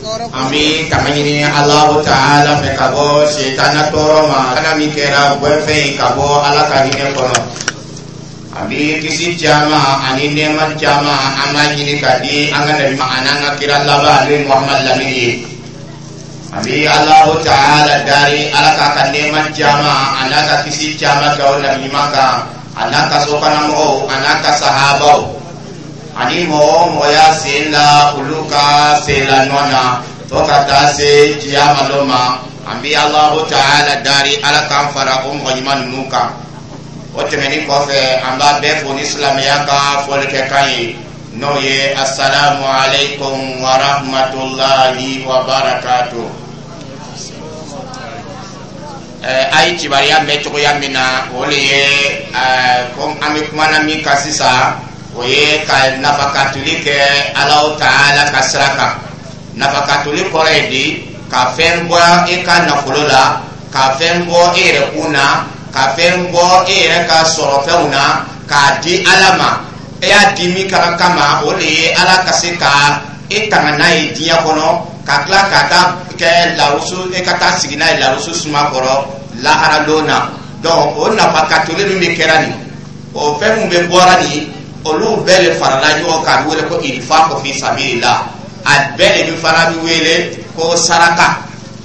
Tɔɔrɔ. An bɛ tanga ɲini Alahu taala fɛ ka bɔ setana tɔɔrɔ ma, kana min kɛra gɛnfɛn ye ka bɔ Ala ka hinɛ kɔnɔ. An bɛ kisi caman ani nɛɛma caman, an b'a ɲini ka di an ka nabi ani an ka kira laban, n'o ye Muhamadu lamini ye. An bɛ Alahu taala dari, Ala k'a ka nɛɛma caman a n'a ka kisi caman kɛ o nabi ɲuman kan, a n'a ka sokɔnɔmɔgɔw, a n'a ka sahabaw, ani mɔgɔ o mɔgɔ y'a sen la olu ka sen la nɔ na fo ka taa se kiyama lon ma. An bɛ Alahu taala dari, Ala k'an fara o mɔgɔ ɲuman ninnu kan. O tɛmɛnin kɔfɛ, an b'a bɛɛ fo ni silamɛya ka fɔlikɛkan ye, n'o ye asalamu aleykum wa rahmatulahi wa barakatuh. A ye kibaruya mɛn cogoya min na, o de ye ko an bɛ kumana min kan sisan, o ye ka nafakatuli kɛ Alahu taala ka sira kan. Nafakatuli kɔrɔ ye di? Ka fɛn bɔ e ka nafolo la, ka fɛn bɔ e yɛrɛ kun na, ka fɛn bɔ e yɛrɛ ka sɔrɔfɛnw na k'a di Ala ma. E y'a di min ka kama, o de ye Ala ka se ka e tanga n'a ye diɲɛ kɔnɔ, ka tila ka taa kɛ larusu, e ka taa sigi n'a ye larusu suma kɔrɔ lahara lon na. Donc o nafakatuli min bɛ kɛra nin, o fɛn min bɛ bɔra nin, olu bɛɛ de farala ɲɔgɔn kan, a bɛ wele ko infaqu fi sabilillah. A bɛɛ de bɛ fana bɛ wele ko saraka,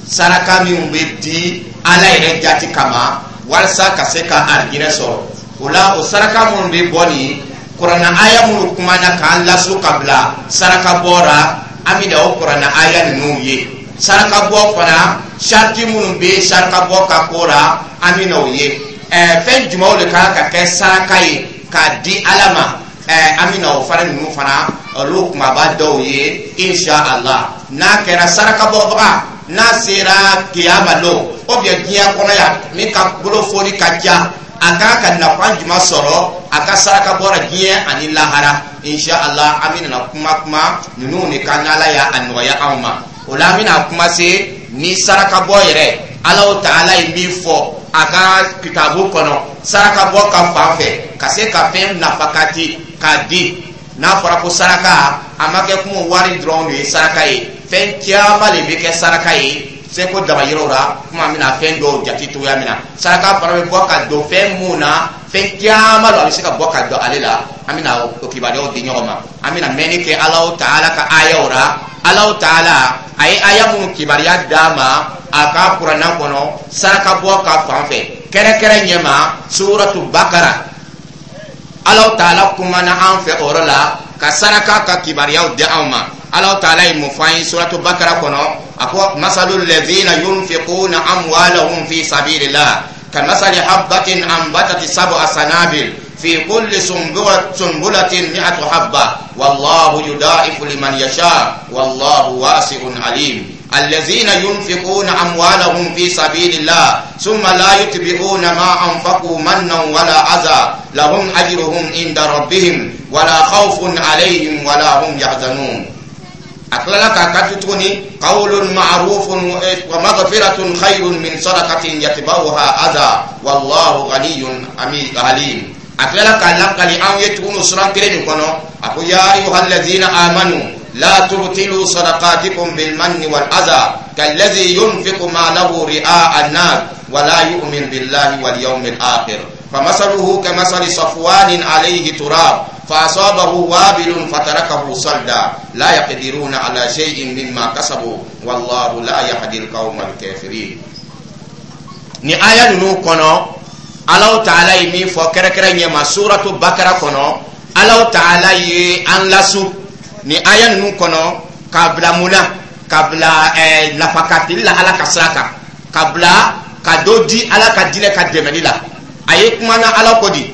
saraka minnu bɛ di Ala yɛrɛ jati kama walasa ka se ka arijinɛ sɔrɔ. O la, o saraka minnu bɛ bɔ nin, kuranna aya minnu kumana k'an lasu ka bila saraka bɔra, an bɛna o kuranna aya ninnu ye. Saraka bɔ fana, sariti minnu bɛ saraka bɔ ka ko la, an bɛna o ye. Fɛn jumɛnw de kan ka kɛ saraka ye k'a di Ala ma? An bɛna o fana ninnu fana, olu kumaba dɔw ye, insha Allah. N'a kɛra saraka bɔbaga, n'a sera kiyama lon ou bien diɲɛ kɔnɔ yan, min ka bolofoli ka ca, a kan ka nafa jumɛn sɔrɔ a ka saraka bɔra diɲɛ ani lahara? Insha Allah, an bɛna kuma ninnu de kan, n'Ala y'a nɔgɔya anw ma. O la, an bɛna kuma se ni saraka bɔ yɛrɛ, Alahu taala ye min fɔ a ka kitabu kɔnɔ saraka bɔ ka fan fɛ, ka se ka fɛn nafakati k'a di. N'a fɔra ko saraka, a ma kɛ kuma wari dɔrɔn de ye saraka ye, fɛn caman de bɛ kɛ saraka ye seko damayɔrɔ la. Kuma bɛna fɛn dɔw jate cogoya min na, saraka fana bɛ bɔ ka don fɛn mun na, fɛn caman don, a bɛ se ka bɔ ka don ale la. An bɛna o kibaruyaw di ɲɔgɔn ma. An bɛna mɛnni kɛ Alahu taala ka ayaw la. Alahu taala a ye aya minnu kibaruya d'a ma a ka kuranna kɔnɔ saraka bɔ ka fan fɛ, kɛrɛkɛrɛ ɲɛma suratu Bakara, Alahu taala kumana an fɛ o yɔrɔ la ka saraka ka kibaruyaw di anw ma. Alahu taala ye mun fɔ an ye suratu Bakara kɔnɔ? A ko: masalu ladzina yunfiquna amwalahum fi sabilillah kamasali habbatin anbatat sab'a sanabil fi kulli sunbulatin mi'atu habba wallahu yudaifu liman yasha wallahu wasi'un alim. الذين ينفقون أموالهم في سبيل الله ثم لا يتبعون ما أنفقوا منا ولا أذى لهم أجرهم عند ربهم ولا خوف عليهم ولا هم يحزنون. A tilala k'a kanto tuguni: قول معروف ومغفرة خير من صدقة يتبعها أذى والله غني حليم. A tilala k'a lakali anw ye tuguni suran kelen nin kɔnɔ, a ko: يا أيها الذين آمنوا لا تبطلوا صدقاتكم بالمن والأذى كالذي ينفق ماله رئاء الناس ولا يؤمن بالله واليوم الآخر فمثله كمثل صفوان عليه تراب فأصابه وابل فتركه صلدا لا يقدرون على شيء مما كسبوا والله لا يهدي القوم الكافرين. Ni aya ninnu kɔnɔ, Alahu taala ye min fɔ kɛrɛkɛrɛ ɲɛma suratu Bakara kɔnɔ, Alahu taala ye an lasu ni aya ninnu kɔnɔ k'a bila mun na? Ka bila nafakatili la Ala ka sira kan, ka bila ka dɔ di Ala ka diinɛ ka dɛmɛli la. A ye kumana Ala ko di,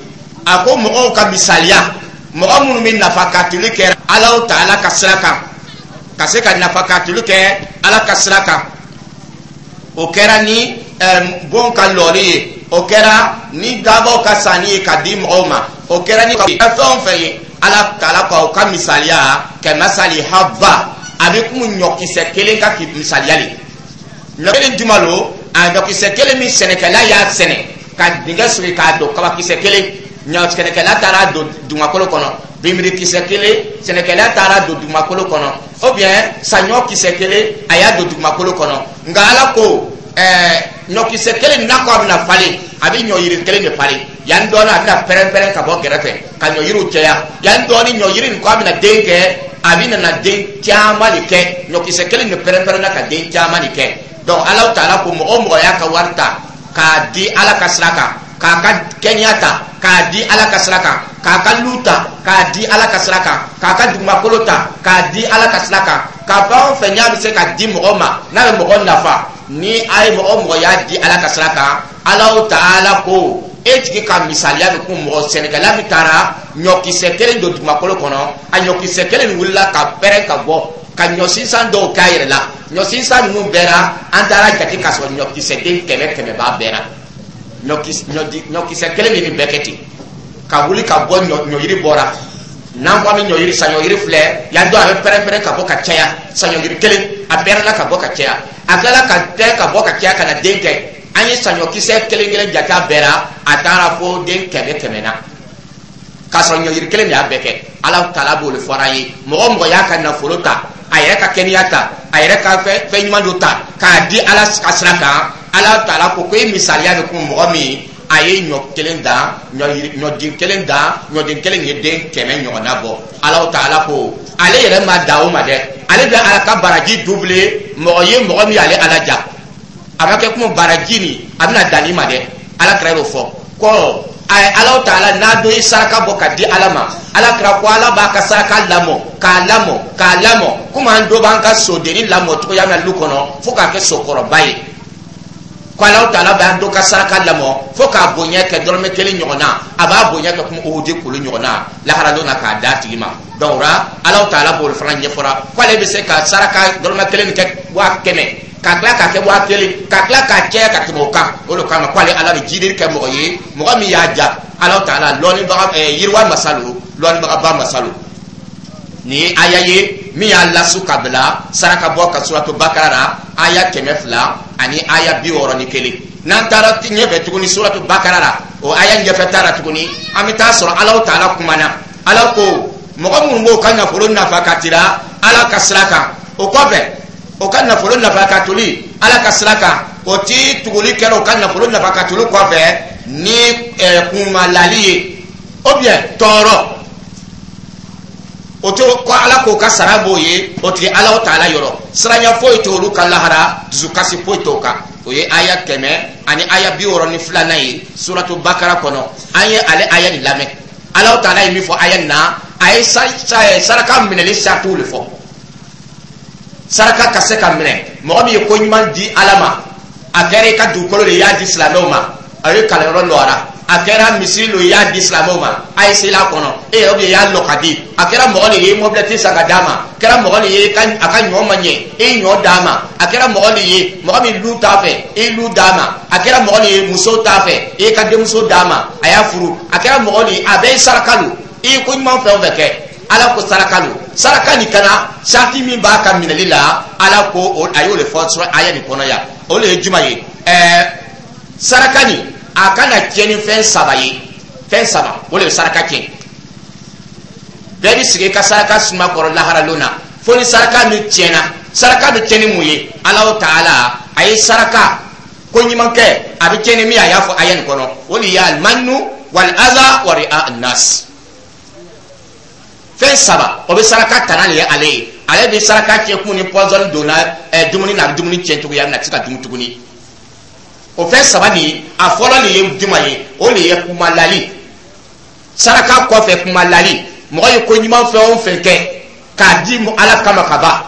a ko mɔgɔw ka misaliya, mɔgɔ minnu bɛ nafakatili kɛ Alahu taala ka sira kan, ka se ka nafakatili kɛ Ala ka sira kan, o kɛra ni bon ka lɔli ye, o kɛra ni dabaw ka sanni ye ka di mɔgɔw ma, o kɛra ni fɛn o fɛn ye, Ala taala ka o ka misaliya كمثل حبة, a bɛ komi ɲɔkisɛ kelen ka misaliya le. Ɲɔ kelen juma lo? A ɲɔkisɛ kelen min sɛnɛkɛla y'a sɛnɛ ka dingɛ sigi k'a don, kabakisɛ kelen, ɲɔ sɛnɛkɛla taara don dugumakolo kɔnɔ, binbirikisɛ kelen, sɛnɛkɛla taara don dugumakolo kɔnɔ. Ou bien saɲɔ kisɛ kelen, a y'a don dugumakolo kɔnɔ. Nka Ala ko ɲɔkisɛ kelen, n'a ko a bɛna falen, a bɛ ɲɔyiri kelen de falen. Yanni dɔɔnin, a bɛna pɛrɛn-pɛrɛn ka bɔ gɛrɛfɛ ka ɲɔyiriw caya. Yanni dɔɔnin, ɲɔyiri nin ko a bɛna den kɛ, a bɛ nana den caman de kɛ. Ɲɔkisɛ kelen de pɛrɛn-pɛrɛnna ka den caman de kɛ. Donc Ala taala ko mɔgɔ o mɔgɔ y'a ka wari ta k'a di Ala ka sira kan, k'a ka kɛnɛya ta k'a di Ala ka sira kan, k'a ka lu ta k'a di Ala ka sira kan, k'a ka dugumakolo ta k'a di Ala ka sira kan, ka fɛn o fɛn n'a bɛ se ka di mɔgɔ ma, n'a bɛ mɔgɔ nafa, ni a ye mɔgɔ o mɔgɔ y'a di Ala ka sira kan, Ala taala ko e tigi ka misaliya bɛ kun mɔgɔ sɛnɛkɛla min taara ɲɔkisɛ kelen don dugumakolo kɔnɔ, a ɲɔkisɛ kelen nin wulila ka pɛrɛn ka bɔ ka ɲɔ sinsan dɔw k'a yɛrɛ la. Ɲɔ sinsan ninnu bɛɛ la, an taara jate k'a sɔrɔ ɲɔkisɛ den kɛmɛ kɛmɛ b'a bɛɛ la. Ɲɔkisɛ kelen de nin bɛɛ kɛ ten ka wuli ka bɔ. Ɲɔyiri bɔra, n'an ko an bɛ ɲɔyiri, saɲɔyiri filɛ yan dɔn, a bɛ pɛrɛn-pɛrɛn ka bɔ ka caya. Saɲɔyiri kelen, a pɛrɛnna ka bɔ ka caya, a tilala ka pɛrɛn ka bɔ ka caya ka na den kɛ. An ye saɲɔkisɛ kelen kelen jate a bɛɛ la, a taara fo den kɛmɛ kɛmɛ na, k'a sɔrɔ ɲɔyiri kelen de y'a bɛɛ kɛ. Ala taala b'o de fɔra an ye: mɔgɔ o mɔgɔ y'a ka nafolo ta, a yɛrɛ ka kɛnɛya ta, a yɛrɛ ka fɛn ɲuman dɔ ta k'a di Ala ka sira kan, Ala taala ko e misaliya bɛ kun mɔgɔ min a ye ɲɔ kelen dan, ɲɔden kelen dan, ɲɔden kelen ye den 100 ɲɔgɔnna bɔ. Ala taala ko ale yɛrɛ ma da o ma dɛ, ale bɛ Ala ka baraji doubler mɔgɔ ye, mɔgɔ min y'ale Ala ja. A ma kɛ kuma baraji nin a bɛna dan nin ma dɛ. Ala kira y'o fɔ ko Ala taala n'a dɔ ye saraka bɔ ka di Ala ma, Ala kira ko Ala b'a ka saraka lamɔ, k'a lamɔ, k'a lamɔ, komi an dɔ b'an ka sodennin lamɔ cogoya min na lu kɔnɔ fo k'a kɛ sokɔrɔba ye. Ko Ala taala b'an dɔ ka saraka lamɔ fo k'a bonya kɛ dɔrɔmɛ kelen ɲɔgɔn na, a b'a bonya kɛ komi Uhudi kulu ɲɔgɔn na laharadon na k'a d'a tigi ma. Donc o la, Ala taala b'o fana ɲɛfɔra k'ale bɛ se ka saraka dɔrɔmɛ kelen kɛ 100,000, ka tila k'a kɛ 1000, ka tila k'a caya ka tɛmɛ o kan. O de kama k'ale Ala bɛ jidili kɛ mɔgɔ ye, mɔgɔ min y'a ja. Ala taala lɔnnibaga yiriwa masa lo, lɔnnibagaba masa lo. Nin ye aya ye min y'a lasu ka bila saraka bɔ ka Suratu Bakara la, aya 261. N'an taara ɲɛfɛ tuguni Suratu Bakara la, o aya ɲɛfɛ taara tuguni, an bɛ taa sɔrɔ Ala taala kumana. Ala ko mɔgɔ minnu b'o ka nafolo nafa ka tira Ala ka sira kan, o kɔfɛ o ka nafolo nafa ka toli Ala ka sira kan, o ti tuguli kɛra o ka nafolo nafa ka toli kɔfɛ ni kunmalali ye ou bien tɔɔrɔ o to ko Ala k'o ka sara b'o ye. O tigi Ala taala yɔrɔ, siranya foyi t'olu ka lahara, dusukasi foyi t'o kan. O ye aya 162nan ye Suratu Bakara kɔnɔ. An ye ale aya nin lamɛn. Ala taala ye min fɔ aya nin na, a ye saraka minɛli saratiw de fɔ. Saraka ka se ka minɛ, mɔgɔ min ye ko ɲuman di Ala ma, a kɛra i ka dugukolo de, i y'a di silamɛw ma, a ye kalanyɔrɔ lɔra, a kɛra misiri lo, i y'a di silamɛw ma, a ye sela kɔnɔ e yɛrɛ, i y'a lɔ ka di, a kɛra mɔgɔ de ye mɔbilɛti san ka d'a ma, a kɛra mɔgɔ de ye a ka ɲɔ ma ɲɛ, e ye ɲɔ d'a ma, a kɛra mɔgɔ de ye mɔgɔ min lu t'a fɛ, e ye lu d'a ma, a kɛra mɔgɔ de ye muso t'a fɛ, e ye ka denmuso d'a ma, a y'a furu, a kɛra mɔgɔ de ye, a bɛɛ ye saraka lo. I ye ko ɲuman fɛn o fɛn kɛ, Ala ko saraka lo. Saraka nin kana sarati min b'a ka minɛli la, Ala ko a y'o de fɔ sɔrɔ aya nin kɔnɔ yan. O de ye jumɛn ye? Saraka nin, a kana tiɲɛ ni fɛn saba ye. Fɛn saba, o de bɛ saraka tiɲɛ. Bɛɛ bɛ sigi i ka saraka suma kɔrɔ laharalon na fo ni saraka min tiɲɛna. Saraka bɛ tiɲɛ ni mun ye? Ala taala a ye saraka ko ɲuman kɛ, a bɛ tiɲɛ ni min ye, a y'a fɔ aya nin kɔnɔ, o de ye almanu wal aza wa ri'a an-nas. Fɛn saba, o bɛ saraka tana de ye. Ale ye, ale bɛ saraka tiɲɛ kun ni pɔsɔni donna dumuni na, a bɛ dumuni tiɲɛ cogoya min na, a tɛ se ka dun tuguni. O fɛn saba nin, a fɔlɔ de ye jumɛn ye? O de ye kumalali. Saraka kɔfɛ, kumalali. Mɔgɔ ye ko ɲuman fɛn o fɛn kɛ k'a di Ala kama ka ban,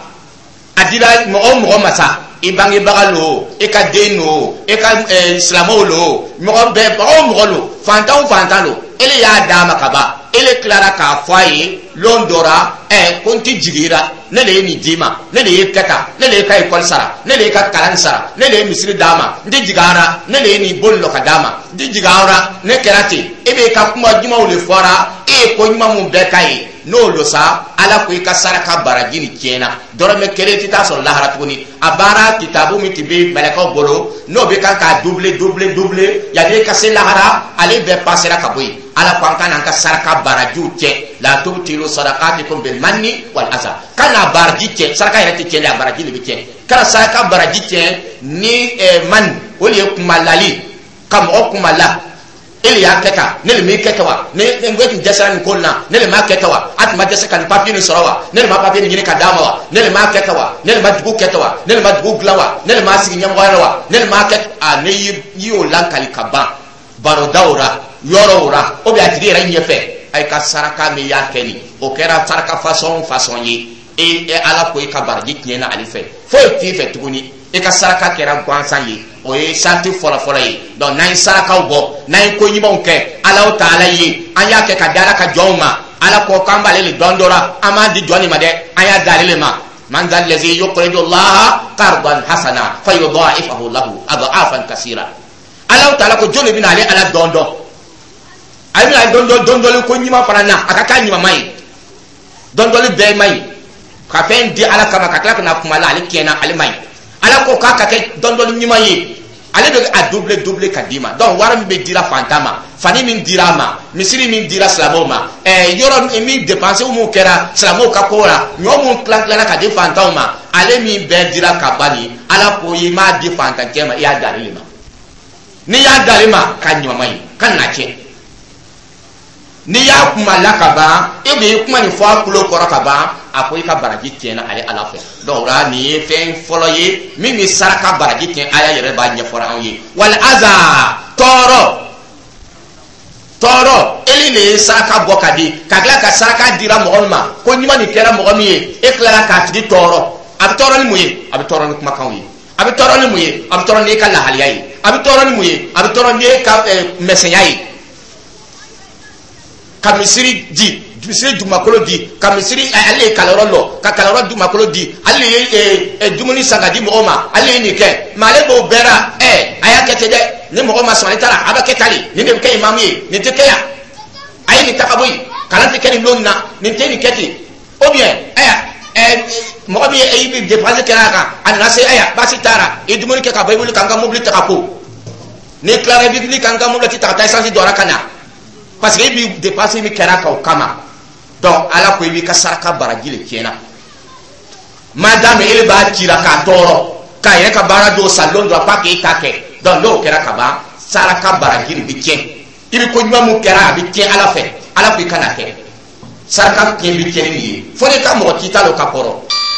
a dira mɔgɔ o mɔgɔ ma sa, i bangebaga lo, i ka den lo, i ka silamɛw lo, mɔgɔ bɛɛ, mɔgɔ o mɔgɔ lo, fantan o fantan lo, ele y'a d'a ma ka ban, ele tilara k'a fɔ a ye lon dɔ la ko n ti jigin i la, ne de ye nin d'i ma, ne de ye kɛ tan, ne de ye ka ekɔli sara, ne de ye ka kalan sara, ne de ye misiri d'a ma, n ti jigin a la, ne de ye nin boli lɔ ka d'a ma, n ti jigin a la, ne kɛra ten. E b'e ka kuma ɲumanw de fɔra, e ye ko ɲuman mun bɛɛ k'a ye, n'o lo sa, Ala ko i ka saraka baraji nin tiɲɛna, dɔrɔmɛ kelen tɛ taa sɔrɔ lahara tuguni. A baara kitabu min tun bɛ mɛlɛkɛw bolo, n'o bɛ kan k'a doubler, doubler, doubler yanni i ka se lahara, ale bɛɛ pasera ka bɔ yen. Ala ko an ka n'an ka saraka barajiw tiɲɛ. La tubtilu sadaqatikum bil manni wal aza. Kana baraji tiɲɛ. Saraka yɛrɛ tɛ tiɲɛ dɛ, a baraji de bɛ tiɲɛ. Kana saraka baraji tiɲɛ ni man, o de ye kumalali, ka mɔgɔ kumala: e le y'a kɛ tan, ne le m'i kɛ tan wa? Ne n ko e tun dɛsɛra nin ko in na, ne le m'a kɛ tan wa? A tun ma dɛsɛ ka nin papiye nin sɔrɔ wa? Ne le ma papiye nin ɲini ka d'a ma wa? Ne le m'a kɛ tan wa? Ne le ma dugu kɛ tan wa? Ne le ma dugu dilan wa? Ne le m'a sigi ɲɛmɔgɔya la wa? Ne le m'a kɛ a? Ne y'i y'o lakali ka ban barodaw ra, yɔrɔw ra, ou bien a tigi yɛrɛ ɲɛfɛ. A ka saraka min y'a kɛ nin, o kɛra saraka façon façon ye, e Ala ko i ka baraji tiɲɛna ale fɛ, foyi t'i fɛ tuguni, i ka saraka kɛra gansan ye. O ye sarati fɔlɔfɔlɔ ye. Donc n'an ye sarakaw bɔ, n'an ye ko ɲumanw kɛ Alaw ta Ala ye, an y'a kɛ ka di Ala ka jɔnw ma. Ala ko k'an b'ale le dɔn dɔ la, an b'a di jɔn de ma dɛ, an y'a di ale le ma. Man dha allazi yuqridu Allaha qardan hasana fayudha'ifahu lahu adha'afan kasira. Alaw taala ko jɔn de bɛna ale Ala dɔn dɔn, ale bɛna dɔn dɔn dɔndɔli ko ɲuman fana na, a ka k'a ɲuman ye. Dɔndɔli bɛɛ man ɲi. Ka fɛn di Ala kama ka tila ka na kuma la, ale tiɲɛna, ale man ɲi. Ala ko k'a ka kɛ dɔndɔli ɲuman ye, ale bɛ a double double ka d'i ma. Donc wari min bɛ dira fantan ma, fani min dira a ma, misiri min dira silamɛw ma, yɔrɔ min dépense mun kɛra silamɛw ka ko la, ɲɔ mun tilan tilala ka di fantanw ma, ale min bɛɛ dira ka ban nin, Ala ko i m'a di fantancɛ ma, i y'a di ale de ma. N'i y'a di ale ma, k'a ɲuman ye, ka na tiɲɛ. N'i y'a kuma la ka ban, e bɛ kuma nin fɔ a tulo kɔrɔ ka ban, a ko i ka baraji tiɲɛna ale Ala fɛ. Donc o la, nin ye fɛn fɔlɔ ye min bɛ saraka baraji tiɲɛ. Aya yɛrɛ b'a ɲɛfɔra anw ye. Wal aza, tɔɔrɔ, tɔɔrɔ. Eli de ye saraka bɔ ka di, ka tila ka saraka dira mɔgɔ min ma, ko ɲuman nin kɛra mɔgɔ min ye, e tilala k'a tigi tɔɔrɔ. A bɛ tɔɔrɔ ni mun ye? A bɛ tɔɔrɔ ni kumakanw ye. A bɛ tɔɔrɔ ni mun ye? A bɛ tɔɔrɔ n'e ka lahaliya ye. A bɛ tɔɔrɔ ni mun ye? A bɛ tɔɔrɔ n'e ka mɛsɛnya ye. Ka misiri di, misiri dugumakolo di, ka misiri, ale ye kalanyɔrɔ lɔ, ka kalanyɔrɔ dugumakolo di, ale ye dumuni san ka di mɔgɔw ma, ale ye nin kɛ, mɛ ale b'o bɛɛ la. A y'a kɛ ten dɛ, ni mɔgɔ ma sɔn, ale taara, a bɛ kɛ tan de, nin de bɛ kɛ imamu ye, nin tɛ kɛ yan, a ye nin ta ka bɔ yen, kalan tɛ kɛ nin don na, nin tɛ nin kɛ ten. Ou bien mɔgɔ min ye e bɛ dépense kɛra a kan, a nana se, ayiwa, baasi t'a i dumuni kɛ ka bɔ, i wuli k'an ka mobili ta ka ko, n'i tilara, i bɛ wuli k'an ka mobili ta ka taa essence don a la ka na, parce que e bi dépense min kɛra kan o kama. Donc Ala ko i b'i ka saraka baraji de tiɲɛna. Madame ele b'a cira k'a tɔɔrɔ, k'a yɛrɛ ka baara dɔw san lon dɔ k'a k'e ta kɛ. Donc n'o kɛra ka ban, saraka baraji de bɛ tiɲɛ. I bɛ ko ɲuman mun kɛra, a bɛ tiɲɛ Ala fɛ. Ala ko i kana kɛ. Saraka tiɲɛ bɛ tiɲɛ ni nin ye. Fo ne ka mɔgɔ ci t'a la o ka kɔrɔ,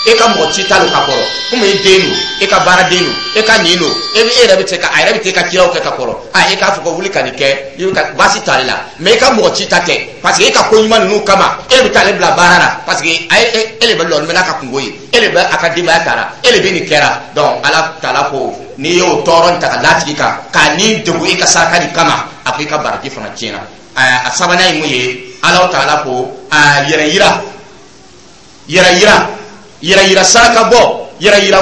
e ka mɔgɔ ci t'a la o ka kɔrɔ, komi e den don, e ka baaraden don, e ka nin don, e bɛ e yɛrɛ bɛ se ka a yɛrɛ bɛ t'e ka ciraw kɛ ka kɔrɔ. A e k'a fɔ ko wuli ka nin kɛ, i bɛ ka baasi t'ale la. Mɛ e ka mɔgɔ ci ta tɛ, parce que e ka ko ɲuman ninnu kama, e bɛ taa ale bila baara la, parce que e e de bɛ lɔni bɛ n'a ka kungo ye, e de bɛ a ka denbaya ta la, e de bɛ nin kɛra. Donc Ala taala ko n'i y'o tɔɔrɔ nin ta ka d'a tigi kan, k'a ni degun e ka saraka nin kama, a ko i ka baraji fana tiɲɛna. A sabanan ye mun ye? Ala taala ko a yɛrɛ yira, yɛrɛ yira, yɛrɛ yira saraka bɔ, yɛrɛ yira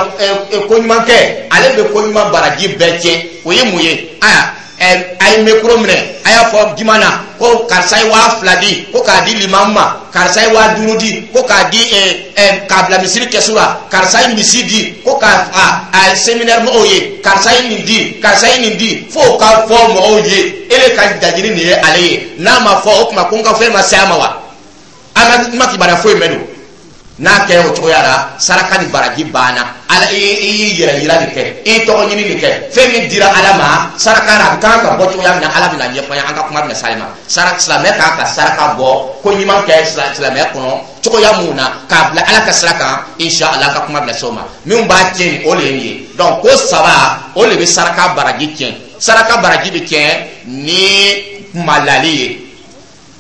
ko ɲuman kɛ, ale bɛ ko ɲuman baraji bɛɛ tiɲɛ. O ye mun ye? Aya, a ye micro minɛ, a y'a fɔ juma na ko karisa ye 2000 di ko k'a di limamu ma, karisa ye 5000 di ko k'a di k'a bila misiri kɛsu la, karisa ye misi di ko k'a a séminaire mɔgɔw ye, karisa ye nin di, karisa ye nin di, f'o ka fɔ mɔgɔw ye e de ka laɲini nin ye ale ye. N'a ma fɔ, o tuma ko n ka fɛn ma se a ma wa? A ma kibaruya foyi mɛn don. N'a kɛra o cogoya la, saraka ni baraji banna. Ala i y'i yɛrɛ yira nin kɛ, i tɔgɔ ɲini nin kɛ, fɛn min dira Ala ma saraka la, a bɛ kan ka bɔ cogoya min na, Ala bɛna ɲɛfɔ an ye. An ka kuma bɛna s'ale ma. Saraka, silamɛ kan ka saraka bɔ, ko ɲuman kɛ silamɛya kɔnɔ cogoya mun na, k'a bila Ala ka sira kan, inshallah, an ka kuma bɛna s'o ma. Min b'a tiɲɛ, o de ye nin ye. Donc ko saba, o de bɛ saraka baraji tiɲɛ. Saraka baraji bɛ tiɲɛ ni kumalali ye,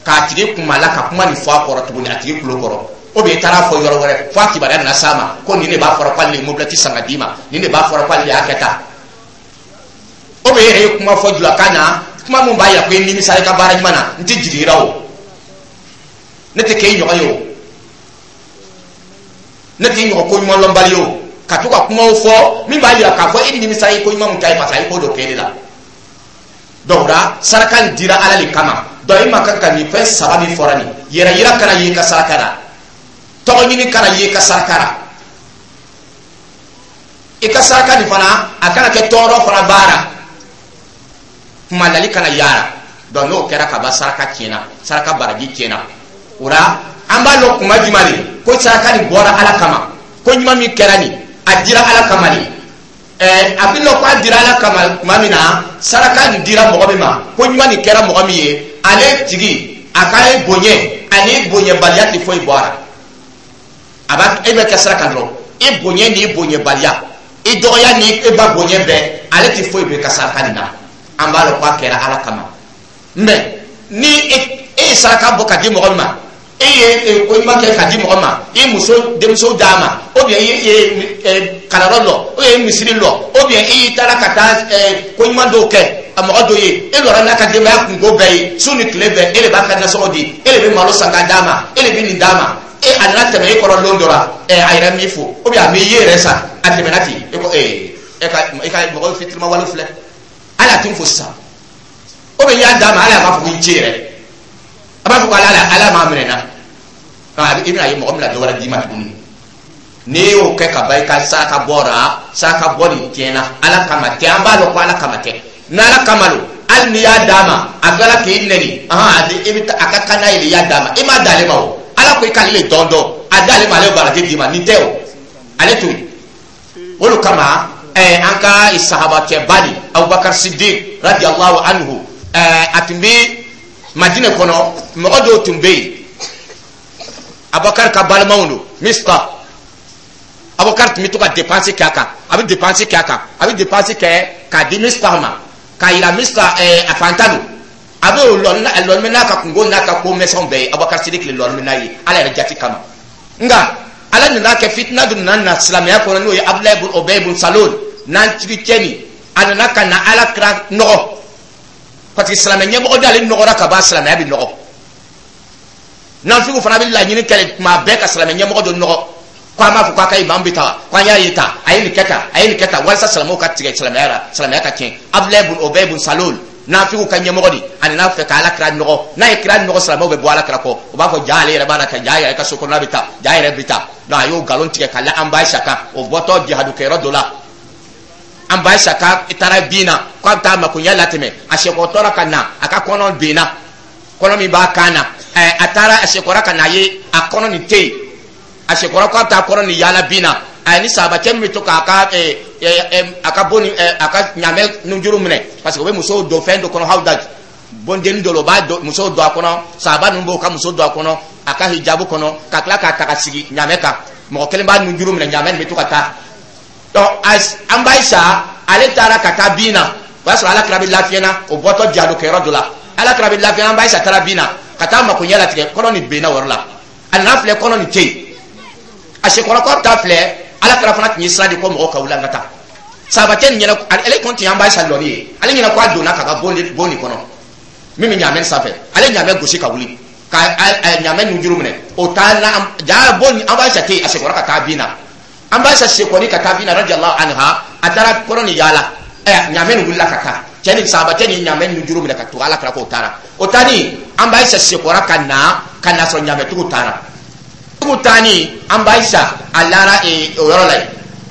k'a tigi kumala, ka kuma nin fɔ a kɔrɔ tuguni, a tigi tulo kɔrɔ, o bɛ i taara fɔ yɔrɔ wɛrɛ, fo a kibaruya nana s'a ma ko nin de b'a fɔra k'ale ye mobilɛti san ka d'i ma, nin de b'a fɔra k'ale de y'a kɛ tan. O bɛ e yɛrɛ ye kuma fɔ julakan na, kuma mun b'a yira ko i nimisa i ka baara ɲuman na. N tɛ jigin i la o, ne tɛ kɛ i ɲɔgɔn ye o, ne tɛ i ɲɔgɔn ko ɲuman lɔnbali ye o, ka to ka kumaw fɔ min b'a yira k'a fɔ e nimisa i ko ɲuman mun kɛ ye, parce que a ye ko dɔ kɛ ne la. Donc la saraka nin dira Ala de kama. Donc i ma kan ka nin fɛn saba min fɔra nin, yɛrɛ yira kana ye i ka saraka la, tɔgɔ ɲini kana ye i ka saraka la, i ka saraka nin fana a kana kɛ tɔɔrɔ fana baara, kumalali kana yaara. Donc n'o kɛra ka ban, saraka tiɲɛna, saraka baraji tiɲɛna. O la, an b'a lɔn kuma jumɛn de ko saraka nin bɔra Ala kama, ko ɲuman min kɛra nin, a dira Ala kama de. A bɛ lɔn ko a dira Ala kama tuma min na, saraka nin dira mɔgɔ min ma, ko ɲuman nin kɛra mɔgɔ min ye, ale tigi a ka ye bonya ani bonyabaliya tɛ foyi bɔ a la. A b'a e bɛ kɛ saraka dɔrɔn, i bonya ni i bonyabaliya, i dɔgɔya ni e ba bonya bɛɛ, ale tɛ foyi bɔ i ka saraka nin na. An b'a lɔn ko a kɛra Ala kama. Mɛ ni e ye saraka bɔ ka di mɔgɔ min ma, e ye ko ɲuman kɛ ka di mɔgɔ ma, i muso denmuso d'a ma, ou bien i ye kalanyɔrɔ lɔ, ou bien i ye misiri lɔ, ou bien i y'i taara ka taa ko ɲuman dɔw kɛ a mɔgɔ dɔ ye, e lɔra n'a ka denbaya kunko bɛɛ ye, su ni tile bɛɛ e de b'a ka nasɔngɔ di, e de bɛ malo san ka d'a ma, e de bɛ nin d'a ma, e a nana tɛmɛ e kɔrɔ lon dɔ la, a yɛrɛ m'i fo, ou bien a m'i ye yɛrɛ sa, a tɛmɛna ten, e ko e ka mɔgɔ fitirima wale filɛ, hali a tɛ n fo sisan, ou bien i y'a d'a ma, hali a b'a fɔ ko i ce yɛrɛ, a b'a fɔ ko Ala m'a minɛ n na. I bɛna ye mɔgɔ min na dɔ wɛrɛ d'i ma tuguni. N'i y'o kɛ ka ban, i ka saraka bɔra, saraka bɔ nin tiɲɛna, Ala kama tɛ. An b'a dɔn ko Ala kama tɛ. N'Ala kama don, hali n'i y'a d'a ma, a tilala k'i nɛni, ahan, i bɛ taa a ka kan n'a ye de, i y'a d'a ma, i m'a d'ale ma. O Ala ko i k'ale le dɔn dɔn, a d'ale ma, ale bɛ baraji d'i ma. Nin tɛ o, ale to yen. O de kama an ka sahabakɛba de, Abubakar Sidik radiyallahu anhu, a tun bɛ Madinɛ kɔnɔ, mɔgɔ dɔw tun bɛ yen, Abubakar ka balimaw don, Mista. Abubakar tun bɛ to ka dépense kɛ a kan, a bɛ dépense kɛ a kan, a bɛ dépense kɛ k'a di Mista ma, k'a yira Mista a fantan don. A bɛ o lɔnni bɛ n'a ka kungo n'a ka ko mɛsɛnw bɛɛ ye. Abubakar Sidik le lɔnni bɛ n'a ye Ala yɛrɛ jati kama. Nka Ala nana kɛ, fitina dɔ nana na silamɛya kɔnɔ, n'o ye Abudulayi bun Obɛyi bun Salol n'an tigi cɛ nin. A nana ka na Ala kira nɔgɔ, parce que silamɛ ɲɛmɔgɔ d'ale nɔgɔra ka ban, silamɛya bɛ nɔgɔ. Nafigiw fana bɛ laɲini kɛ tuma bɛɛ ka silamɛ ɲɛmɔgɔ dɔ nɔgɔ, ko an b'a fɔ k'a ka imam bɛ taa, ko an y'a ye tan, a ye nin kɛ tan, a ye nin kɛ tan, walasa silamɛw ka tigɛ silamɛya la, silamɛya ka tiɲɛ. Abudulayi bun Obɛyi bun Salol, nafigiw ka ɲɛmɔgɔ de, a nana fɛ ka Ala kira nɔgɔ. N'a ye kira nɔgɔ, silamɛw bɛ bɔ Ala kira kɔ, o b'a fɔ ja ale yɛrɛ b'a la ka ja yɛrɛ ka so kɔnɔna bɛ taa, ja yɛrɛ bɛ taa. Donc a y'o nkalon tigɛ ka la an ba Ayisa kan. O bɔtɔ jihadu kɛyɔrɔ dɔ la, an ba Ayisa ka taara bin na k'a bɛ taa makoɲɛ latɛmɛ, a sekɔtɔra ka na, a ka kɔnɔ benna, kɔnɔ min b'a kan na. A taara, a sekɔra ka na, a ye a kɔnɔ nin tɛ yen. A sekɔrɔ k'a bɛ taa kɔnɔ nin yaala bin na, a ni sahabacɛ min bɛ to k'a ka a ka bon ni a ka ɲamɛ nujuru minɛ, parce que o bɛ musow don fɛn dɔ kɔnɔ, hawdaj bondenni dɔ la, o b'a don musow don a kɔnɔ, sahaba ninnu b'o ka muso don a kɔnɔ, a ka hijabu kɔnɔ, ka tila k'a ta ka sigi ɲamɛ kan. Mɔgɔ kelen b'a nujuru minɛ, ɲamɛ nin bɛ to ka taa. Donc an ba Ayisa, ale taara ka taa bin na, o y'a sɔrɔ Ala kira bɛ lafiya na, o bɔtɔ jihadu kɛyɔrɔ dɔ la, Ala kira bɛ lafiya. An ba Ayisa taara bin na ka taa makoɲɛ latigɛ, kɔnɔ nin benna o yɔrɔ la. A nana filɛ, kɔnɔ nin tɛ yen. A sekɔrɔ kɔ bɛ taa filɛ, Ala kira fana tun ye sira di ko mɔgɔw ka wuli an ka taa. Sahabacɛ nin ɲɛna, ale kɔni tun y'an ba Ayisa lɔni ye, ale ɲɛna ko a donna k'a ka bon nin kɔnɔ min bɛ ɲaamɛ sanfɛ. Ale ɲaamɛ gosi ka wuli ka ɲaamɛ nujuru minɛ, o taa na ja bon, an ba Ayisa tɛ yen. A sekɔrɔ ka taa bin na, an ba Ayisa sekɔni ka taa bin na radiyallahu anha, a taara kɔnɔ nin yaala, ɲaamɛ nin wulila ka taa. Cɛ ni sahabacɛ ni ɲaamɛ nujuru minɛ ka tugu Ala kira k'o taara. O taani, an ba Ayisa sekɔra ka na, ka na sɔrɔ ɲaamɛtigiw taara. Tigiw taani, an ba Ayisa a lara o yɔrɔ la yen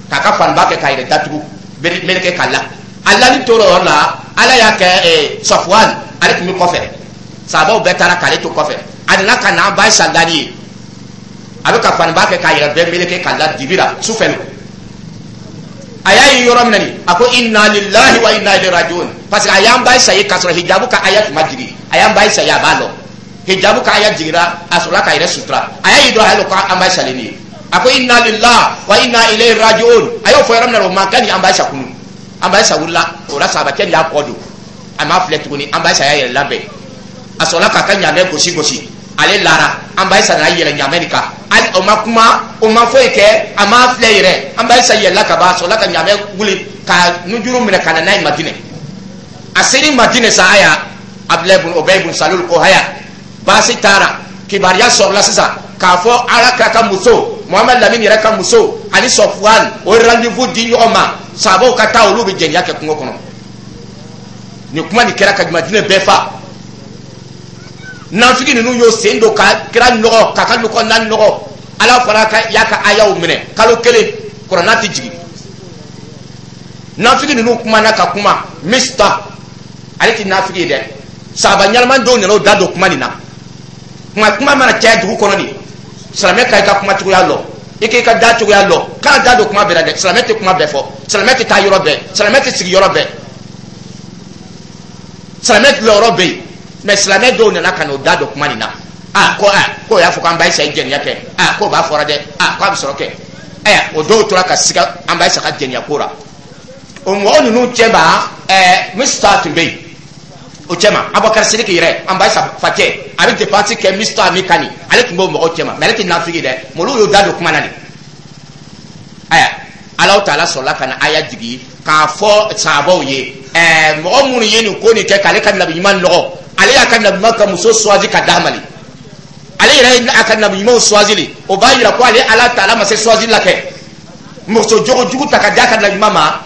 k'a ka faniba kɛ k'a yɛrɛ datugu meleke k'a la. A lali tora o yɔrɔ la, Ala y'a kɛ Safuwan, ale tun bɛ kɔfɛ, sahabaw bɛɛ taara k'ale to kɔfɛ. A nana ka na an ba Ayisa lali ye, a bɛ ka faniba kɛ k'a yɛrɛ bɛɛ meleke k'a la dibi la, sufɛ don. A y'a ye yɔrɔ min na nin, a ko inna lillahi wa inna ilayhi rajiun, parce que a y'an ba Ayisa ye k'a sɔrɔ hijabu ka aya tun ma jigin. A y'an ba Ayisa ye, a b'a lɔn hijabu ka aya jiginra, a sɔrɔla k'a yɛrɛ sutura. A y'a ye dɔrɔn, a y'a lɔn ko an ba Ayisa le nin ye. A ko inna lillahi wa inna ilayhi rajiun. A y'o fɔ yɔrɔ min na, o man kan ni an ba Ayisa kunu. An ba Ayisa wulila o la, sahabacɛ nin y'a kɔ don, a m'a filɛ tuguni. An ba Ayisa y'a yɛrɛ labɛn, a sɔrɔla k'a ka ɲamɛ gosi gosi, ale lara. An ba Ayisa nana yɛlɛ ɲamɛ nin kan, hali o ma kuma, o ma foyi kɛ, a m'a filɛ yɛrɛ. An ba Ayisa yɛlɛla ka ban, a sɔrɔla ka ɲamɛ wuli ka nujuru minɛ ka na n'a ye Madinɛ. A seri Madinɛ sa, aya Abudulayi bun Obɛyi bun Salul ko haya, baasi taara. Kibaruya sɔrɔla sisan k'a fɔ Ala kira ka muso, Muhamadu Lamini yɛrɛ ka muso ani Sɔfuwan, o ye rendez-vous di ɲɔgɔn ma, sahabaw ka taa, olu bɛ jɛnɛya kɛ kungo kɔnɔ. Nin kuma nin kɛra ka Madinɛ bɛɛ fa. Nafigi ninnu y'o sen don ka kira nɔgɔ, k'a ka kɔnɔna nɔgɔ. Ala fana ka y'a ka ayaw minɛ, kalo 1 kuranna tɛ jigin. Nafigi ninnu kumana ka kuma. Mista, ale tɛ nafigi ye dɛ, sahaba ɲɛnama dɔw nana o da don kuma nin na. Kuma Kuma kuma mana caya dugu kɔnɔ nin, silamɛ ka i ka kuma cogoya lɔ, i k'i ka da cogoya lɔ, kana da don kuma bɛɛ la dɛ. Silamɛ tɛ kuma bɛɛ fɔ, silamɛ tɛ taa yɔrɔ bɛɛ, silamɛ tɛ sigi yɔrɔ bɛɛ, silamɛ lɔyɔrɔ bɛ yen. Mɛ silamɛ dɔw nana ka n'o da don kuma nin na. A ko a k'o y'a fɔ k'an ba Ayisa ye jɛnɛya kɛ. A k'o b'a fɔra dɛ. A k'a bɛ sɔrɔ kɛ. Ayiwa, o dɔw tora ka siga an ba Ayisa ka jɛnɛya ko la. O mɔgɔ ninnu cɛma, Misita tun bɛ yen o cɛma. Abubakar Sidiki yɛrɛ, an ba Ayisa facɛ, a bɛ dépense kɛ Misita min kan nin, ale tun b'o mɔgɔw cɛma, mɛ ale tɛ nafigi dɛ. Mɛ olu y'o da don kuma na nin. Ayiwa, Alahu Taala sɔrɔla ka na aya jigi k'a fɔ sahabaw ye: mɔgɔ minnu ye nin ko nin kɛ k'ale ka nabi ɲuman nɔgɔ, ale y'a ka nabi ɲuman ka muso choisi ka d'a ma le, ale yɛrɛ ye a ka nabi ɲumanw choisi le. O b'a yira ko ale Ala Taala ma se choisi la kɛ muso jogo jugu ta ka d'a ka nabi ɲuman ma,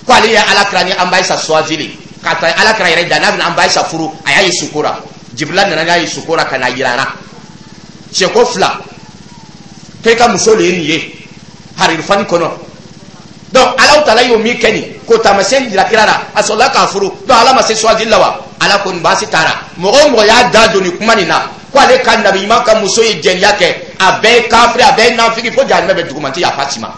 ko ale ye Ala kira ni an ba Ayisa choisi le k'a ta. Ala kira yɛrɛ da n'a bɛna an ba Ayisa furu, a y'a ye suko la. Jibirila nana n'a ye suko la ka na yira a la siɲɛko fila k'e ka muso le ye nin ye haririfani kɔnɔ. Donc Alahu Taala y'o min kɛ nin k'o taamasiyɛn jira kira la, a sɔrɔla k'a furu. Donc Ala ma se choisi la wa? Ala ko nin baasi taara. Mɔgɔ o mɔgɔ y'a da don nin kuma nin na ko ale ka nabi ɲuman ka muso ye jɛnɛya kɛ, a bɛɛ ye kafiri, a bɛɛ ye nafigi, fo jahanamɛ bɛ duguma, n tɛ yafa si ma.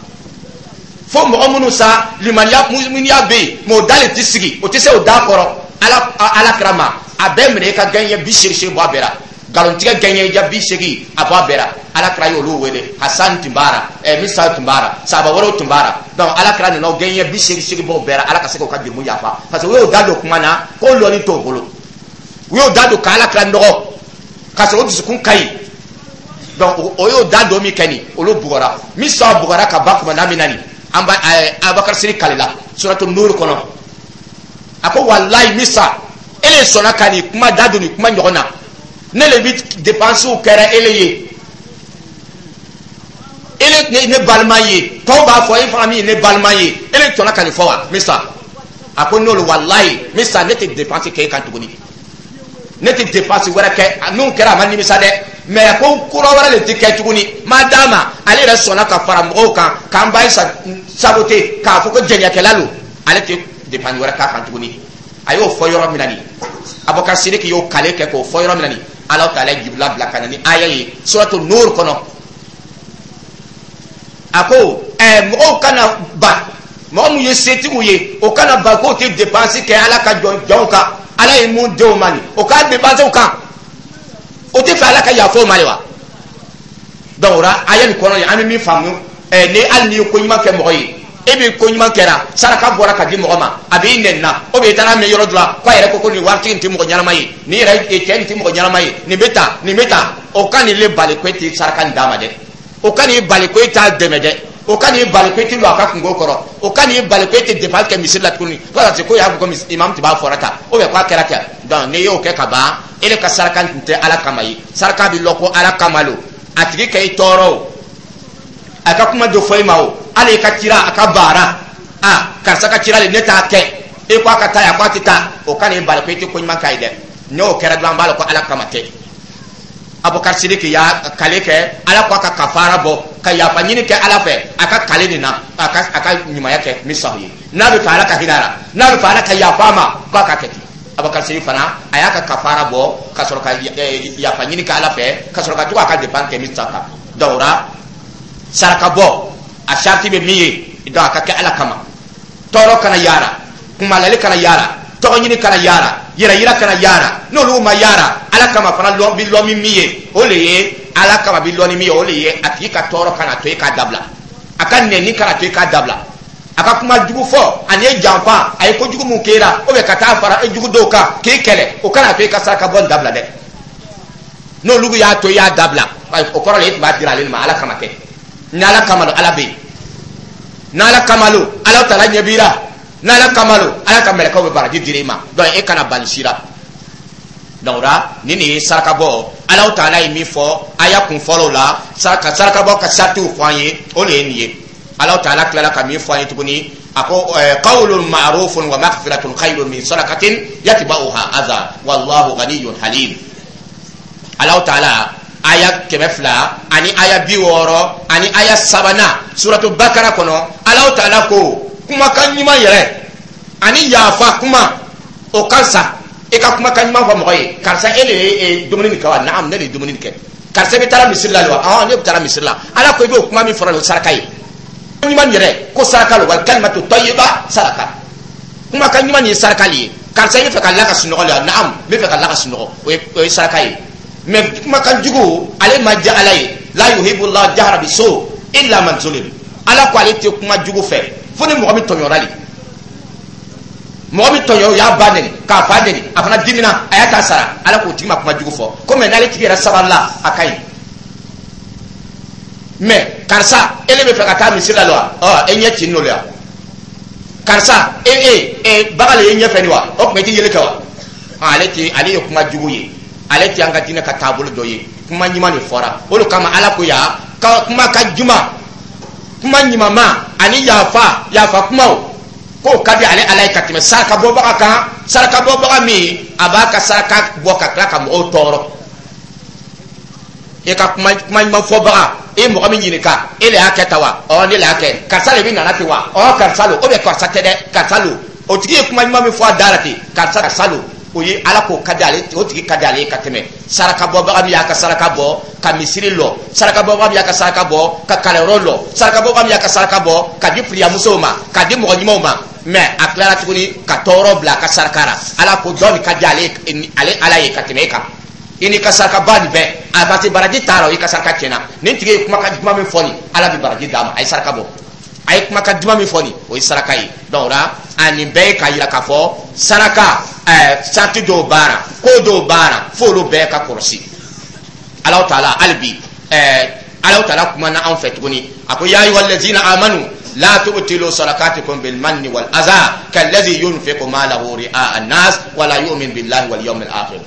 Fo mɔgɔ minnu sa limaniya muminiya bɛ yen, mɛ o da le tɛ sigi, o tɛ se o da kɔrɔ Ala kira ma. A bɛɛ minɛ i ka gɛɲɛ 80 bɔ a bɛɛ la, nkalontigɛ gɛɲɛ ja 80 a bɔ a bɛɛ la. Ala kira y'olu wele. Hasan tun b'a la, Misa tun b'a la, sahaba wɛrɛw tun b'a la. Donc Ala kira nana o gɛɲɛ 88 bɔ o bɛɛ la, Ala ka se k'o ka jurumu yafa, parce que u y'o da don kuma na k'o lɔnni t'o bolo. U y'o da don k'Ala kira nɔgɔ k'a sɔrɔ o dusukun ka ɲi. Donc o y'o da don min kɛ nin, olu bugɔra. Misa bugɔra ka ban kuma min na nin, an ba Abubakar Siri kalila suratu Nuru kɔnɔ. A ko: walayi Misa, e le sɔnna ka nin kuma da don nin kuma ɲɔgɔn na, ne le bi dépenses kɛra ele ye, ele ne balima ye, tɔw b'a fɔ e fana min ye ne balima ye, e le sɔnna ka nin fɔ wa? Misa a ko n'olu, walayi Misa, ne tɛ dépense kɛ e kan tuguni, ne tɛ dépense wɛrɛ kɛ. N'o kɛra, a ma nimisa dɛ, mɛ a ko kura wɛrɛ de tɛ kɛ tuguni. Ma d'a ma, ale yɛrɛ sɔnna ka fara mɔgɔw kan k'an ba saboter, k'a fɔ ko jɛnɛkɛla don, ale tɛ dépense wɛrɛ k'a kan tuguni. A y'o fɔ yɔrɔ min na nin, Abubakar Sidiki y'o kale kɛ k'o fɔ yɔrɔ min na nin, Ala Taala ye Jibila bila ka na ni aya ye suratu Nur kɔnɔ. A ko mɔgɔw kana ban, mɔgɔ mun ye setigiw ye, o kana ban k'o tɛ dépense kɛ Ala ka jɔnw kan. Ala ye mun denw ma nin, o k'a dépense o kan, o tɛ fɛ Ala ka yafa o ma de wa? Donc o la, aya nin kɔnɔ, an bɛ min faamu, ni hali n'i ye ko ɲuman kɛ mɔgɔ ye, e bɛ ko ɲuman kɛra, saraka bɔra ka di mɔgɔ ma, a b'i nɛni na, o bɛ i taara mɛn yɔrɔ dɔ la k'a yɛrɛ ko ko nin waritigi nin tɛ mɔgɔ ɲɛnama ye, nin yɛrɛ cɛ nin tɛ mɔgɔ ɲɛnama ye, nin bɛ tan, nin bɛ tan, o ka nin le bali ko e tɛ saraka nin d'a ma dɛ, o ka n'i bali ko e t'a dɛmɛ dɛ, o ka n'i bali ko e tɛ lɔ a ka kungo kɔrɔ, o ka n'i bali ko e tɛ dépense kɛ misiri la tuguni, fo ka se ko y'a fɔ ko imam tun b'a fɔra tan, ou bien k'a kɛra ten. Donc n'i y'o kɛ ka ban, e le ka saraka tun tɛ Ala kama ye. Saraka bɛ lɔ ko Ala kama lo. A tigi ka i tɔɔrɔ o, a ka kuma dɔ fɔ i ma o, hali i ka cira, a ka baara, a karisa ka cira le, ne t'a kɛ, e ko a ka taa yan, ko a tɛ taa, o ka n'i bali ko i tɛ ko ɲuman k'a ye dɛ. N'o kɛra dɔrɔn, an b'a lɔn ko Ala kama tɛ. Abubakar Sidiki y'a kale kɛ, Ala ko a ka kafara bɔ ka yafa ɲini kɛ Ala fɛ a ka kale nin na, a ka ɲumanya kɛ Misahu ye. N'a bɛ fɛ Ala ka hinɛ a la, n'a bɛ fɛ Ala ka yafa a ma, k'a ka kɛ ten. Abubakar Sidiki fana, a y'a ka kafara bɔ ka sɔrɔ ka yafa ɲini kɛ Ala fɛ, ka sɔrɔ ka to k'a ka dépense kɛ Misa kan. Donc o la, saraka bɔ a sariti bɛ min ye, donc a ka kɛ Ala kama, tɔɔrɔ kana yaara, kumalali kana yaara, tɔgɔ ɲini kana yaara, yɛrɛ yira kana yaara. N'olu ma yaara, Ala kama fana lɔn bi lɔn min ye, o le ye Ala kama bi lɔn ni min ye, o le ye a tigi ka tɔɔrɔ kana to e k'a dabila, a ka nɛni kana to e k'a dabila, a ka kuma jugu fɔ ani ye janfa, a ye kojugu mun k'e la, ou bien ka taa fara e jugu dɔw kan k'e kɛlɛ, o kana to e ka saraka bɔ nin dabila dɛ. N'olu y'a to i y'a dabila, o kɔrɔ le e tun b'a dira ale ma, Ala kama tɛ. Ni Ala kama don, Ala bɛ yen. N'Ala kama lo, Ala Taala ɲɛ b'i la. N'Ala kama lo, Ala ka mɛlɛkɛw bɛ baraji dir'i ma. Donc e kana bali si la. Donc o la, ni nin ye saraka bɔ, Ala Taala ye min fɔ aya kun fɔlɔw la, saraka bɔ ka saritiw fɔ an ye, o de ye nin ye. Ala Taala tilala ka min fɔ an ye tuguni, a ko: qawlun ma'rufun wa maghfiratun khayrun min sadaqatin yatba'uha adha wallahu ghaniyyun halim. Ala Taala, aya 200 ani aya 60 ani aya sabanan suratu Bakara kɔnɔ, Ala Taala ko kumakan ɲuman yɛrɛ ani yafa kuma, o ka sa. E ka kumakan ɲuman fɔ mɔgɔ ye: karisa, e de ye dumuni nin kɛ wa? Naam, ne de ye dumuni nin kɛ. Karisa, bɛ taara misiri la wa? Ɔhɔn, ne bɛ taara misiri la. Ala ko i b'o kuma min fɔra, o saraka ye. Ɲuman yɛrɛ ko saraka lo. Wal kalimatu tayyiba saraka. Kumakan ɲuman nin ye saraka le ye. Karisa, i bɛ fɛ ka la ka sunɔgɔ la? Naam, n bɛ fɛ ka la ka sunɔgɔ. O ye saraka ye. Mais kumakan jugu, ale ma diya Ala ye. La yuhibullahu jahra bisu illa man zulim. Ala ko ale tɛ kuma jugu fɛ fo ni mɔgɔ min tɔɲɔra de. Mɔgɔ min tɔɲɔ, o y'a ba neni, k'a fa neni, a fana dimina, a y'a ta sara. Ala k'o tigi ma kuma jugu fɔ ko mɛ n'ale tigi yɛrɛ sabalila, a ka ɲi. Mais karisa, e de bɛ fɛ ka taa misiri la wa? Ɔ, e ɲɛ ci n'o la. Karisa, e e e baga le ye ɲɛfɛ ni wa? O tuma i ti yeli kɛ wa? Ale ti, ale ye kuma jugu ye. Ale ti an ka diinɛ ka taabolo dɔ ye. Kuma ɲuman de fɔra. O de kama Ala ko ya ka kuma ka juma, kuma ɲumanma ani yafa, yafa kumaw, k'o ka di ale Ala ye ka tɛmɛ saraka bɔbaga kan, saraka bɔbaga min a b'a ka saraka bɔ ka tila ka mɔgɔw tɔɔrɔ. E ka kuma, kuma ɲuman fɔbaga, e mɔgɔ min ɲininka: e de y'a kɛ tan wa? Ɔ, ne de y'a kɛ. Karisa de bɛ nana ten wa? Ɔ, karisa lo. Ou bien karisa tɛ dɛ, karisa lo. O tigi ye kuma ɲuman min fɔ a da la ten, karisa, karisa lo, o ye Ala k'o ka di ale, o tigi ka di ale ye ka tɛmɛ saraka bɔbaga min y'a ka saraka bɔ ka misiri lɔ, saraka bɔbaga min y'a ka saraka bɔ ka kalanyɔrɔ lɔ, saraka bɔbaga min y'a ka saraka bɔ ka di firiyamusow ma, ka di mɔgɔ ɲumanw ma, mais a tilara tuguni ka tɔɔrɔ bila a ka saraka la. Ala ko dɔ nin ka di ale, ale Ala ye ka tɛmɛ e kan, i n'i ka saraka ba nin bɛɛ a, parce que baraji t'a la. I ka saraka tiɲɛna. Nin tigi ye kuma ka duman min fɔ nin, Ala bɛ baraji d'a ma. A ye saraka bɔ, a ye kuma ka duman min fɔ nin, o ye saraka ye. Donc o la, a nin bɛɛ ye k'a yira k'a fɔ saraka sarati dɔw baara, ko dɔw baara, f'olu bɛɛ ka kɔlɔsi. Alahu taala, hali bi Alahu taala kumana anw fɛ tuguni. A ko: ya ayyuhallazina amanu la tubtilu sadaqatikum bil manni wal adha kallazi yunfiqu malahu ri'a an-nas wala yu'min billahi wal yawmil akhir.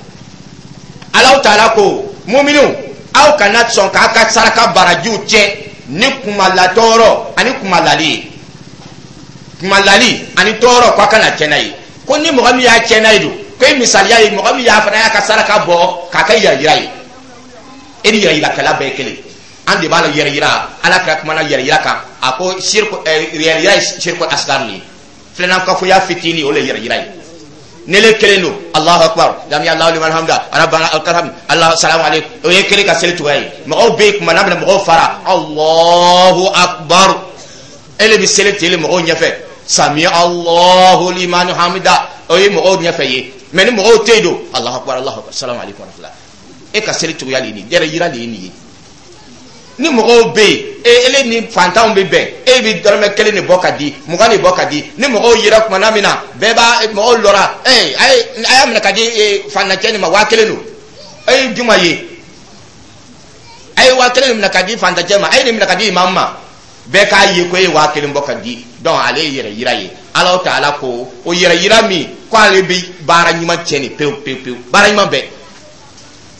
Alahu taala ko: muminu, aw kana sɔn k'a ka saraka barajiw tiɲɛ ni kumalatɔɔrɔ ani kumalali ye. Kumalali ani tɔɔrɔ, ko a kana tiɲɛ n'a ye. Ko ni mɔgɔ min y'a tiɲɛ n'a ye don, ko e misaliya ye mɔgɔ min y'a fana y'a ka saraka bɔ k'a kɛ yɛrɛ yira ye. E ni yɛrɛ yirakɛla bɛɛ ye kelen. An de b'a la yɛrɛ yira. Ala kɛra kumana yɛrɛ yira kan. A ko siriku, yɛrɛ yira ye siriku asgar de ye, filanan kafoya fitinin, o le ye yɛrɛ yira ye. Ne le kelen don, Alahu akbar, sami Alahu liman hamida, rabbana lakal hamd, Allah salamu aleykum, o ye kelen ka seli cogoya ye. Mɔgɔw bɛ yen kuma n'a bɛna mɔgɔw fara, Alahu akbar, e le bɛ seli ten mɔgɔw ɲɛfɛ, sami Alahu liman hamida, o ye mɔgɔw ɲɛfɛ ye. Mais ni mɔgɔw tɛ yen don, Alahu akbar, Alahu akbar, salamu aleykum warahmatulah, e ka seli cogoya de ye nin ye, yɛrɛ yira de ye nin ye. Ni mɔgɔw bɛ yen, e ele ni fantanw bɛ bɛn, e bɛ dɔrɔmɛ 1 de bɔ ka di, 20 de bɔ ka di. Ni mɔgɔw yera kuma min na, bɛɛ b'a mɔgɔw lɔra, ee, a ye, a y'a minɛ ka di fantancɛ nin ma, 1000 don. E ye juma ye, a ye 1000 minɛ ka di fantancɛ ma, a ye nin minɛ ka di imamu ma, bɛɛ k'a ye ko e ye 1000 bɔ ka di. Donc ale ye yɛrɛ yira ye. Ala taala ko o yɛrɛ yira min ko ale bɛ baara ɲuman tiɲɛ nin pewu pewu pewu, baara ɲuman bɛɛ,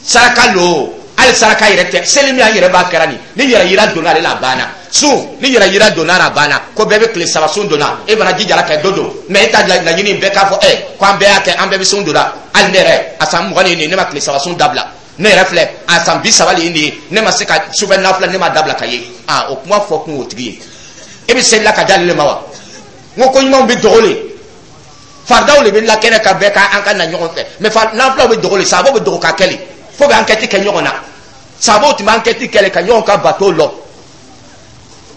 saraka lo, hali saraka yɛrɛ tɛ, seli min an yɛrɛ b'a kɛra nin, ni yɛrɛ yira donna ale la, a banna. Sun, ni yɛrɛ yira donna a banna. Ko bɛɛ bɛ tile 3 sun donna, e fana jijara ka dɔ don, mais e ta laɲini bɛɛ k'a fɔ ɛ ko an bɛɛ y'a kɛ, an bɛɛ bɛ sun donna. Hali ne yɛrɛ, a san 20 ye nin ye, ne ma tile 3 sun dabila. Ne yɛrɛ filɛ, a san 30 le ye nin ye, ne ma se ka sufɛ nafila, ne ma dabila ka ye. Aa, o kuma fɔ kun o tigi ye, e bɛ seli la ka d'ale ma wa? N ko ko ɲumanw bɛ dogo le, faridaw de bɛ lakɛnɛ ka bɛɛ ka an ka na ɲɔgɔn fɛ, mais nafilaw bɛ dogo le, sababu bɛ dogo ka kɛ le fo bɛ enquête kɛ ɲɔgɔn na. Sababu tun bɛ enquête kɛ le ka ɲɔgɔn ka bato lɔ.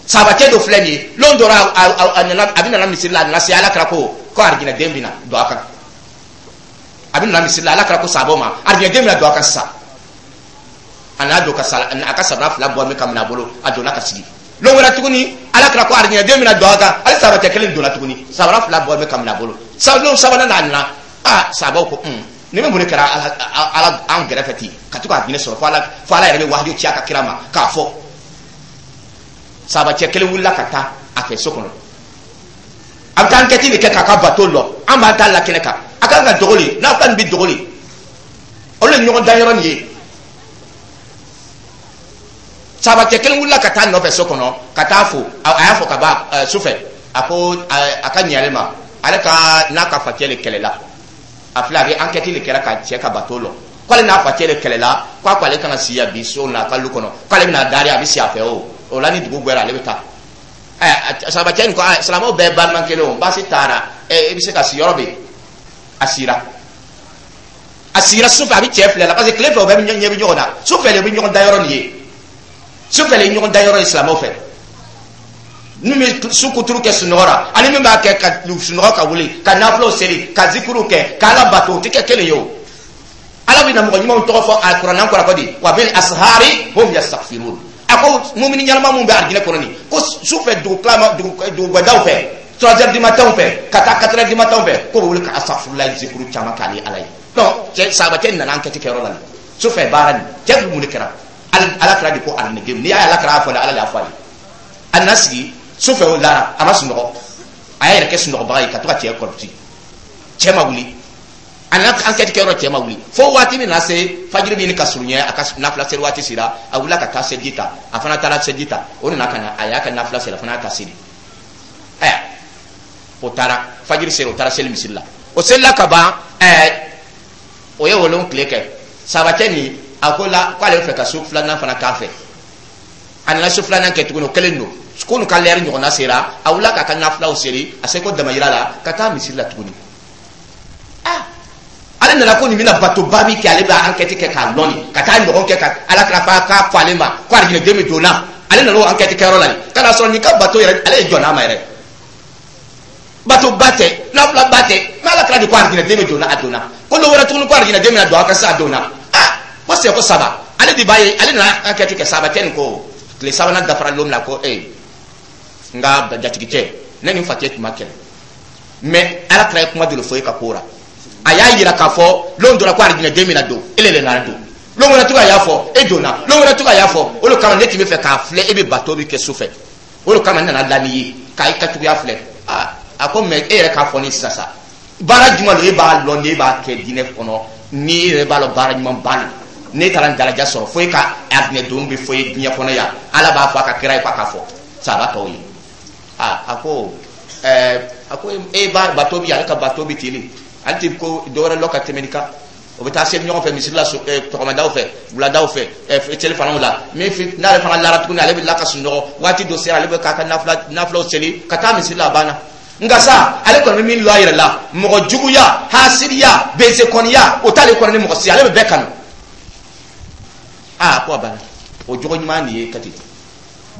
Sabacɛ dɔ filɛ nin ye, lon dɔ a nana, a bɛ nana misiri la, a nana se, Ala kɛra ko ko arijinɛden bɛ na don a kan. A bɛ nana misiri la, Ala kɛra ko sababu ma, arijinɛden bɛ na don a kan sisan. A nana don ka sala, a ka sabara fila bɔ min ka minɛ a bolo, a donna ka sigi. Lon wɛrɛ tuguni, Ala kɛra ko arijinɛden bɛ na don a kan, hali sabacɛ kelen donna tuguni, sabara fila bɔ min ka minɛ a bolo. Lon sabanan n'a nana, aa, sabaw ko ni bɛ mun de kɛra Ala an gɛrɛfɛ ten ka to k'a jinɛ sɔrɔ, fo Ala yɛrɛ bɛ wahiyu ci a ka kira ma k'a fɔ. Sabacɛ kelen wulila ka taa a fɛ so kɔnɔ, a bɛ taa enquête de kɛ k'a ka bato lɔ. An b'an ta la kɛnɛ kan, a kan ka dogo le, n'a fila nin bɛ dogo le, olu ye ɲɔgɔn dan yɔrɔ nin ye. Sabacɛ kelen wulila ka taa nɔfɛ so kɔnɔ ka taa fo. A y'a fɔ ka ban sufɛ, a ko a ka ɲɛ ale ma, ale ka n'a ka facɛ le kɛlɛla. A filɛ, a bɛ enquête de kɛra ka cɛ ka bato lɔ, k'ale n'a facɛ de kɛlɛla, k'a ko ale kana si yan bi so na a ka lu kɔnɔ, k'ale bɛna dari, a bɛ si a fɛ. O la, ni dugu gbɛra, ale bɛ taa. Ɛ, sabacɛ nin ko silamɛw bɛɛ balima kelen o, baasi taara, ɛ, i bɛ se ka si yɔrɔ bɛ yen. A sira. A sigira sufɛ, a bɛ cɛ filɛ la, parce que tile fɛ o bɛɛ bɛ ɲɛ bɛ ɲɔgɔn na, sufɛ de bɛ ɲɔgɔn da yɔrɔ nin ye, sufɛ de ye ɲɔgɔn da yɔrɔ ye silamɛw fɛ. Min bɛ su kuturu kɛ sunɔgɔ la ani min b'a kɛ ka sunɔgɔ ka wuli ka nafilaw seli, ka zikiriw kɛ, ka Ala bato, o tɛ kɛ kelen ye. O Ala bɛ na mɔgɔ ɲumanw tɔgɔ fɔ a kuranɛ kɔnɔ ko di wa bil ashari hum yastaghfirun. A ko mumini ɲɛnama mun bɛ arijinɛ kɔnɔ nin, ko sufɛ dugu tilama, dugugadaw fɛ, 3 heures du matin fɛ ka taa 4 heures du matin fɛ, k'o bɛ wuli ka astaghfirullah zikuru caman k'ale Ala ye. Donc cɛ sahabacɛ nana enquête kɛyɔrɔ la nin sufɛ baara nin, cɛ bɛ mun de kɛra? Ala kira de ko arijinɛden, n'i y'a ye Ala kira y'a fɔ dɛ, Ala de y'a fɔ a ye. A nana sigi sufɛ, o lara, a ma sunɔgɔ, a y'a yɛrɛ kɛ sunɔgɔbaga ye ka to ka cɛ kɔlɔsi. Cɛ ma wuli. A nana enquête kɛyɔrɔ, cɛ ma wuli, fo waati min na se fajiri bɛ ɲini ka surunya, a ka nafila seli waati sera, a wulila ka taa seliji ta. A fana taara seliji ta, o nana ka na, a y'a ka nafila seli, a fana y'a ka seli. Aya, o taara, fajiri sera, o taara seli misiri la. O selila ka ban, o ye wolon tile kɛ. Sabacɛ nin, a ko la k'ale bɛ fɛ ka su filanan fana k'a fɛ. A nana su filanan kɛ tuguni, o kelen don ko n'u ka lɛri ɲɔgɔnna sera, a wulila k'a ka nafilaw seli, a seko damayira la, ka taa misiri la tuguni. Ah, ale nana ko nin bɛna batoba min kɛ, ale bɛ enquête kɛ k'a lɔn nin ka taa ɲɔgɔn kɛ ka Ala kira fa k'a fɔ ale ma ko arijinɛden bɛ donna. Ale nana o enquête kɛyɔrɔ la nin ka na sɔrɔ nin ka bato yɛrɛ, ale ye jɔn n'a ma yɛrɛ, batoba tɛ, nafilaba tɛ, mɛ Ala kira de ko arijinɛden bɛ donna, a donna. Ko dɔ wɛrɛ tuguni ko arijinɛden bɛna don a ka se, a donna. Ah, ko sɛ ko saba, ale de b'a ye, ale nana enquête kɛ. Saba tɛ nin ko tile sabanan dafara don min na, ko ee, n ka jatigicɛ, ne ni n facɛ tun ma kɛlɛ, mɛ Ala kira ye kuma dɔ de fɔ e ka ko la. A y'a yira k'a fɔ lon dɔ la ko arijinɛden bɛna don, e le nana don. Lon wɛrɛ tugun, a y'a fɔ, e donna. Lon wɛrɛ tugun, a y'a fɔ. O de kama ne tun bɛ fɛ k'a filɛ e bɛ bato min kɛ su fɛ, o de kama n nana la n'i ye k'a ka cogoya filɛ. Aa, a ko mɛ e yɛrɛ k'a fɔ ne sisan sa, baara jumɛn don e b'a lɔn, n'e b'a kɛ diinɛ kɔnɔ, n'i yɛrɛ b'a lɔn baara ɲuman ba don, ne taara n daraja sɔrɔ fo e ka arijinɛ don bɛ fɔ e diɲɛ kɔnɔ yan, Ala b'a fɔ a ka kira ye k'a ka fɔ saba tɔw ye. Aa, a ko a ko e b'a bato bi, ale ka bato bi teli, ale tɛ ko dɔwɛrɛ lɔ ka tɛmɛ nin kan. O bɛ taa seli ɲɔgɔn fɛ misiri la, sɔgɔmadaw fɛ, wuladaw fɛ, selifanaw la. Min n'ale fana lara tuguni, ale bɛ la ka sunɔgɔ. Waati dɔ sera, ale bɛ k'a ka nafilaw seli ka taa misiri la, a banna. Nka sa, ale kɔni bɛ min lɔ a yɛrɛ la, mɔgɔ juguya, hasiriya, besekɔniya, o t'ale kɔnɔ ni mɔgɔ si, ale bɛ bɛɛ kanu. Aa, ko a banna, o jogo ɲuman de ye kati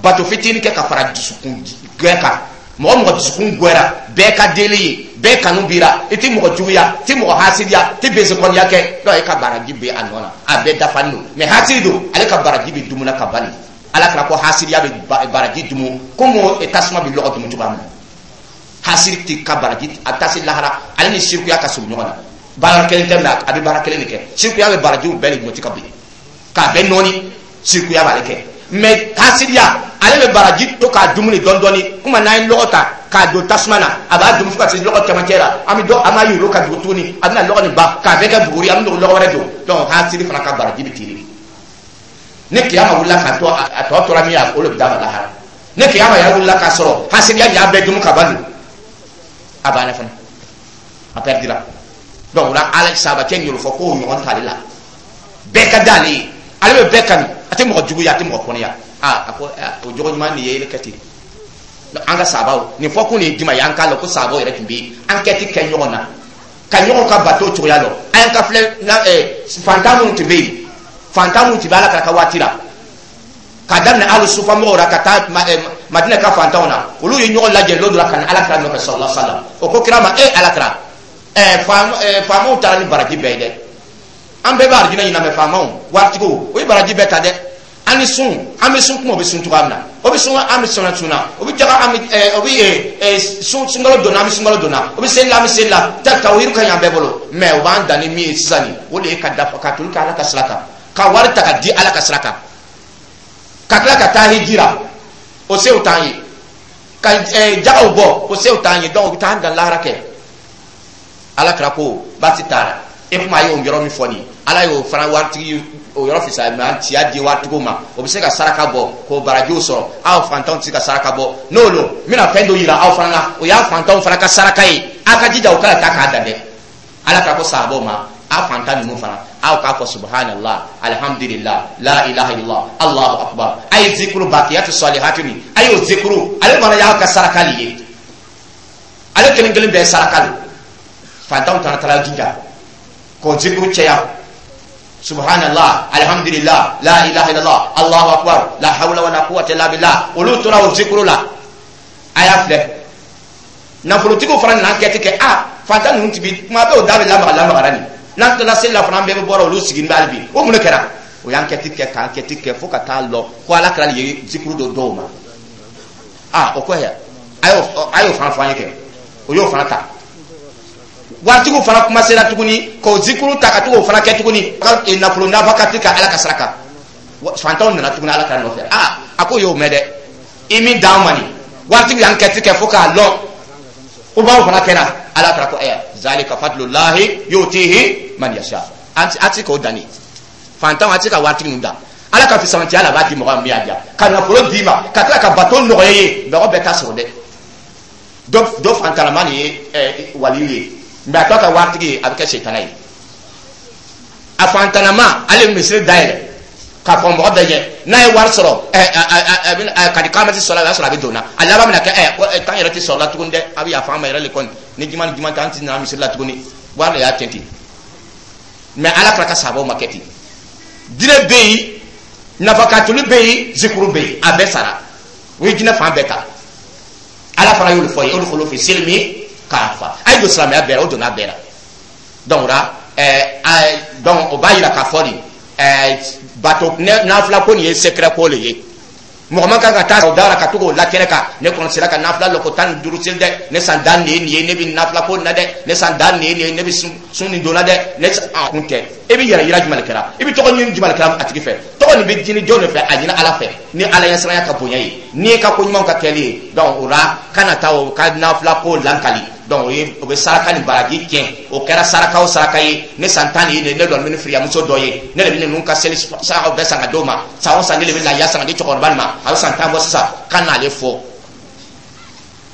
bato fitinin kɛ ka fara dusukun gɛn kan. Mɔgɔ mɔgɔ dusukun gɛra, bɛɛ ka deli ye, bɛɛ kanu bira, i ti mɔgɔ juguya, i ti mɔgɔ hasidiya, i ti besekɔniya kɛ, donc e ka baraji bɛ a nɔ na, a bɛɛ dafalen don. Mɛ hasidi don, ale ka baraji bɛ dumuna ka bali. Ala kira ko hasidiya bɛ baraji dumu komi tasuma bɛ lɔgɔ dumu cogoya min na. Hasidi ti ka baraji, a bɛ taa se lahara, ale ni sirikuya ka surun ɲɔgɔn na. Baara kelen tɛ, mɛ a bɛ baara kelen de kɛ. Sirikuya bɛ barajiw bɛɛ de ɲɔti ka bin k'a bɛɛ nɔɔni, sirikuya b'ale kɛ. Mɛ hasidiya, ale bɛ baraji to k'a dumuni dɔɔni dɔɔni. Kuma n'an ye lɔgɔ ta k'a don tasuma na, a b'a dumu fo ka se lɔgɔ cɛmancɛ la, an bɛ dɔ, an b'a yoro ka dugu tuguni, a bɛna lɔgɔ nin ban k'a bɛɛ kɛ buguri, an bɛ lɔgɔ wɛrɛ don. Donc hasidi fana ka baraji bɛ tiiri. Ni kiyama wulila k'a to a tɔ tora min ye, o de bɛ d'a ma lahara. Ni kiyama yɛrɛ wulila k'a sɔrɔ hasidiya nin y'a bɛɛ dumu ka ban don, a banna fana, a pɛridira. Donc o la, Ala sabacɛ nin y'o fɔ k'o ɲɔgɔn t'ale la, bɛɛ ka d'ale ye, ale bɛ bɛɛ kanu, a tɛ mɔgɔ juguya, a tɛ mɔgɔ kɔnɔya. Aa, a ko o jogo ɲuman nin ye ele kɛ ten. An ka sabaw nin fɔ kun nin juma ye, an k'a lɔn ko sabaw yɛrɛ tun bɛ enquête kɛ ɲɔgɔn na ka ɲɔgɔn ka bato cogoya lɔn. An y'an ka filɛ na fantan minnu tun bɛ yen, fantan minnu tun bɛ Ala ka waati la, k'a daminɛ alu sufa mɔgɔw la ka taa Madina ka fantanw na, olu ye ɲɔgɔn lajɛ lon dɔ la ka na Ala kira nɔfɛ sallallahu alaihi wasallam. O ko kira ma: e Ala kira, faamaw taara ni baraji bɛɛ ye dɛ, an bɛɛ bɛ arijinɛ ɲini, mɛ faamaw, waritigiw, o ye baraji bɛɛ ta dɛ. An ni sun, an bɛ sun kuma, o bɛ sun cogoya min na, o bɛ sun, an bɛ sun sun na, o bɛ jaga, an bɛ o bɛ sun, sunkalo donna, an bɛ sunkalo donna, o bɛ seli la, an bɛ seli la, ta o yiri ka ɲi an bɛɛ bolo. Mɛ o b'an dan ni min ye sisan nin, o de ye ka dafa ka toli kɛ Ala ka sira kan, ka wari ta ka di Ala ka sira kan, ka tila ka taa hijira, o sew t'an ye, ka jagaw bɔ, o sew t'an ye. Donc o bɛ taa an dan lahara kɛ. Ala kira ko baasi t'a la. E kuma a y'o yɔrɔ min fɔ nin, Ala y'o fana waritigi o yɔrɔ fisaya, mɛ an ciya di waritigiw ma, o bɛ se ka saraka bɔ k'o barajiw sɔrɔ. Aw fantanw tɛ se ka saraka bɔ, n'o don, n bɛna fɛn dɔ yira aw fana na, o y'a fantanw fana ka saraka ye. Aw ka jija o kana taa k'a dan dɛ. Ala ka ko sahabaw ma: aw fantan ninnu fana, aw k'a fɔ subhanallah, alhamdulillah, la ilaha illallah, Allahu akbar. A ye zikuru bakiyatu salihatu ni a y'o zikuru, ale fana y'aw ka saraka de ye, ale kelen kelen bɛɛ saraka don. Fantanw taara jija. K'o zikuru cɛya: subhanallah, alhamdulillah, la ilaha illallah, Allahu akbar, la hawla wala quwwata illa billah. Olu tora o zikuru la. A y'a filɛ, nafolotigiw fana nana kɛ ten kɛ. A fantan ninnu ti bi kuma bɛɛ, o da bɛ lamaga lamagara nin. N'an tilala seli la fana, an bɛɛ bɛ bɔra, olu sigilen bɛ hali bi. O mun de kɛra? O y'an kɛti kɛ, k'an kɛti kɛ fo ka taa lɔ ko Ala kɛra ye zikuru dɔ dɔw ma. A o ko yɛ, a y'o fana fɔ an ye kɛ. O y'o fana ta. Waritigiw fana kuma sera tuguni k'o zikuru ta ka to k'o fana kɛ tuguni ka nafolo nafakati ka Ala ka saraka. Fantanw nana tuguni Ala ka nɔfɛ. Aa, a ko y'o mɛn dɛ, i min d'an ma nin, waritigiw y'an kɛti kɛ fo k'a lɔn o b'aw fana kɛra. Ala kɛra ko ɛɛ, zalika fadlullahi yutihi man yasha. An ti k'o danni fantanw, a ti ka waritigi ninnu da. Ala ka fisamantiya la, a b'a di mɔgɔ min y'a diya ka nafolo d'i ma, ka tila ka bato nɔgɔya ye. Mɔgɔ bɛɛ t'a sɔrɔ dɛ. Dɔ fantalama nin ye waliyu ye, mɛ a tɔ ka waritigi ye, a bɛ kɛ setana ye. A fantanama, ale bɛ misiri dayɛlɛ k'a fɔ mɔgɔ bɛɛ ɲɛ. N'a ye wari sɔrɔ, a bɛ ka di kamati sɔrɔ, a y'a sɔrɔ a bɛ don na. A laban bɛna kɛ tan yɛrɛ tɛ sɔrɔ la tuguni dɛ. A bɛ yafa an ma yɛrɛ le kɔni, ni juma ni juma tɛ, an ti na misiri la tuguni. Wari de y'a tiɲɛ ten. Mɛ Ala kɛra ka sababu ma kɛ ten. Jinɛ bɛ yen, nafakatuli bɛ yen, zikuru bɛ yen, a bɛɛ sara. O ye jinɛ fan bɛɛ ta. Ala fana y'olu fɔ ye, olu fɔlɔ fi silimi k'a fa. A ye don silamɛya bɛɛ la, o donna bɛɛ la. Donc o la donc o b'a yira k'a fɔ nin bato nafila ko nin ye secret ko le ye. Mɔgɔ man kan ka taa o da la ka to k'o la kɛnɛ kan: ne kɔni sera ka nafila lɔ ko 15 seli dɛ, ne san dan nin ye nin ye, ne bɛ nafila ko nin na dɛ, ne san dan nin ye nin ye, ne bɛ sun nin don na dɛ. Ne a kun tɛ. E bɛ yɛrɛ yira jumɛn de kɛra? I bɛ tɔgɔ ɲini jumɛn de kɛra a tigi fɛ? Tɔgɔ nin bɛ ɲini jɔn de fɛ? A ɲini Ala fɛ, ni Ala ɲɛsiranya ka bonya ye, n'i ka ko ɲumanw ka kɛli ye. Donc o la, kana taa o ka nafila ko lankali. Donc o ye, o bɛ saraka ni baraji tiɲɛ. O kɛra saraka o saraka ye, ne san 10 ye, ne dɔn ni firiyamuso dɔ ye, ne de bɛ ninnu ka seli sarakaw bɛɛ san ka d'o ma san o san, ne de bɛ lahiya san ka di cɛkɔrɔba nin ma, a bɛ san 10 bɔ sisan. Ka n'ale fɔ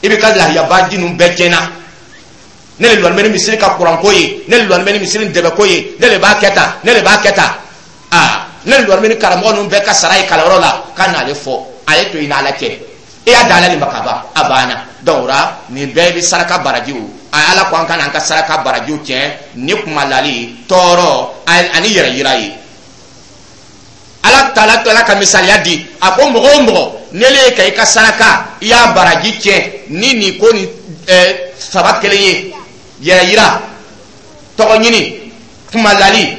i bɛ ka lahiyabaji ninnu bɛɛ tiɲɛna. Ne de lɔnni bɛ ni misiri ka kuranko ye, ne de lɔnni bɛ ni misiri dɛbɛko ye, ne de b'a kɛ tan, ne de b'a kɛ tan. Aa, ne de lɔnni bɛ ni karamɔgɔ ninnu bɛɛ ka sara ye kalanyɔrɔ la. Ka n'ale fɔ, a ye to i n'Ala cɛ. E y'a da Ala de ma ka ban, a banna. Donc o la, nin bɛɛ bɛ saraka barajiw. A Ala ko an ka n'an ka saraka barajiw tiɲɛ ni kumalali, tɔɔrɔ ani yɛrɛ yira ye. Ala taala tɔla ka misaliya di. A ko mɔgɔ o mɔgɔ, ne le ye ka i ka saraka, i y'a baraji tiɲɛ ni nin ko ni saba kelen ye: yɛrɛ yira, tɔgɔ ɲini, kumalali.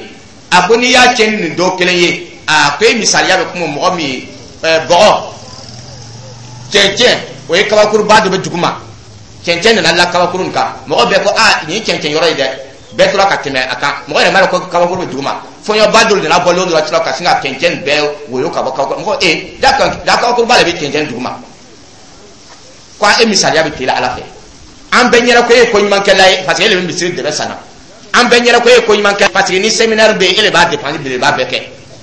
A ko n'i y'a tiɲɛ ni nin dɔ kelen ye, a ko e misaliya bɛ kuma mɔgɔ min ye bɔgɔ cɛncɛn, o ye kabakuruba dɔ bɛ duguma, cɛncɛn nana la kabakuru nin kan. Mɔgɔ bɛɛ ko aa, nin ye cɛncɛn yɔrɔ ye dɛ. Bɛɛ tora ka tɛmɛ a kan, mɔgɔ yɛrɛ m'a dɔn ko kabakuru bɛ duguma. Fɔɲɔba dɔ nana bɔ lon dɔ la tora ka sin ka cɛncɛn bɛɛ woyo ka bɔ kabakuru. Mɔgɔ e da da, kabakuruba de bɛ cɛncɛn duguma. Ko e misaliya bɛ teliya Ala fɛ. An bɛɛ ɲɛna ko e ye koɲumankɛla ye, parce que e de bɛ misiri dɛbɛ san na. An bɛɛ ɲɛna ko e ye koɲumankɛ, parce que ni séminaire bɛ yen, e de b'a dépense belebeleba bɛɛ kɛ.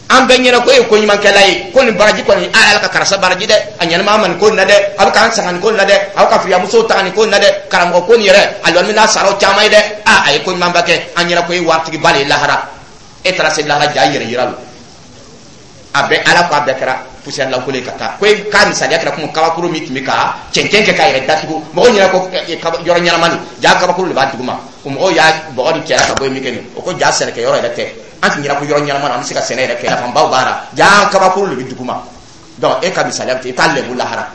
An bɛɛ ɲɛna ko e ye koɲumankɛla ye, ko nin baraji kɔni, a Ala ka karisa baraji dɛ, a ɲɛnama ma nin ko nin na dɛ, a bɛ k'an sanga nin ko nin na dɛ, a bɛ ka firiyamusow ta nin ko nin na dɛ, karamɔgɔ ko nin yɛrɛ, a lɔnni n'a saraw caman ye dɛ. A a ye koɲumanba kɛ. An ɲɛna ko e ye waritigiba de ye lahara. E taara se lahara, ja yɛrɛ yira lo. A bɛɛ, Ala ko a bɛɛ kɛra poussière lankolon ye ka taa. Ko e k'a misaliya kɛra komi kabakuru min tun bɛ ka cɛncɛn kɛ k'a yɛrɛ datugu. Mɔgɔw ɲɛna ko yɔrɔ ɲɛnama don, ja kabakuru de b'a duguma. O mɔgɔw y'a bɔgɔ ni cɛla ka bɔ yen min kɛ nin, o ko ja sɛnɛkɛ yɔrɔ yɛrɛ tɛ. An tun ɲɛna ko yɔrɔ ɲɛnama na, an bɛ se ka sɛnɛ yɛrɛ kɛ, nafanbaw b'a la, ja kabakuru de bɛ duguma. Donc e ka misaliya bɛ ten, i t'a lɛbu lahara.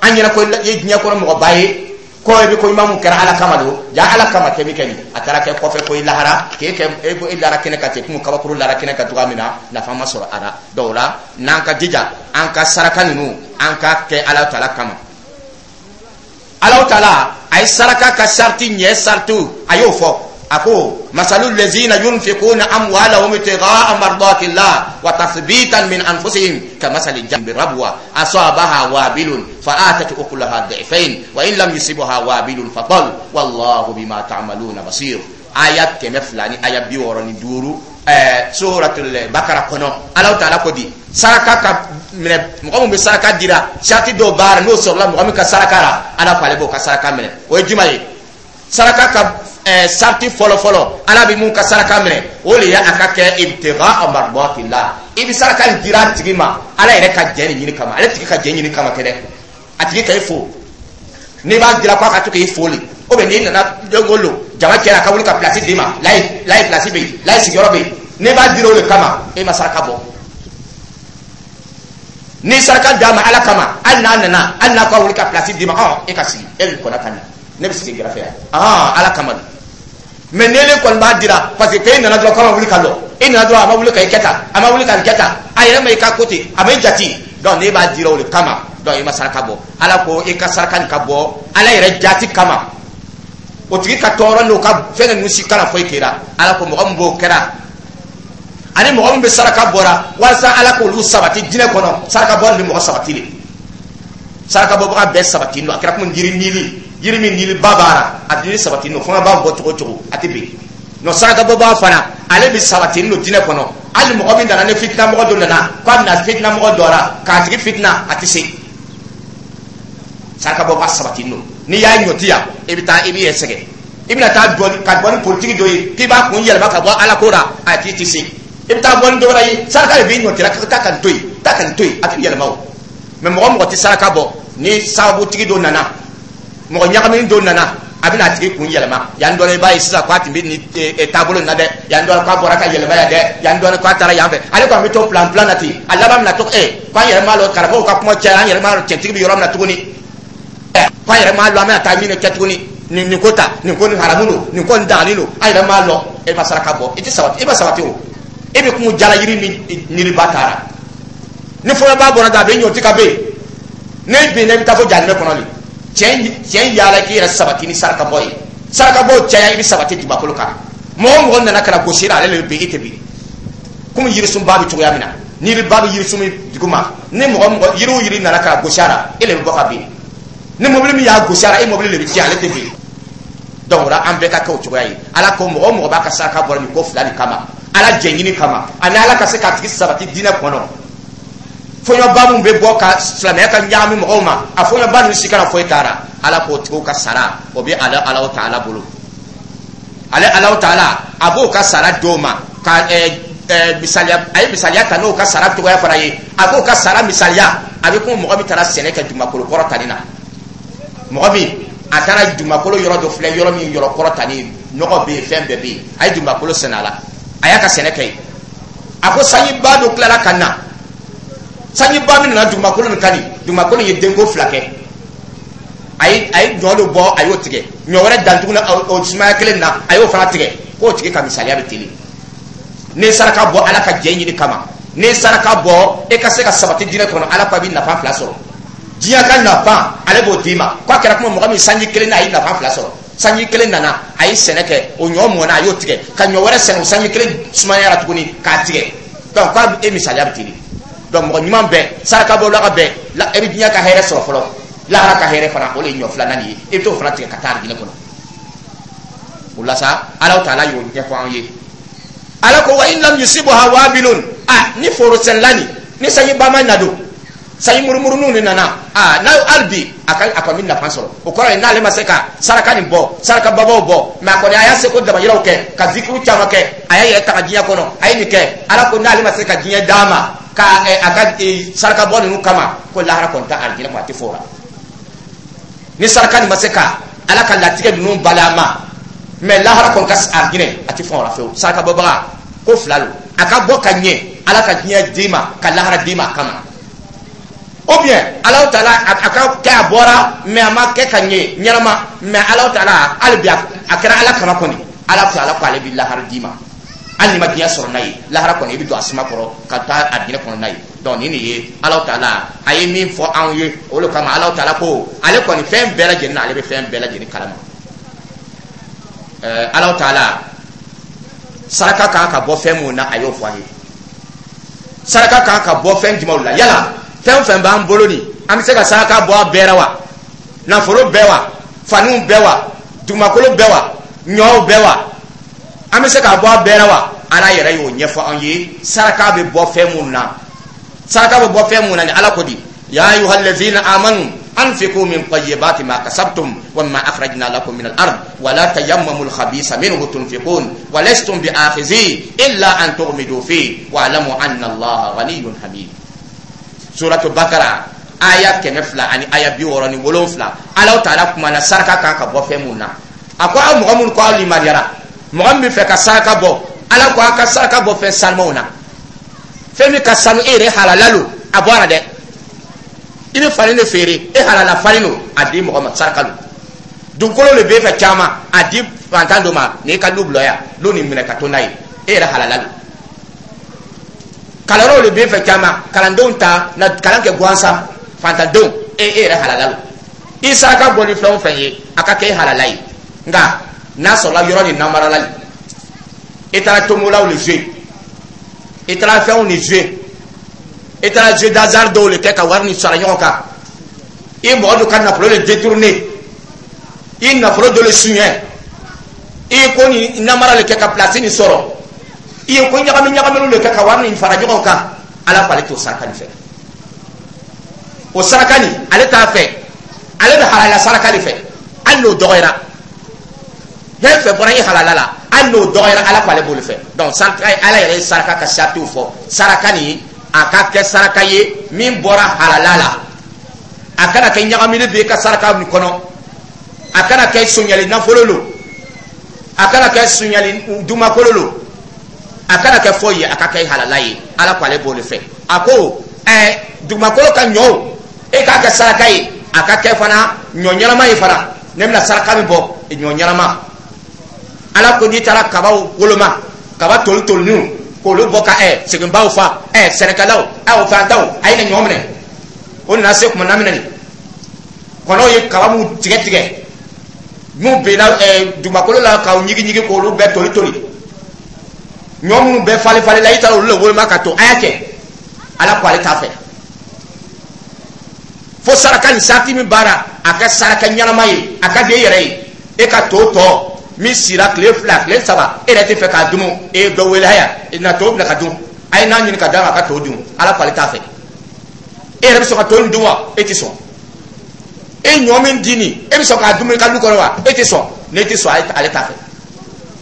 An ɲɛna ko i ye diɲɛ kɔnɔ mɔgɔba ye, ko i bɛ ko ɲuman mun kɛra Ala kama don, ja Ala kama kɛ min kɛ nin, a taara kɛ kɔfɛ ko i lahara k'e kɛ e lara kɛnɛ kan ten, komi kabakuru lara kɛnɛ kan cogoya min na, nafa ma sɔrɔ a la. Donc o la, n'an ka jija an ka saraka ninnu, an ka kɛ Ala taala kama. Ala taala a ye saraka ka sariti ɲɛ, saritiw a y'o fɔ. A ko masalu lezina yunfikuna amwalahum ibtighaa mardatillah wa tathbitan min anfusihim kamasali jannatin birabwa asabaha wabilun fa'atat ukulaha dhi'fain wa in lam yusibha wabilun fatal wallahu bima ta'maluna basir. Aya 200 ni aya 65, suratul Bakara kɔnɔ. Ala taala ko di saraka ka minɛ, mɔgɔ min bɛ saraka dira, sarati dɔw b'a la, n'o sɔrɔla mɔgɔ min ka saraka la, Ala ko ale b'o ka saraka minɛ. O ye jumɛn ye? Saraka ka sarati fɔlɔ fɔlɔ, Ala bɛ mun ka saraka minɛ, o de ye a ka kɛ ibtigha mardatillah. I bɛ saraka in dira a tigi ma Ala yɛrɛ ka jɛ nin ɲini kama, ale tigi ka jɛ ɲini kama tɛ dɛ. A tigi ka e fo, n'i b'a dira ko a ka to k'i fo le. Ou bien n'i nana don o don, jama cɛla, ka wuli ka place d'i ma, layi layi, place bɛ yen, layi sigiyɔrɔ bɛ yen. N'i b'a dira o de kama, e ma saraka bɔ. Ni saraka d'a ma Ala kama, hali n'a nana, hali n'a ko a wuli ka place d'i ma, ɔ e ka sigi, e bɛ kɔnɔ ka na, ne bɛ sigi gɛrɛfɛ yan, ɔhɔn, Ala kama don. Mais n'ele kɔni b'a dira parce que k'e nana dɔrɔn k'a ma wuli ka lɔ, e nana dɔrɔn a ma wuli ka i kɛ tan, a ma wuli ka nin kɛ tan, a yɛrɛ ma i ka ko ten, a ma i jate. Donc n'e b'a dira o de kama, donc i ma saraka bɔ. Ala ko i ka saraka nin ka bɔ Ala yɛrɛ jati kama, o tigi ka tɔɔrɔ n'o ka fɛn ninnu si kana foyi kɛra. Ala ko mɔgɔ min b'o kɛra ani mɔgɔ min bɛ saraka bɔra walasa Ala k'olu sabati diinɛ kɔnɔ, saraka bɔ nin bɛ mɔgɔ sabati de. Saraka bɔbaga bɛɛ sabati don. A kɛra komi yiri nili, yiri min nili ba b'a la, a nili sabati don, fanga b'a bɔ cogo o cogo, a tɛ bin. Non, saraka bɔbaga fana, ale bɛ sabati don diinɛ kɔnɔ. Hali mɔgɔ min nana, ni fitina mɔgɔ dɔ nana k'a bɛna fitina mɔgɔ dɔ la k'a tigi fitina, a tɛ se. Saraka bɔbaga sabati don. N'i y'a ɲɔti yan, i bɛ taa, i b'i yɛrɛ sɛgɛn, i bɛna taa dɔɔni ka bɔ ni politiki dɔ ye k'i b'a kun yɛlɛma ka bɔ Ala ko la, a tigi tɛ se. I bɛ taa bɔ ni dɔ wɛrɛ ye, saraka de b'i ɲɔti la, ka taa ka nin to yen, taa ka nin to yen, a tɛ yɛlɛma o. Mais mɔgɔ mɔgɔ tɛ saraka bɔ, ni sababutigi dɔ nana, mɔgɔ ɲagamini dɔ nana, a bɛna a tigi kun yɛlɛma. Yan dɔ la, i b'a ye sisan k'a tun bɛ nin taabolo in na dɛ, yan dɔ la k'a bɔra ka yɛlɛma yan dɛ, yan dɔ la k'a taara yan fɛ. Ale kɔni bɛ to plan plan na ten, a laban bɛna to k'an yɛrɛ m'a lɔn, karamɔgɔw ka kuma caya, an yɛrɛ m'a lɔn cɛntigi bɛ yɔrɔ min na tuguni, k'an yɛrɛ m'a lɔn an bɛna taa min kɛ tuguni, nin ko ta, nin ko nin haramu don, nin ko nin dagalen don, an yɛrɛ m'a lɔn. E ma saraka bɔ, i tɛ sabati, i ma sabati o. E bɛ kun jala yiri min niriba taara, ni fɔlɔba bɔra da, a bɛ ɲɔti ka bɛ yen, ne binna, i bɛ taa fo jahanamɛ kɔnɔ de. Tiɲɛ yaala k'i yɛrɛ sabati ni saraka bɔ ye. Saraka bɔ caya, i bɛ sabati dugumakolo kan. Mɔgɔ o mɔgɔ nana ka na gosi la, ale de bɛ bin, e tɛ bin. Komi yirisunba bɛ cogoya min na, ni yiriba bɛ yirisun min duguma, ni mɔgɔ mɔgɔ, yiri o yiri nana ka na gosi a la, e de bɛ bɔ ka bin. Ni mobili min y'a gosi a la, e mobili de bɛ tiɲɛ, ale tɛ bin. Donc o la, an bɛɛ ka kɛ o cogoya ye. Ala ko mɔgɔ o mɔgɔ b'a ka saraka bɔ nin ko fila nin kama, Ala jɛɲini kama ani Ala ka se k'a tigi sabati diinɛ kɔnɔ, fɔɲɔba min bɛ bɔ ka silamɛya ka ɲagami mɔgɔw ma, a fɔɲɔba ninnu si kana foyi k'ara. Ala k'o tigiw ka sara, o bɛ ale Alahu taala bolo. Ale Alahu taala, a b'o ka sara d'o ma ka ɛɛ ɛɛ misaliya, a ye misaliya ta n'o ka sara cogoya fana ye. A b'o ka sara misaliya, a bɛ komi mɔgɔ min taara sɛnɛ kɛ dugumakolo kɔrɔ tani na. Mɔgɔ min a taara dugumakolo yɔrɔ dɔ filɛ, yɔrɔ min yɔrɔ kɔrɔ tani, nɔgɔ bɛ yen, fɛn bɛɛ bɛ yen, a ye dugumakolo sɛnɛ a la, a y'a ka sɛnɛ kɛ yen. A ko sanjiba dɔ tilala ka na, sanjiba min nana dugumakolo nin kan nin, dugumakolo ye denko fila kɛ. A ye ɲɔ dɔ bɔ, a y'o tigɛ, ɲɔ wɛrɛ dan tuguni o sumaya kelen na, a y'o fana tigɛ. K'o tigi ka misaliya bɛ teli. N'i saraka bɔ Ala ka jɛ ɲini kama, n'i saraka bɔ e ka se ka sabati diinɛ kɔnɔ, Ala ko a bɛ nafa fila sɔrɔ. Diɲɛ ka nafa, ale b'o d'i ma. K'a kɛra kuma mɔgɔ min sanji kelen na, a ye nafa fila sɔrɔ. Sanji kelen nana, a ye sɛnɛ kɛ, o ɲɔ mɔnna, a y'o tigɛ ka ɲɔ wɛrɛ sɛnɛ, o sanji kelen sumayara tuguni k'a tigɛ. Donc k'a e misaliya bɛ teli. Donc mɔgɔ ɲuman bɛɛ, saraka bɔlaga bɛɛ la, e bɛ diɲɛ ka hɛrɛ sɔrɔ fɔlɔ, lahara ka hɛrɛ fana, o de ye ɲɔ filanan ye, i bɛ t'o fana tigɛ ka taa arijinɛ kɔnɔ. O la sa, Alahu taala y'o ɲɛfɔ an ye. Ala ko wa in lam yusibuha wabilun, a ni foro sɛnɛla nin, ni sanjiba ma na don, sanji murumuruninw de nana, a n'a hali bi a ka a kɔni bɛ nafa sɔrɔ. O kɔrɔ ye n'ale ma se ka saraka nin bɔ, saraka babaw bɔ, mais a kɔni a y'a seko damayiraw kɛ ka zikiru caman kɛ, a y'a yɛrɛ ta ka diɲɛ kɔnɔ, a ye nin kɛ. Ala ko n'ale ma se ka diɲɛ d'a ma ka a ka saraka bɔ ninnu kama, ko lahara kɔni ta arijinɛ kɔnɔ, a tɛ fɔ o la. Ni saraka nin ma se ka Ala ka latigɛ ninnu bali a ma, mais lahara kɔni ka arijinɛ, a tɛ fɔ o la fewu. Saraka bɔbaga ko fila don: a ka bɔ ka ɲɛ, Ala ka diɲɛ d'i ma ka lahara d'i ma a kama, ou bien Alahu taala a ka kɛ a bɔra, mais a ma kɛ ka ɲɛ ɲɛnama, mais Alahu taala hali bi a kɛra Ala kama kɔni, Ala taala ko ale bɛ lahara d'i ma. Hali n'i ma diɲɛ sɔrɔ n'a ye, lahara kɔni, i bɛ don a suma kɔrɔ ka taa arijinɛ kɔnɔ n'a ye. Donc nin de ye Alahu taala a ye min fɔ anw ye. O de kama Alahu taala ko ale kɔni fɛn bɛɛ lajɛlen na, ale bɛ fɛn bɛɛ lajɛlen kalama. Alahu taala, saraka kan ka bɔ fɛn mun na, a y'o fɔ an ye. Saraka kan ka bɔ fɛn jumɛnw la? Yala fɛn o fɛn b'an bolo nin, an bɛ se ka saraka bɔ a bɛɛ la wa? Nafolo bɛɛ wa? Faniw bɛɛ wa? Dugumakolo bɛɛ wa? Ɲɔw bɛɛ wa? An bɛ se k'a bɔ a bɛɛ la wa? Ala yɛrɛ y'o ɲɛfɔ an ye, saraka bɛ bɔ fɛn mun na. Saraka bɛ bɔ fɛn mun na ni Ala ko di: ya ayyuhallazina amanu anfiqu min tayyibati ma kasabtum wa mimma akhrajna lakum min al-ard wa la tayammamu al-khabitha minhu tunfiqun wa lastum bi'akhizi illa an tughmidu fi wa alamu anna Allaha ghaniyyun hamid. Suratu Bakara, Aya 200 ani aya 67, Ala Taala kumana saraka kan ka bɔ fɛn mun na. A ko aw mɔgɔ minnu ko aw limaniyara, mɔgɔ min bɛ fɛ ka saraka bɔ, Ala ko a ka saraka bɔ fɛn sanumaw na, fɛn min ka sanu e yɛrɛ halala lo. A bɔra dɛ, i bɛ fani de feere, e halala fani lo, a di mɔgɔ ma, saraka lo. Dugukolo le b'e fɛ caman, a di fantan dɔ ma n'i ka lu bila yan, lu nin minɛ ka to n'a ye, e yɛrɛ halala lo. Kalanyɔrɔw le b'e fɛ caman, kalandenw ta na kalan kɛ gansan, fantandenw, e yɛrɛ halala lo. I saraka bɔ ni fɛn o fɛn ye, a ka kɛ e halala ye. Nka n'a sɔrɔla yɔrɔ nin namarala le, i taara tomolaw le jouer, i taara fɛnw ni jouer, i taara jeu d'hasard dɔw le kɛ ka wari ni sara ɲɔgɔn kan, i mɔgɔ dɔ ka nafolo le détourner, i nafolo dɔ le suɲɛ, i ko ni namara le kɛ ka place nin sɔrɔ, i ye ko ɲagami ɲagaminiw le kɛ ka wari nin fara ɲɔgɔn kan, Ala ko ale t'o saraka nin fɛ. O saraka nin, ale t'a fɛ. Ale bɛ halala saraka de fɛ, hali n'o dɔgɔyara. Fɛn fɛn bɔra i halala la, hali n'o dɔgɔyara, Ala ko ale b'o de fɛ. Donc saraka, Ala yɛrɛ ye saraka ka saritiw fɔ. Saraka nin, a ka kɛ saraka ye min bɔra halala la. A kana kɛ ɲagamini b'i ka saraka nin kɔnɔ, a kana kɛ sonyali nafolo lo, a kana kɛ sonyali dumakolo lo, a kana kɛ foyi ye, a ka kɛ halala ye. Ala ko ale b'o de fɛ. A ko dugumakolo ka ɲɔw, e k'a kɛ saraka ye, a ka kɛ fana ɲɔ ɲɛnama ye fana. Ne bɛna saraka min bɔ, ɲɔ ɲɛnama. Ala ko n'i taara kabaw woloma, kaba toli toliniw, k'olu bɔ ka seginbaw fa, sɛnɛkɛlaw, o fantanw, a ye na ɲɔ minɛ. O nana se kuma na minɛ nin kɔnɔw ye kaba mun tigɛ tigɛ, n'u benna dugumakolo la k'aw ɲigin ɲigin, k'olu bɛɛ toli toli, ɲɔ minnu bɛɛ falen falen la, i taara olu le woloma ka to, a y'a kɛ. Ala ko ale t'a fɛ. Fo saraka nin sarati min baara, a ka saraka ɲɛnama ye, a ka di e yɛrɛ ye. E ka to tɔ min sira tile 2, tile 3, e yɛrɛ tɛ fɛ k'a dun, e ye dɔ wele, haya na to bila ka dun, a ye n'a ɲini ka d'a ma, a ka to dun. Ala ko ale t'a fɛ. E yɛrɛ bɛ sɔn ka to nin dun wa? E tɛ sɔn. E ɲɔ min di nin, e bɛ sɔn k'a dun i ka du kɔnɔ wa? E tɛ sɔn. N'e tɛ sɔn, ale t'a fɛ.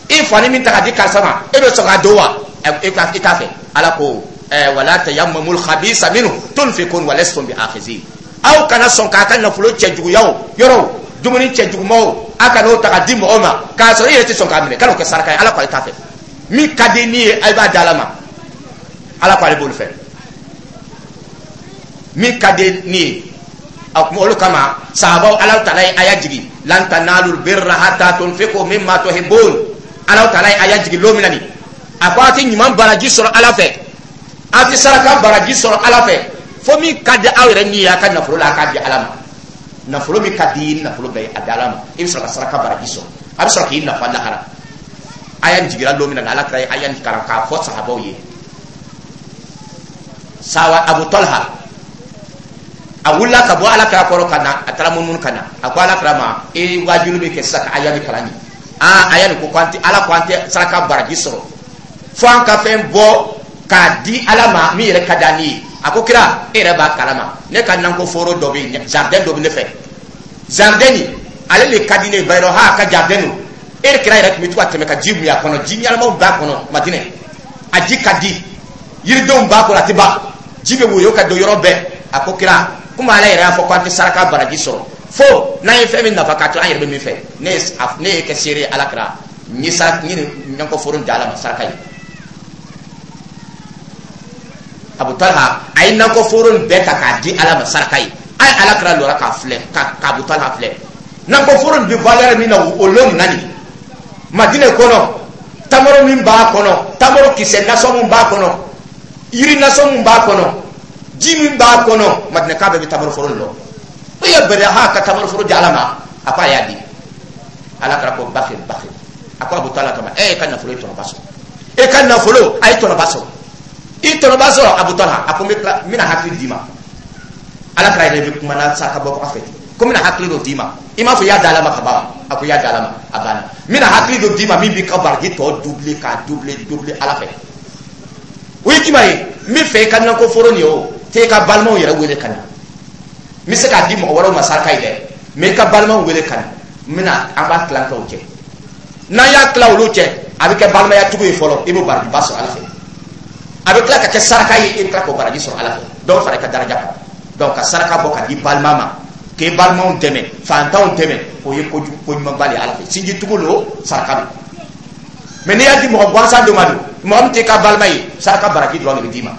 E fani min ta ka di karisa ma, e bɛ sɔn k'a don wa? E t'a fɛ. Ala ko wala tayammamul khabisa minhu tunfikun wa lastum bi akhizin. Aw kana sɔn k'a ka nafolo cɛjuguyaw yɔrɔw, dumuni cɛjugumaw, a kana o ta ka di mɔgɔw ma k'a sɔrɔ e yɛrɛ tɛ sɔn k'a minɛ. Kan'o kɛ saraka ye. Ala ko ale t'a fɛ. Min ka di ni ye, a b'a di Ala ma. Ala ko ale b'olu fɛ, min ka di ni ye. A kuma olu kama, sahabaw, Ala Taala ye aya jigi: lan tanalul birra hatta tunfiqu mimma tuhibbun. Ala Taala ye aya jigi lon min na nin, a ko a tɛ ɲuman baraji sɔrɔ Ala fɛ, a tɛ saraka baraji sɔrɔ Ala fɛ, fo min ka di aw yɛrɛ ni ye a ka nafolo la, a k'a di Ala ma. Nafolo min ka di i nafolo bɛɛ ye, a di Ala ma, i bɛ sɔrɔ ka saraka baraji sɔrɔ, a bɛ sɔrɔ k'i nafa lahara. Aya nin jigira lon min na, Ala kira ye aya nin kalan k'a fɔ sahabaw ye. Sawa Abu Talha, a wulila ka bɔ Ala kira kɔrɔ ka na, a taara munumunu ka na, a ko Ala kira ma: e waajuli bɛ kɛ sisan ka aya min kalan nin, aa, aya nin ko an tɛ, Ala ko an tɛ saraka baraji sɔrɔ fo an ka fɛn bɔ k'a di Ala ma min yɛrɛ ka di an ye. A ko: kira, e yɛrɛ b'a kalama, ne ka nakɔ foro dɔ bɛ yen, jardin dɔ bɛ ne fɛ, jardin nin, ale de ka di ne ye. Bayɔrɔ ha ka jardin don. E yɛrɛ kira yɛrɛ tun bɛ to ka tɛmɛ ka ji min a kɔnɔ, ji ɲɛnamaw b'a kɔnɔ Madinɛ, a ji ka di, yiridenw b'a kɔnɔ, a tɛ ban, ji bɛ woyo ka don yɔrɔ bɛɛ. A ko: kira, komi Ala yɛrɛ y'a fɔ ko an tɛ saraka baraji sɔrɔ fo n'an ye fɛn min nafa k'a to an yɛrɛ bɛ min fɛ, ne ye kɛ seere ye, Ala kira, n ye saraka n ye nin nakɔ foro di Ala ma saraka ye. Abu Talha a ye nakɔ foro nin bɛɛ ta k'a di Ala ma saraka ye. A ye Ala kira lɔra k'a filɛ, ka Abu Talha filɛ. Nakɔ foro nin bɛ valeur min na o lon nin na nin Madinɛ kɔnɔ, tamaro min b'a kɔnɔ, tamaro kisɛ nasɔn min b'a kɔnɔ, yiri nasɔn min b'a kɔnɔ, ji min b'a kɔnɔ, Madinɛka bɛɛ bɛ tamaro foro nin lɔn. O ye bɛrɛ ha ka tamaro foro di Ala ma. A ko a y'a di. Ala kira ko: bakhi bakhi. A ko Abu Talha kama e ka nafolo ye tɔnɔba sɔrɔ, e ka nafolo a ye tɔnɔba sɔrɔ, i tɔnɔba sɔrɔ, Abu Talha. A ko n bɛ tila, n bɛna hakili d'i ma. Ala kira yɛrɛ bɛ kuma na saraka bɔ fɛ ten ko n bɛna hakili dɔ d'i ma. I m'a fɔ i y'a di Ala ma ka ban wa? A ko i y'a di Ala ma, a banna. N bɛna hakili dɔ d'i ma min b'i ka baraji tɔ doubler, k'a doubler doubler Ala fɛ. O ye jumɛn ye? N bɛ fɛ i ka nakɔ foro nin ye, o t'e ka balimaw yɛrɛ wele ka na. N bɛ se k'a di mɔgɔ wɛrɛw ma saraka ye dɛ, mais i ka balimaw wele ka na, n bɛna an b'a tilan kɛ o cɛ. N'an y'a tila olu cɛ, a bɛ kɛ balimaya tugu ye fɔlɔ, i b'o barajiba sɔrɔ Ala fɛ. A bɛ tila ka kɛ saraka ye, i bɛ tila k'o baraji sɔrɔ Ala fɛ, dɔ bɛ fara i ka daraja kan. Donc ka saraka bɔ ka di balima ma, k'e balimaw dɛmɛ, fantanw dɛmɛ, o ye kojugu, ko ɲumanba de ye Ala fɛ. Sinjitugu lo, saraka don. Mais n'i y'a di mɔgɔ gansan dɔ ma don, mɔgɔ min t'i ka balima ye, saraka baraji dɔrɔn de bɛ d'i ma.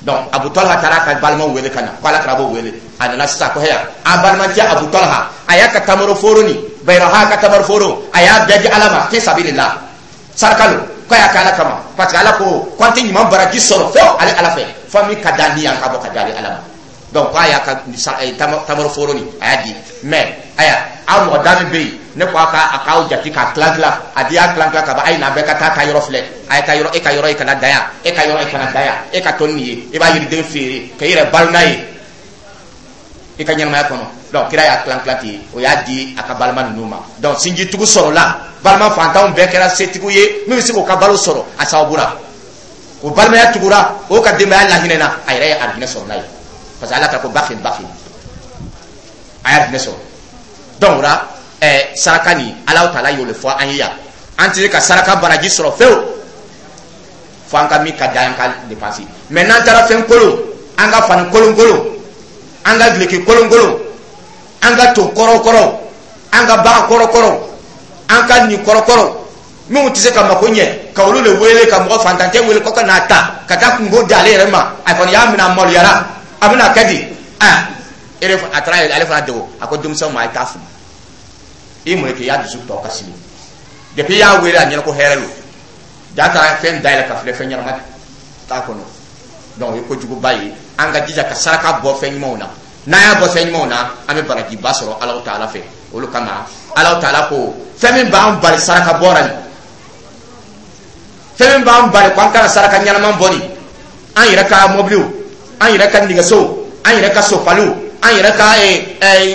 Donc Abu Talha taara ka balimaw wele ka na, ko Ala kira b'o wele. A nana sisan ko heya, a balimacɛ Abu Talha, a y'a ka tamaro foro ni Bayiraha ka tamaro foro, a y'a bɛɛ di Ala ma fi sabilillah, saraka lo, k'a y'a kɛ Ala kama, parce que Ala ko ko an tɛ ɲuman baraji sɔrɔ fo ale Ala fɛ, fo min ka d'an ni yan ka bɔ ka di ale Ala ma. Donc k'a y'a ka tamaro foro ni a y'a di. Mais aya, aw mɔgɔ da min bɛ yen, ne ko a ka a k'aw jate k'a tilan tilan. A di y'a tilan tilan ka ban, a ye na, bɛɛ ka taa yɔrɔ filɛ. A ye taa yɔrɔ, e ka yɔrɔ, e kana da yan, e ka yɔrɔ, e kana da yan, e ka to nin ye, i b'a yiriden feere k'i yɛrɛ balo n'a ye i ka ɲɛnamaya kɔnɔ. Donc kira y'a tilan tilan ten, o y'a di a ka balima ninnu ma. Donc sinjitugu sɔrɔla, balima fantanw bɛɛ kɛra setigiw ye min bɛ se k'o ka balo sɔrɔ a sababu la. O balimaya tugura, o ka denbaya lahinɛna, a yɛrɛ ye arijinɛ sɔrɔ n'a ye, parce que Ala ka ko bakin bakin, a ye arijinɛ sɔrɔ. Donc o la saraka nin, Alahu taala y'o de fɔ an ye yan. An tɛ se ka saraka baraji sɔrɔ fewu fo an ka min ka da an ka dépense. Mais n'an taara fɛn kolon, an ka fani kolonkolon, an ka duloki kolonkolon, an ka to kɔrɔkɔrɔw, an ka bagan kɔrɔkɔrɔw, an ka nin kɔrɔkɔrɔw minnu tɛ se ka mako ɲɛ, ka olu de wele, ka mɔgɔ fantancɛ wele ko ka n'a ta ka taa kungo di ale yɛrɛ ma, a kɔni y'a minɛ, a maloyara, a bɛna kɛ di? Aa, e a taara ale fana dogo. A ko denmisɛnw ma, a ye taa fili i mun kɛ, i y'a dusu tɔ kasi. Depuis i y'a wele, a ɲɛna ko hɛrɛ lo, ja taara fɛn dayɛlɛ ka filɛ, fɛn ɲɛnama t'a kɔnɔ. Donc o ye kojuguba ye. An ka jija ka saraka bɔ fɛn ɲumanw na. N'an y'a bɔ fɛn ɲumanw na, an bɛ barajiba sɔrɔ Alahu taala fɛ. Olu kama Alahu taala ko fɛn min b'an bali saraka bɔ la nin, fɛn min b'an bali ko an kana saraka ɲɛnama bɔ nin, an yɛrɛ ka mɔbiliw, an yɛrɛ ka nɛgɛsow, an yɛrɛ ka sofaliw, an yɛrɛ ka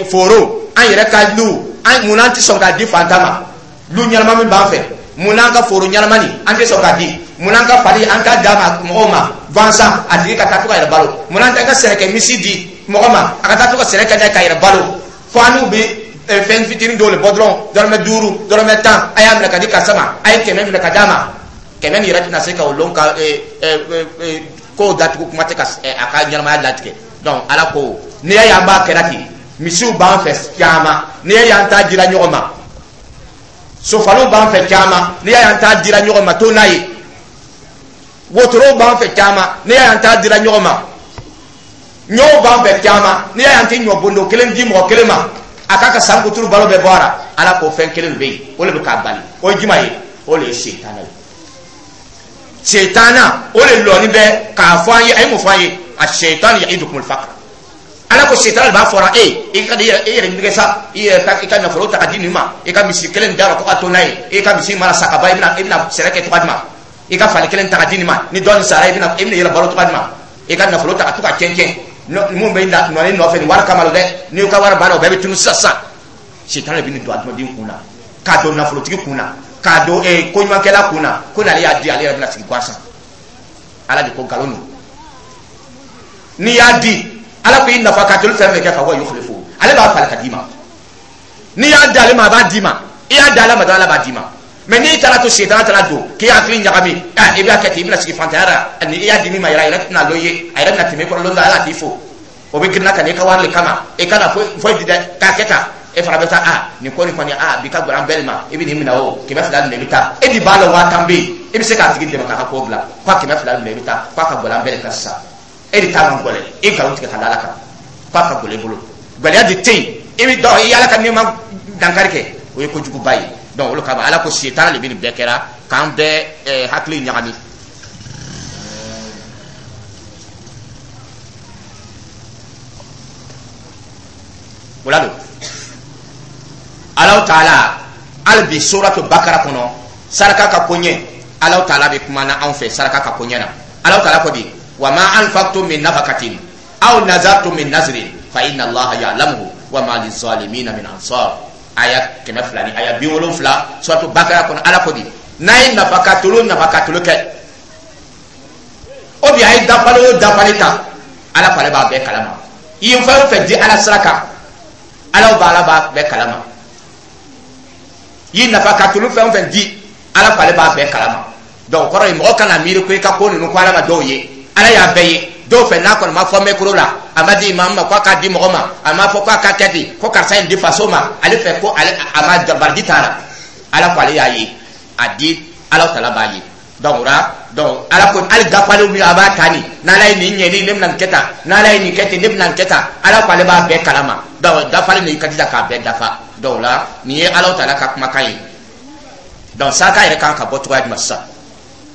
foro, an yɛrɛ ka luw, an mun an tɛ sɔn k'a di fantan ma? Lu ɲɛnama min b'an fɛ, mun n'an ka foro ɲɛnama nin, an tɛ sɔn k'a di? Mun n'an ka fali, an t'a d'a ma mɔgɔw ma gansan, a tigi ka taa to ka yɛrɛ balo? Mun n'an tɛ ka sɛnɛkɛ misi di mɔgɔ ma, a ka taa to ka sɛnɛ kɛ n'a ye k'a yɛrɛ balo? Fo an n'u bɛ fɛn fitinin dɔw de bɔ dɔrɔn, dɔrɔmɛ 5, dɔrɔmɛ 10, a y'a minɛ ka di karisa ma, a ye 100 minɛ ka d'a ma. 100 nin yɛrɛ tɛna se ka o lon ka kow datugu, kuma tɛ ka a ka ɲɛnamaya latigɛ. Donc Ala ko n'i y'a ye an b'a kɛra ten, misiw b'an fɛ caman, n'i y'a ye an t'a dira ɲɔgɔn ma, sofaliw b'an fɛ caman, n'i y'a ye an t'a dira ɲɔgɔn ma to n'a ye, wotorow b'an fɛ caman, n'i y'a ye an t'a dira ɲɔgɔn ma, ɲɔw b'an fɛ caman, n'i y'a ye an tɛ ɲɔ bondo kelen di mɔgɔ kelen ma, a k'a ka san kuturu balo bɛɛ bɔ a la. Ala ko fɛn kelen de bɛ yen, o de bɛ k'a bali. O ye jumɛn ye? O de ye setana ye. Setana o de lɔni bɛ k'a fɔ an ye. A ye mun fɔ an ye? A setani ya'idukumul faqr. Ala ko setana de b'a fɔra e i ka e yɛrɛ nɛgɛ sa, i yɛrɛ ta, i ka nafolo ta ka di nin ma, i ka misi kelen d'a ma ko ka to n'a ye, i ka misi mana sa ka ban, i bɛna sɛnɛ kɛ cogoya jumɛn? I ka fali kelen ta ka di nin ma, ni dɔɔnin sara, i bɛna yɛrɛ balo cogoya jumɛn? I ka nafolo ta ka to ka cɛn cɛn, mun bɛ nɔni nɔfɛ nin wari kama dɛ, n'i ka wari banna, o bɛɛ bɛ tunu sisan sisan. Setana de bɛ nin don adamaden kun na, k'a don nafolotigi kun na, k'a don koɲumankɛla kun na, ko n'ale y'a di, ale yɛrɛ bɛna sigi gansan. Ala de ko nkalon don. N'i y'a di, Ala ko i nafa ka toli fɛn fɛn kɛ, fa wa yukhlifu, ale b'a falen ka d'i ma. N'i y'a di ale ma, a b'a d'i ma. I y'a di Ala ma dɔrɔn, Ala b'a d'i ma. Mais n'i taara to setana taara don k'i hakili ɲagami, i b'a kɛ ten, i bɛna sigi fantanya la. Ni i y'a di min ma yɛrɛ, a yɛrɛ tɛna lɔn i ye, a yɛrɛ bɛna tɛmɛ i kɔrɔ lon dɔ, Ala t'i fo, o bɛ girinna ka na i ka wari le kama, i kana foyi foyi di dɛ, k'a kɛ tan. E fana bɛ taa, a nin ko nin kɔni, a bi ka gɛlɛn an bɛɛ de ma, i bɛ nin minɛ, o 200 minɛ, i bɛ taa. E de b'a la 50 000 bɛ yen, i bɛ se k'a tigi dɛmɛ k'a ka ko dilan, k'a 200 minɛ, i bɛ taa, k'a ka gɛlɛn an bɛɛ de kan sisan. E de ta man gɛlɛn, i nkalon tigɛ ka da Ala kan k'a ka gɛlɛn i bolo, gɛlɛya de tɛ yen. I bɛ dɔn i Ala ka nɛɛma dankari kɛ, o ye kojuguba ye. Donc olu kama Ala ko setana de bɛ nin bɛɛ kɛra k'an bɛɛ hakili ɲagami. O la don Alahu taala, hali bi suratu Bakara kɔnɔ, saraka ka koɲɛ, Alahu taala bɛ kuma na anw fɛ saraka ka koɲɛ na. Alahu taala ko di: wa ma anfaqtum min nafaqatin aw nazartum min nazrin fa inna Allaha ya'lamuhu wa ma lizalimina min ansar. Aya 270, suratu Bakara kɔnɔ, Ala ko di: n'a ye nafakatolo nafakatolo kɛ, o bi a ye dafali o dafali ta, Ala ko ale b'a bɛɛ kalama. I ye fɛn o fɛn di Ala sira kan, Ala b'a bɛɛ kalama. I ye nafakatolo fɛn o fɛn di, Ala ko ale b'a bɛɛ kalama. Donc kɔrɔ ye, mɔgɔ kana miiri ko i ka ko ninnu ko Ala ma dɔw ye, Ala y'a bɛɛ ye. Dɔw fɛ, n'a kɔni ma fɔ micro la, a ma di imamu ma ko a k'a di mɔgɔ ma, a ma fɔ ko a ka kɛ ten, ko karisa in di faso ma, ale fɛ ko ale a ma baraji t'a la. Ala ko ale y'a ye, a di Ala tala b'a ye. Donc o la, donc Ala ko hali dafalen min a b'a ta nin, n'Ala ye nin ɲɛ, ne bɛna nin kɛ tan, n'Ala ye nin kɛ ten, ne bɛna nin kɛ tan, Ala ko ale b'a bɛɛ kalama. Donc dafalen nin, i ka jija k'a bɛɛ dafa. Donc o la, nin ye Ala tala ka kumakan ye. Donc saraka yɛrɛ kan ka bɔ cogoya jumɛn sisan?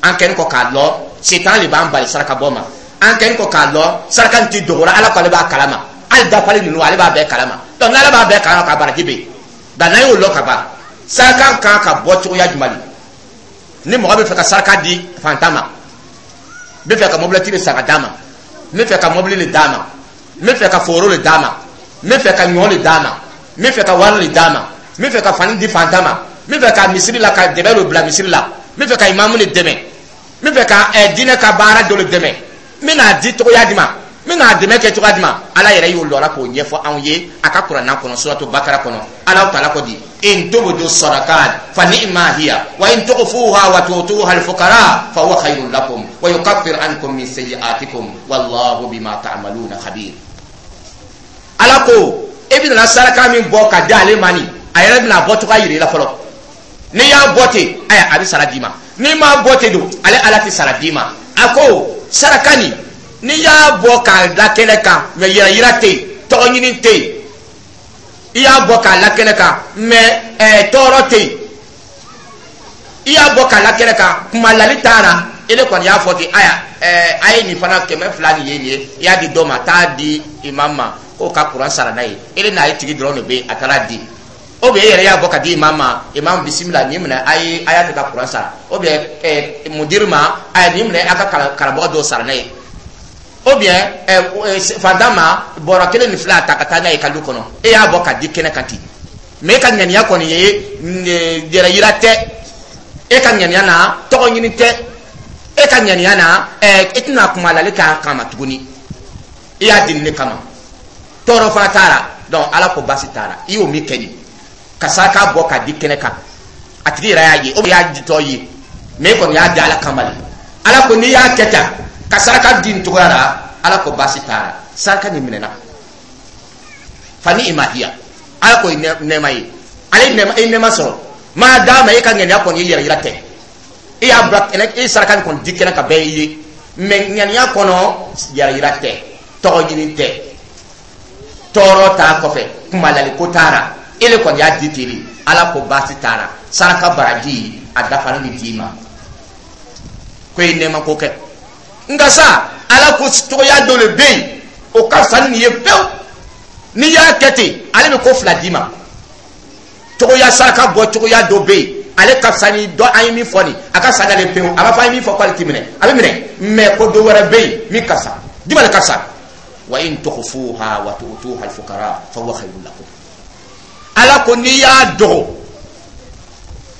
An kɛlen kɔ k'a lɔn setan de b'an bali saraka bɔ ma, an kɛlen kɔ k'a lɔn saraka nin ti dogora, Ala ko ale b'a kalama, hali dafalen ninnu ale b'a bɛɛ kalama. Donc n'Ala b'a bɛɛ kalama, ka baraji bɛ yen. Nka n'an y'o lɔn ka ban, saraka kan ka bɔ cogoya jumɛn de? Ni mɔgɔ bɛ fɛ ka saraka di fantan ma, n bɛ fɛ ka mobilɛti de san ka d'a ma, n bɛ fɛ ka mobili de d'a ma, n bɛ fɛ ka foro de d'a ma, n bɛ fɛ ka ɲɔ de d'a ma, n bɛ fɛ ka wari de d'a ma, n bɛ fɛ ka fani di fantan ma, n bɛ fɛ ka misiri la ka dɛbɛ dɔ bila misiri la, n bɛ fɛ ka imamu de dɛmɛ, n bɛ fɛ ka diinɛ ka baara dɔ de dɛmɛ, n bɛna di cogoya di ma, n bɛna dɛmɛ kɛ cogoya di ma? Ala yɛrɛ y'o lɔra k'o ɲɛfɔ anw ye a ka Kuranna kɔnɔ, Suratu Bakara kɔnɔ. Ala taala ko di: "In tubdu sadakat fa ni'ma hiya, wa in tukhfuha wa tu'tuha al-fuqara fa huwa khayrun lakum, wa yukaffir ankum min sayyi'atikum, wallahu bima ta'maluna khabir." Ala ko e bɛna saraka min bɔ ka di ale ma nin, a yɛrɛ bɛna bɔ cogoya yira i la fɔlɔ. N'i y'a bɔ ten, ayiwa, a bɛ sara d'i ma. N'i m'a bɔ ten don, ale Ala tɛ sara d'i ma. A ko saraka nin, n'i y'a bɔ k'a da kɛnɛ kan, mɛ yɛrɛ yira tɛ yen, tɔgɔ ɲini tɛ yen, i y'a bɔ k'a la kɛnɛ kan, mɛ tɔɔrɔ tɛ yen, i y'a bɔ k'a la kɛnɛ kan, kumalali t'a la, e de kɔni y'a fɔ ten, aya, a ye nin fana 200 nin ye, nin ye, i y'a di dɔ ma, taa di imam ma k'o ka kuran sara n'a ye, e de n'a ye tigi dɔrɔn de bɛ yen, a taara di. Ou bien e yɛrɛ y'a bɔ ka di imam ma: "Imam, bisimila, nin minɛ, a ye, a y'a kɛ ka kuran sara." Ou bien mudiri ma: "A ye nin minɛ, a ka karamɔgɔ dɔw sara n'a ye." Ou bien fantan ma, bɔrɔ kelen ni fila ta ka taa n'a ye ka du kɔnɔ. E y'a bɔ ka di kɛnɛ kan ten, mɛ e ka ŋaniya kɔni ye yɛrɛ yira tɛ, e ka ŋaniya na tɔgɔ ɲini tɛ, e ka ŋaniya na e tɛna kuma lali k'a kama tuguni, i y'a di nin de kama, tɔɔrɔ fana t'a la. Donc Ala ko baasi t'a la. I y'o min kɛ nin ka saraka bɔ ka di kɛnɛ kan, a tigi yɛrɛ y'a ye, o y'a ditɔ ye, mɛ e kɔni y'a di Ala kama de. Ala ko n'i y'a kɛ tan ka saraka di nin cogoya la, Ala ko baasi t'a la, saraka nin minɛna. Fa ni'ma hiya, Ala ko nɛɛma ye, ale nɛɛma, e nɛɛma sɔrɔ maa d'a ma. E ka ŋaniya kɔni ye yɛrɛ yira tɛ, e y'a bila kɛnɛ, e saraka nin kɔni di kɛnɛ ka bɛɛ ye, mɛ ŋaniya kɔnɔ yɛrɛ yira tɛ, tɔgɔ ɲini tɛ, tɔɔrɔ t'a kɔfɛ, kumalali ko t'a la, e de kɔni y'a di ten de. Ala ko baasi t'a la, saraka baraji a dafalen bɛ d'i ma, ko e nɛɛma ko kɛ. Nka sa, Ala ko cogoya dɔ de bɛ yen, o ka fisa ni nin ye pewu. N'i y'a kɛ ten, ale bɛ ko fila d'i ma. Cogoya saraka bɔ cogoya dɔ bɛ yen, ale ka fisa ni dɔ an ye min fɔ nin, a ka fisa n'ale pewu. A b'a fɔ an ye min fɔ k'ale ti minɛ, a bɛ minɛ, mɛ ko dɔ wɛrɛ bɛ yen min ka fisa. Jumɛn de ka fisa? "Wa in tukhfuha wa tu'tuha al-fuqara fa huwa khayrun lakum." Ala ko n'i y'a dogo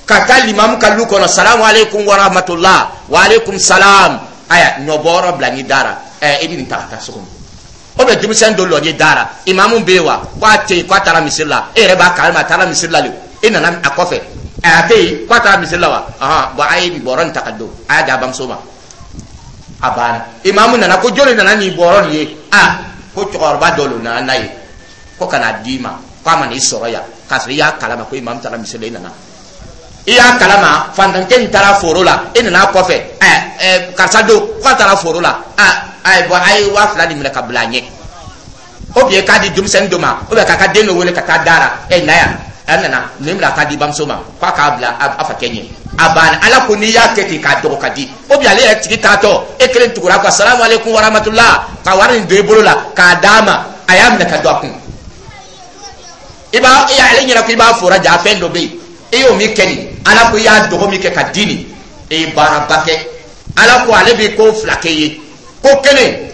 ka taa limamu ka lu kɔnɔ: "Salamu aleykum wa rahmatulah." "Wa aleykum salam." "Aya, ɲɔbɔyɔrɔ bila n'i dara, i bɛ nin ta ka taa so kɔnɔ." O bɛ denmisɛn dɔ lɔ n'i dara: "Imamu bɛ yen wa?" Ko a tɛ yen, ko a taara misiri la. E yɛrɛ b'a kalama a taara misiri la de, e nana a kɔfɛ. A tɛ yen, ko a taara misiri la wa? Ahan, bɔn, a ye nin bɔrɔ nin ta ka don, a y'a di a bamuso ma, a banna. Imamu nana ko jɔnni nana nin bɔrɔ nin ye? A ko cɛkɔrɔba dɔ de nana n'a ye ko ka n'a d'i ma, ko a ma n'i sɔrɔ yan, k'a sɔrɔ i y'a kalama ko imamu taara misiri la, i nana, i y'a kalama fantankɛ nin taara foro la, e nana a kɔfɛ. Ɛ ɛ karisa don k'a taara foro la. A ayi, bɔn, a ye 2000 nin minɛ ka bila a ɲɛ, ou bien k'a di denmisɛnnin dɔ ma, ou bien k'a ka den dɔ wele ka taa da la: "Ɛ, na yan." A nana nin minɛ k'a di bamuso ma k'a k'a bila a fakɛ ɲɛ, a banna. Ala ko n'i y'a kɛ ten k'a dogo ka di, ou bien ale yɛrɛ tigi taatɔ, e kelen tugura ko: "Salamu aleykum wa rahmatulah," ka wari nin don i bolo la k'a d'a ma, a y'a minɛ ka don a kun. I b'a i ale ɲɛna ko i b'a fora ja fɛn dɔ bɛ yen, e y'o min kɛ nin, Ala ko i y'a dogo min kɛ ka di nin, e ye baaraba kɛ. Ala ko ale bɛ ko fila kɛ ye. Ko kelen,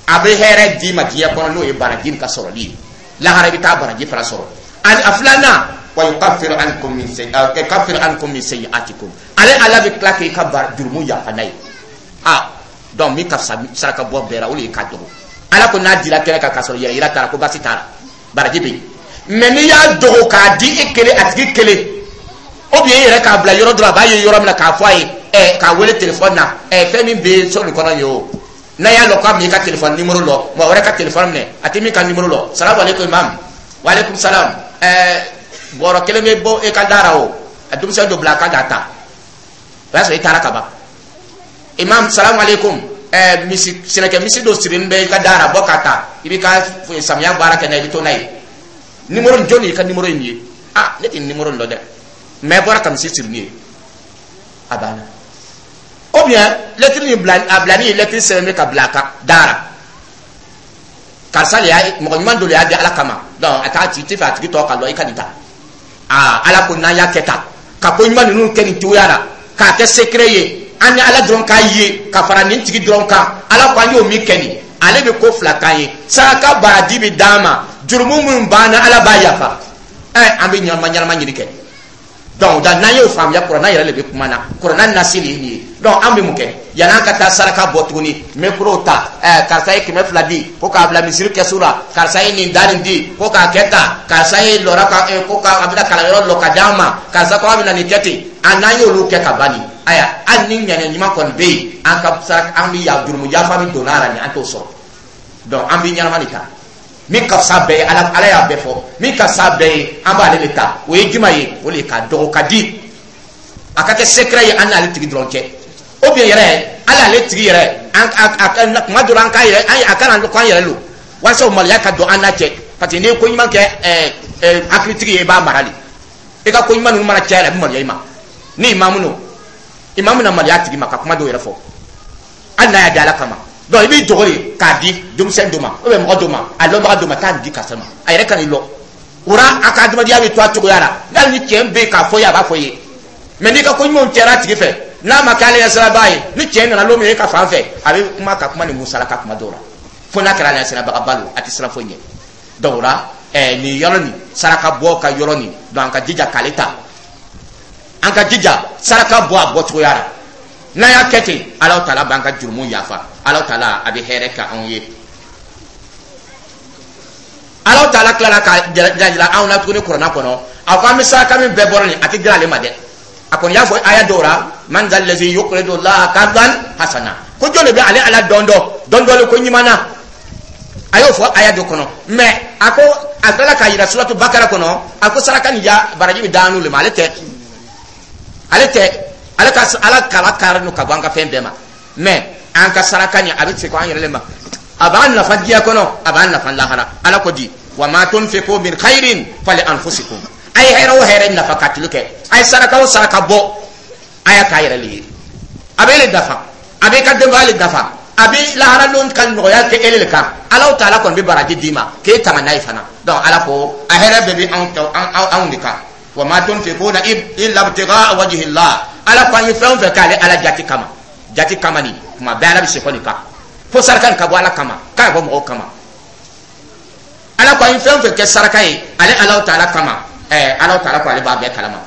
a bɛ hɛrɛ d'i ma diɲɛ kɔnɔ, n'o ye baraji nin ka sɔrɔli ye, lahara i bɛ taa baraji fana sɔrɔ. Ani a filanan, wa yukaffiru ankum min sayyi'atikum, ale Ala bɛ tila k'i ka jurumu yafa n'a ye. A donc min ka fisa saraka bɔ bɛɛ la, o de ye k'a dogo. Ala ko n'a dira kɛnɛ kan k'a sɔrɔ yɛrɛ yira t'a la, ko baasi t'a la, baraji bɛ yen. Mɛ n'i y'a dogo k'a di e kelen, a tigi kelen, ou bien e yɛrɛ k'a bila yɔrɔ dɔ la, a b'a ye yɔrɔ min na, k'a fɔ a ye, k'a wele telefɔni na, fɛn min bɛ so nin kɔnɔ ye o. N'a y'a lɔn k'a bɛ i ka téléphone numéro lɔ, mɔgɔ wɛrɛ ka téléphone minɛ, a tɛ min ka numéro lɔ. Salamu aleykum imam, wa aleykum salam. Bɔrɔ kelen bɛ bɔ e ka da la o, a denmisɛn dɔ bila a kan k'a ta, o y'a sɔrɔ i taara ka ban. Imam, salamu aleykum. Misi sɛnɛkɛ misi dɔ sirilen bɛ i ka da la, bɔ k'a ta, i b'i ka samiya baara kɛ n'a ye, i bɛ to n'a ye. Numéro jɔn y'i ka numéro in ye? Ah, ne tɛ numéro in dɔn dɛ, mais bɔra ka misi siri nin ye, a banna. Ou bien lettre nin bila a bila ni lettre sɛbɛn bɛ ka bila a kan dara, karisa de y'a, mɔgɔ ɲuman dɔ de y'a di Ala kama. Donc a t'a ci tɛ fɛ a tigi tɔ ka lɔ, i ka nin ta. Aa, Ala ko n'an y'a kɛ tan, ka ko ɲuman ninnu kɛ nin cogoya la, k'a kɛ secret ye, an ni Ala dɔrɔn k'a ye, ka fara nin tigi dɔrɔn kan, Ala ko an y'o min kɛ nin, ale bɛ ko fila k'an ye: saraka baraji bɛ d'an ma, jurumu minnu b'an na, Ala b'a yafa. An bɛ ɲɛnama ɲɛnama ɲini kɛ. Donc da n'an y'o faamuya, kuranna yɛrɛ de bɛ kuma na, kuranna nasi de ye nin ye. Donc an bɛ mun kɛ yan'an ka taa saraka bɔ tuguni? Micro ta, karisa ye 200 di ko k'a bila misiri kɛsu la, karisa ye nin da nin di ko k'a kɛ tan, karisa ye lɔra ka ko ka a bɛna kalanyɔrɔ lɔ ka d'an ma, karisa ko a bɛna nin kɛ ten. A n'an y'olu kɛ ka ban nin, ayiwa, hali ni ŋaniya ɲuman kɔni bɛ yen, an ka saraka, an bɛ ya jurumu yafa min donna a la nin, an t'o sɔrɔ. Donc an bɛ ɲɛnama de ta. Min ka fisa bɛɛ ye, Ala y'a bɛɛ fɔ, min ka fisa bɛɛ ye, an b'ale de ta. O ye juma ye? O de ye k'a dɔgɔ ka di, a ka kɛ secret ye an n'ale tigi dɔrɔn cɛ. Ou bien yɛrɛ, hali ale tigi yɛrɛ, an a kuma dɔ la, an k'a yɛrɛ, an a kana ko an yɛrɛ lo, walasa o maloya ka don an n'a cɛ, parce que n'i ye ko ɲuman kɛ ɛɛ ɛɛ hakilitigi ye, i b'a mara de. I ka ko ɲuman ninnu mana caya, a bɛ maloya i ma. Ni imamu no, imamu na maloya a tigi ma ka kuma dɔw yɛrɛ fɔ, hali n'a y'a di Ala kama. Donc i b'i dogo de k'a di denmisɛn dɔ ma ou bien mɔgɔ dɔ ma, a lɔnbaga dɔ ma, taa nin di karisa ma, a yɛrɛ ka n'i lɔ o la, a ka adamadenya bɛ to a cogoya la. Hali ni tiɲɛ bɛ yen k'a fɔ i ye, a b'a fɔ i ye. Mais n'i ka ko ɲumanw cɛra a tigi fɛ, n'a ma kɛ ale ɲɛ siraba ye, ni tiɲɛ nana don min e ka fan fɛ, a bɛ kuma ka kuma ni musalaka kuma dɔw la, fo n'a kɛra ale ɲɛ sirabagaba don, a tɛ siran foyi ɲɛ. Donc o la, nin yɔrɔ nin, saraka bɔ ka yɔrɔ nin, donc an ka jija k'ale ta, an ka jija saraka bɔ a bɔcogoya la. N'an y'a kɛ ten, Ala taala b'an ka jurumu yafa, Ala taala a bɛ hɛrɛ kɛ anw ye. Ala taala tilala ka jira anw na tuguni kuranna kɔnɔ, a ko an bɛ saraka min bɛɛ bɔra nin, a tɛ dilan ale ma dɛ. A kɔni y'a fɔ aya dɔw la: man zal lazi yuqridu Allaha qardan hasana. Ko jɔn de bɛ ale Ala dɔn dɔn dɔn dɔɔni ko ɲuman na? A y'o fɔ aya dɔ kɔnɔ. Mais a ko, a tilala k'a yira suratu Bakara kɔnɔ, a ko saraka nin ya baraji bɛ d'an n'olu ma, ale tɛ, ale tɛ. Ale ka Ala kala kari no ka bɔ an ka fɛn bɛɛ ma. Mais an ka saraka nin, a bɛ se ko an yɛrɛ le ma, a b'an nafa diɲɛ kɔnɔ, a b'an nafa lahara. Ala ko di: wa ma tunfiqu min khairin fali anfusikum. A ye hɛrɛ o hɛrɛ nafa ka tulu kɛ, a ye saraka o saraka bɔ, a y'a k'a yɛrɛ le ye, a bɛ e le nafa, a bɛ i ka denbaya le nafa, a bɛ lahara lon ka nɔgɔya kɛ e le kan. Ala taala kɔni bɛ baraji d'i ma k'e tanga n'a ye fana. Donc Ala ko a hɛrɛ bɛɛ bɛ anw de kan. Wa ma tunfiquna illa ibtigha'a wajhi Allah. Ala ko an ye fɛn o fɛn k'ale Ala jati kama, jati kama nin kuma bɛɛ, Ala bɛ sekɔ nin kan fo saraka nin ka bɔ Ala kama, k'a bɔ mɔgɔw kama. Ala ko an ye fɛn o fɛn kɛ saraka ye ale Ala taala kama, Ala taala ko ale b'a bɛɛ kalama.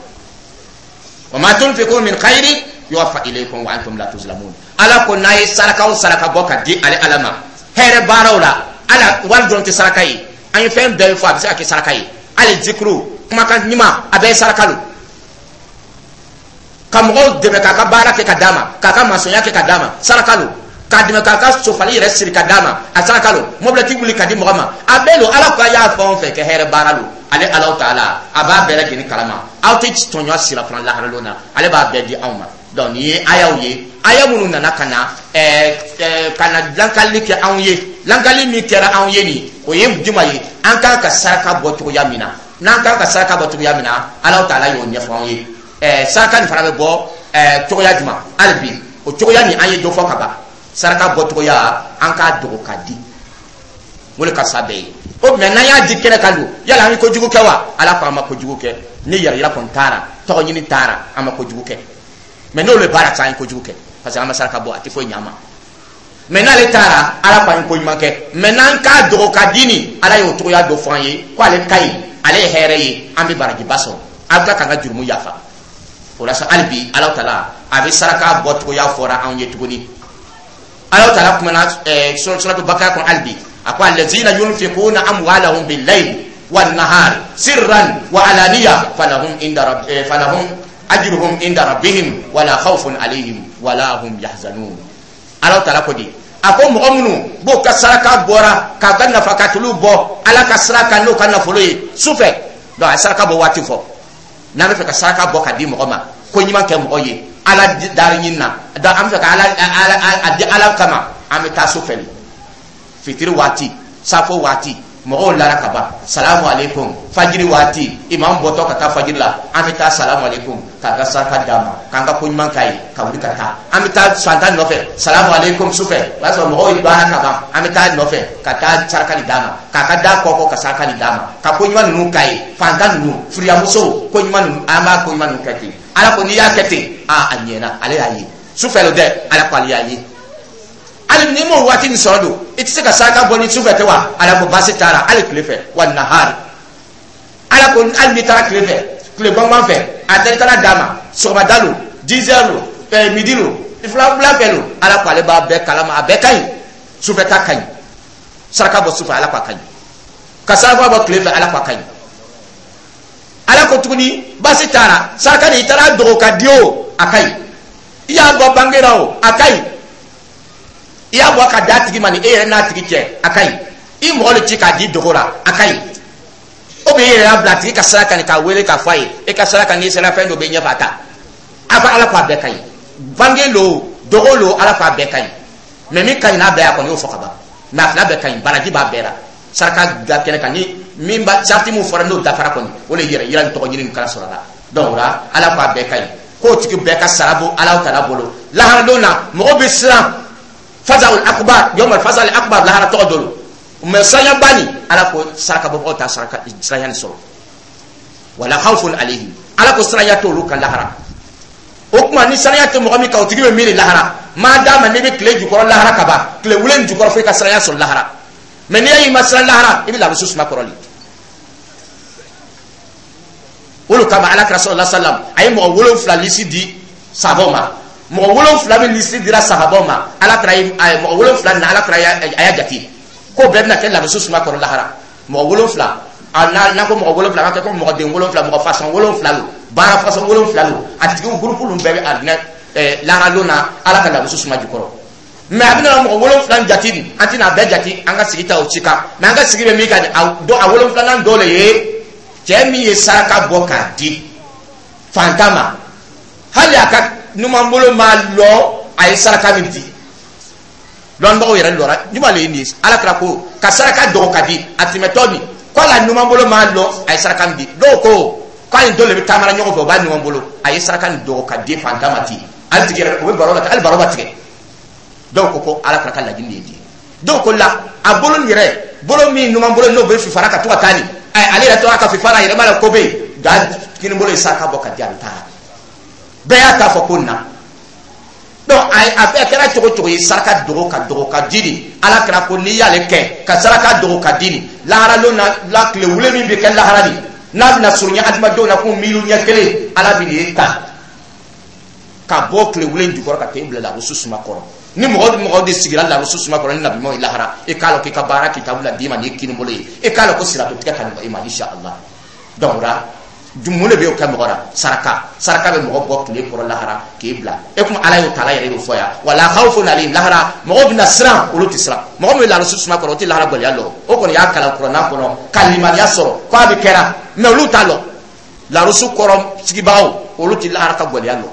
Wa ma tunfiqu min khairin yuwaffa ilaykum wa antum la tuzlamun. Ala ko n'a ye saraka o saraka bɔ ka di ale Ala ma hɛrɛ baaraw la, ala wari dɔrɔn tɛ saraka ye, an ye fɛn bɛɛ fɔ, a bɛ se ka kɛ saraka ye, hali zikuru, kumakan ɲuman, a bɛɛ ye saraka lo. Ka mɔgɔw dɛmɛ k'a ka baara kɛ ka d'a ma, k'a ka masɔnya kɛ ka d'a ma, saraka lo. K'a dɛmɛ k'a ka sofali yɛrɛ siri ka d'a ma, a saraka lo. Mobilɛti wuli ka di mɔgɔ ma, a bɛɛ lo. Ala ko a y'a fɛn o fɛn kɛ hɛrɛ baara lo, ale Ala taala a b'a bɛɛ lajɛlen kalama. Aw tɛ tɔɲɔ sira fana laharalon na, ale b'a bɛɛ di anw ma. Donc nin ye ayaw ye, aya minnu nana ka na ɛɛ ɛɛ ka na lankali kɛ anw ye. Lankali min kɛra anw ye nin, o ye jumɛn ye? An kan ka saraka bɔ cogoya min na, n'an kan ka saraka bɔ cogoya min na, Ala taala y'o ɲɛfɔ anw ye. Saraka nin fana bɛ bɔ cogoya jumɛn? Hali bi o cogoya nin, an ye dɔ fɔ ka ban. Saraka bɔcogoya, an k'a dogo ka di, o de ka fisa bɛɛ ye. O mɛ n'an y'a di kɛnɛ kan don, yala an ye kojugu kɛ wa? Ala ko an ma kojugu kɛ. Ni yɛrɛ yira kɔni taara, tɔgɔ ɲini taara, an ma kojugu kɛ. Mais n'olu baara sa, an ye kojugu kɛ, parce que an ma saraka bɔ, a tɛ foyi ɲɛ an ma. Mais n'ale taara, Ala ko an ye ko ɲuman kɛ. Mais n'an k'a dogo ka di nin, Ala y'o cogoya dɔ fɔ an ye ko ale ka ɲi, ale ye hɛrɛ ye, an bɛ barajiba sɔrɔ, a bɛ tila k'an ka jurumu yafa. O la sa, hali bi Ala taala a bɛ saraka bɔ cogoya fɔra anw ye tuguni. Ala taala kumana suratu Bakara kɔnɔ hali bi, a ko: allazina yunfiquna amwalahum bil-layli wan-nahari sirran wa alaniya falahum ajruhum inda rabbihim wala khawfun alayhim wala hum yahzanun. Ala taala ko di A ko mɔgɔ minnu b'o ka saraka bɔra k'a ka nafakatuluw bɔ Ala ka sira kan n'o ka nafolo ye su fɛ. Donc a ye saraka bɔ waati fɔ. N'an bɛ fɛ ka saraka bɔ ka di mɔgɔ ma, ko ɲuman kɛ mɔgɔ ye Ala dari ɲini na, donc an bɛ fɛ ka Ala a di Ala kama, an bɛ taa su fɛ de, fitiri waati, safo waati, mɔgɔw lara ka ban, salamu aleykum, fajiri waati, imam bɔtɔ ka taa fajiri la, an bɛ taa salamu aleykum k'a ka saraka d'a ma, k'an ka ko ɲuman k'a ye, ka wuli ka taa. An bɛ taa fantan nɔfɛ, salamu aleykum, sufɛ, o y'a sɔrɔ mɔgɔw ye baara ka ban, an bɛ taa nɔfɛ ka taa saraka di d'a ma, k'a ka da kɔkɔ ka saraka di d'a ma, ka ko ɲuman ninnu k'a ye. Fantan ninnu, firiyamusow, ko ɲuman ninnu, an b'a ko ɲuman ninnu kɛ ten. Ala ko n'i y'a kɛ ten, aa, a ɲɛna, ale y'a ye sufɛ lo dɛ. Ala ko ale y'a ye. Hali n'i m'o waati nin sɔrɔ don, i tɛ se ka saraka bɔ ni sufɛ tɛ wa? Ala ko baasi t'a la, hali tile fɛ, wa nahari. Ala ko hali n'i taara tile fɛ, tile gbɔngbɔn fɛ, a tɛ taara d'a ma, sɔgɔmada lo, 10 heures lo, midi lo, fila wula fɛ lo, Ala ko ale b'a bɛɛ kalama, a bɛɛ ka ɲi. Sufɛ ta ka ɲi, saraka bɔ sufɛ, Ala ko a ka ɲi. Ka saraka bɔ tile fɛ, Ala ko a ka ɲi. Ala ko tuguni baasi t'a la, saraka nin, i taara dogo ka di o, a ka ɲi. I y'a bɔ bange la o, a ka ɲi. I y'a bɔ ka d'a tigi ma ni e yɛrɛ n'a tigi cɛ, a ka ɲi. I mɔgɔ de ci k'a di dogo la, a ka ɲi. O bɛ e yɛrɛ y'a bila a tigi ka sira kan k'a wele k'a fɔ a ye e ka sira kan, n'i sera fɛn dɔ bɛ ɲɛfɛ, a ta. A ko Ala ko a bɛɛ ka ɲi, bange lo, dogo lo, Ala ko a bɛɛ ka ɲi. Mɛ min ka ɲi n'a bɛɛ ye, a kɔni y'o fɔ ka ban. Mɛ a fila bɛɛ ka ɲi, baraji b'a bɛɛ la. Saraka da kɛnɛ kan ni min ba sarati mun fɔra, n'o dafara kɔni, o de yɛrɛ yira ni tɔgɔ ɲini nin kala sɔrɔ la. Donc o la, Ala ko a bɛɛ ka ɲi, k'o tigi bɛɛ ka sara bɔ Ala ta bolo laharadon na. Mɔgɔ bɛ siran fazawul akbar, yawmal fazal akbar, lahara tɔgɔ dɔ lo. Mɛ siranyaba nin, Ala ko saraka bɔbagaw ta saraka siranya nin sɔrɔ. Wala khawfun alayhim, Ala ko siranya t'olu kan lahara. O tuma ni siranya tɛ mɔgɔ min kan, o tigi bɛ miiri lahara. Maa d'a ma n'i bɛ tile jukɔrɔ lahara ka ban, tile wulen jukɔrɔ, fo i ka siranya sɔrɔ lahara. Mɛ n'i y'i ma siran lahara, i bɛ lamuso suma kɔrɔ de. O de kama Ala kira sallallahu alaihi wasallam a ye mɔgɔ 7 lisi di sahabaw ma. Mɔgɔ 7 min lisi dira sahabaw ma, Ala kira ye mɔgɔ 7 na, Ala kira a y'a jate ko bɛɛ bɛna kɛ lamuso suma kɔrɔ lahara. Mɔgɔ 7, a n'a ko mɔgɔ 7, a ka kɛ ko mɔgɔ den 7, mɔgɔ fasɔn 7 lo, baara fasɔn 7 lo. A tigiw gurupu ninnu bɛɛ bɛ arijinɛ lahara lon na, Ala ka lamuso suma jukɔrɔ. Mɛ a bɛna mɔgɔ 7 jate nin, an tɛna a bɛɛ jate an ka sigi ta o ci kan. Mɛ an ka sigi bɛ min kan, a 7nan dɔ le ye cɛ min ye saraka bɔ k'a di fantan ma, hali a ka numanbolo ma lɔ a ye saraka min di. Lɔnnibagaw yɛrɛ lɔra juma le ye nin ye. Ala kira ko ka saraka dogo ka di a tɛmɛtɔ nin ko a la numanbolo ma lɔ a ye saraka min di. Dɔw ko k'a ni dɔ le bɛ taamara ɲɔgɔn fɛ, o b'a numanbolo, a ye saraka nin dogo ka di fantan ma ten, hali tigi yɛrɛ o bɛ baro la, hali baro ma tigɛ. Dɔw ko ko Ala kira ka laɲini de ye di. Dɔw ko la a bolo nin yɛrɛ, bolo min numan bolo n'o bɛ fifara ka to ka taa nin, ale yɛrɛ tora ka fifara, a yɛrɛ ma la ko bɛ yen, nka kini bolo ye saraka bɔ ka di, a bɛ taa. Bɛɛ y'a ta fɔ ko na. Donc a bɛɛ kɛra cogo cogo ye, saraka dogo ka dogo ka di nin, Ala kira ko n'i y'ale kɛ ka saraka dogo ka di nin, lahara lon na la, tile wule min bɛ kɛ lahara nin, n'a bɛna surunya adamadenw na ko miiri ɲɛ kelen, Ala bɛ nin ta ka bɔ tile wule jukɔrɔ ka t'e bila larusu suma kɔrɔ. Ni mɔgɔ mɔgɔ de sigira larusu suma kɔrɔ ni nabiɲumanw ye lahara, e k'a lɔn k'i ka baara kitabu la d'i ma n'i kini bolo ye, e k'a lɔn ko sirato tigɛ ka nɔgɔ i ma, insha Allah. Donc o la, mun de bɛ o kɛ mɔgɔ la? Saraka. Saraka bɛ mɔgɔ bɔ tile kɔrɔ lahara k'e bila e kuma. Ala y'o taala yɛrɛ y'o fɔ yan, wala khawfun alayhim. Lahara mɔgɔw bɛna siran, olu tɛ siran. Mɔgɔ min bɛ larusu suma kɔrɔ, o tɛ lahara gɛlɛya lɔ. O kɔni y'a kalan kuranna kɔnɔ ka limaniya sɔrɔ k'a bɛ kɛra, mɛ olu t'a lɔ. Larusu kɔrɔ sigibagaw, olu tɛ lahara ka gɛlɛya lɔ.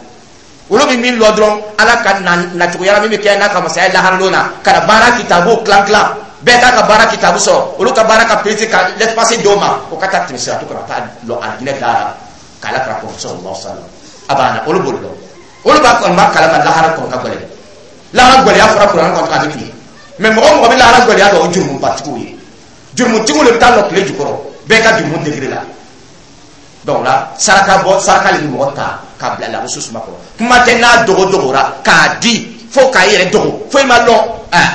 Olu bɛ min lɔ dɔrɔn, Ala ka nacogoya min bɛ kɛ n'a ka masaya lahara lon na, ka na baara kitabu tilan tilan, bɛɛ k'a ka baara kitabu sɔrɔ, olu ka baara ka perese ka l'espace d'o ma, o ka taa tɛmɛ sira to kana taa lɔ arijinɛ da la k'Ala kira kɔrɔ sallallahu alaihi wasallam. A banna, olu b'o dɔn, olu b'a kɔni b'a kalama lahara kɔni ka gɛlɛn. Lahara gɛlɛya fɔra kuranɛ kɔnɔ k'a bɛ tile, mɛ mɔgɔ mɔgɔ bɛ lahara gɛlɛya dɔn, o jurumubatigiw ye. Jurumutigiw de bɛ taa lɔ tile jukɔrɔ, bɛɛ ka jurumu degré la. Donc la, saraka bɔ, saraka le bɛ mɔgɔ ta k'a bila lamuso suma kɔrɔ. Kuma tɛ n'a dogo dogora k'a di fo k'a yɛrɛ dogo fo i ma lɔn,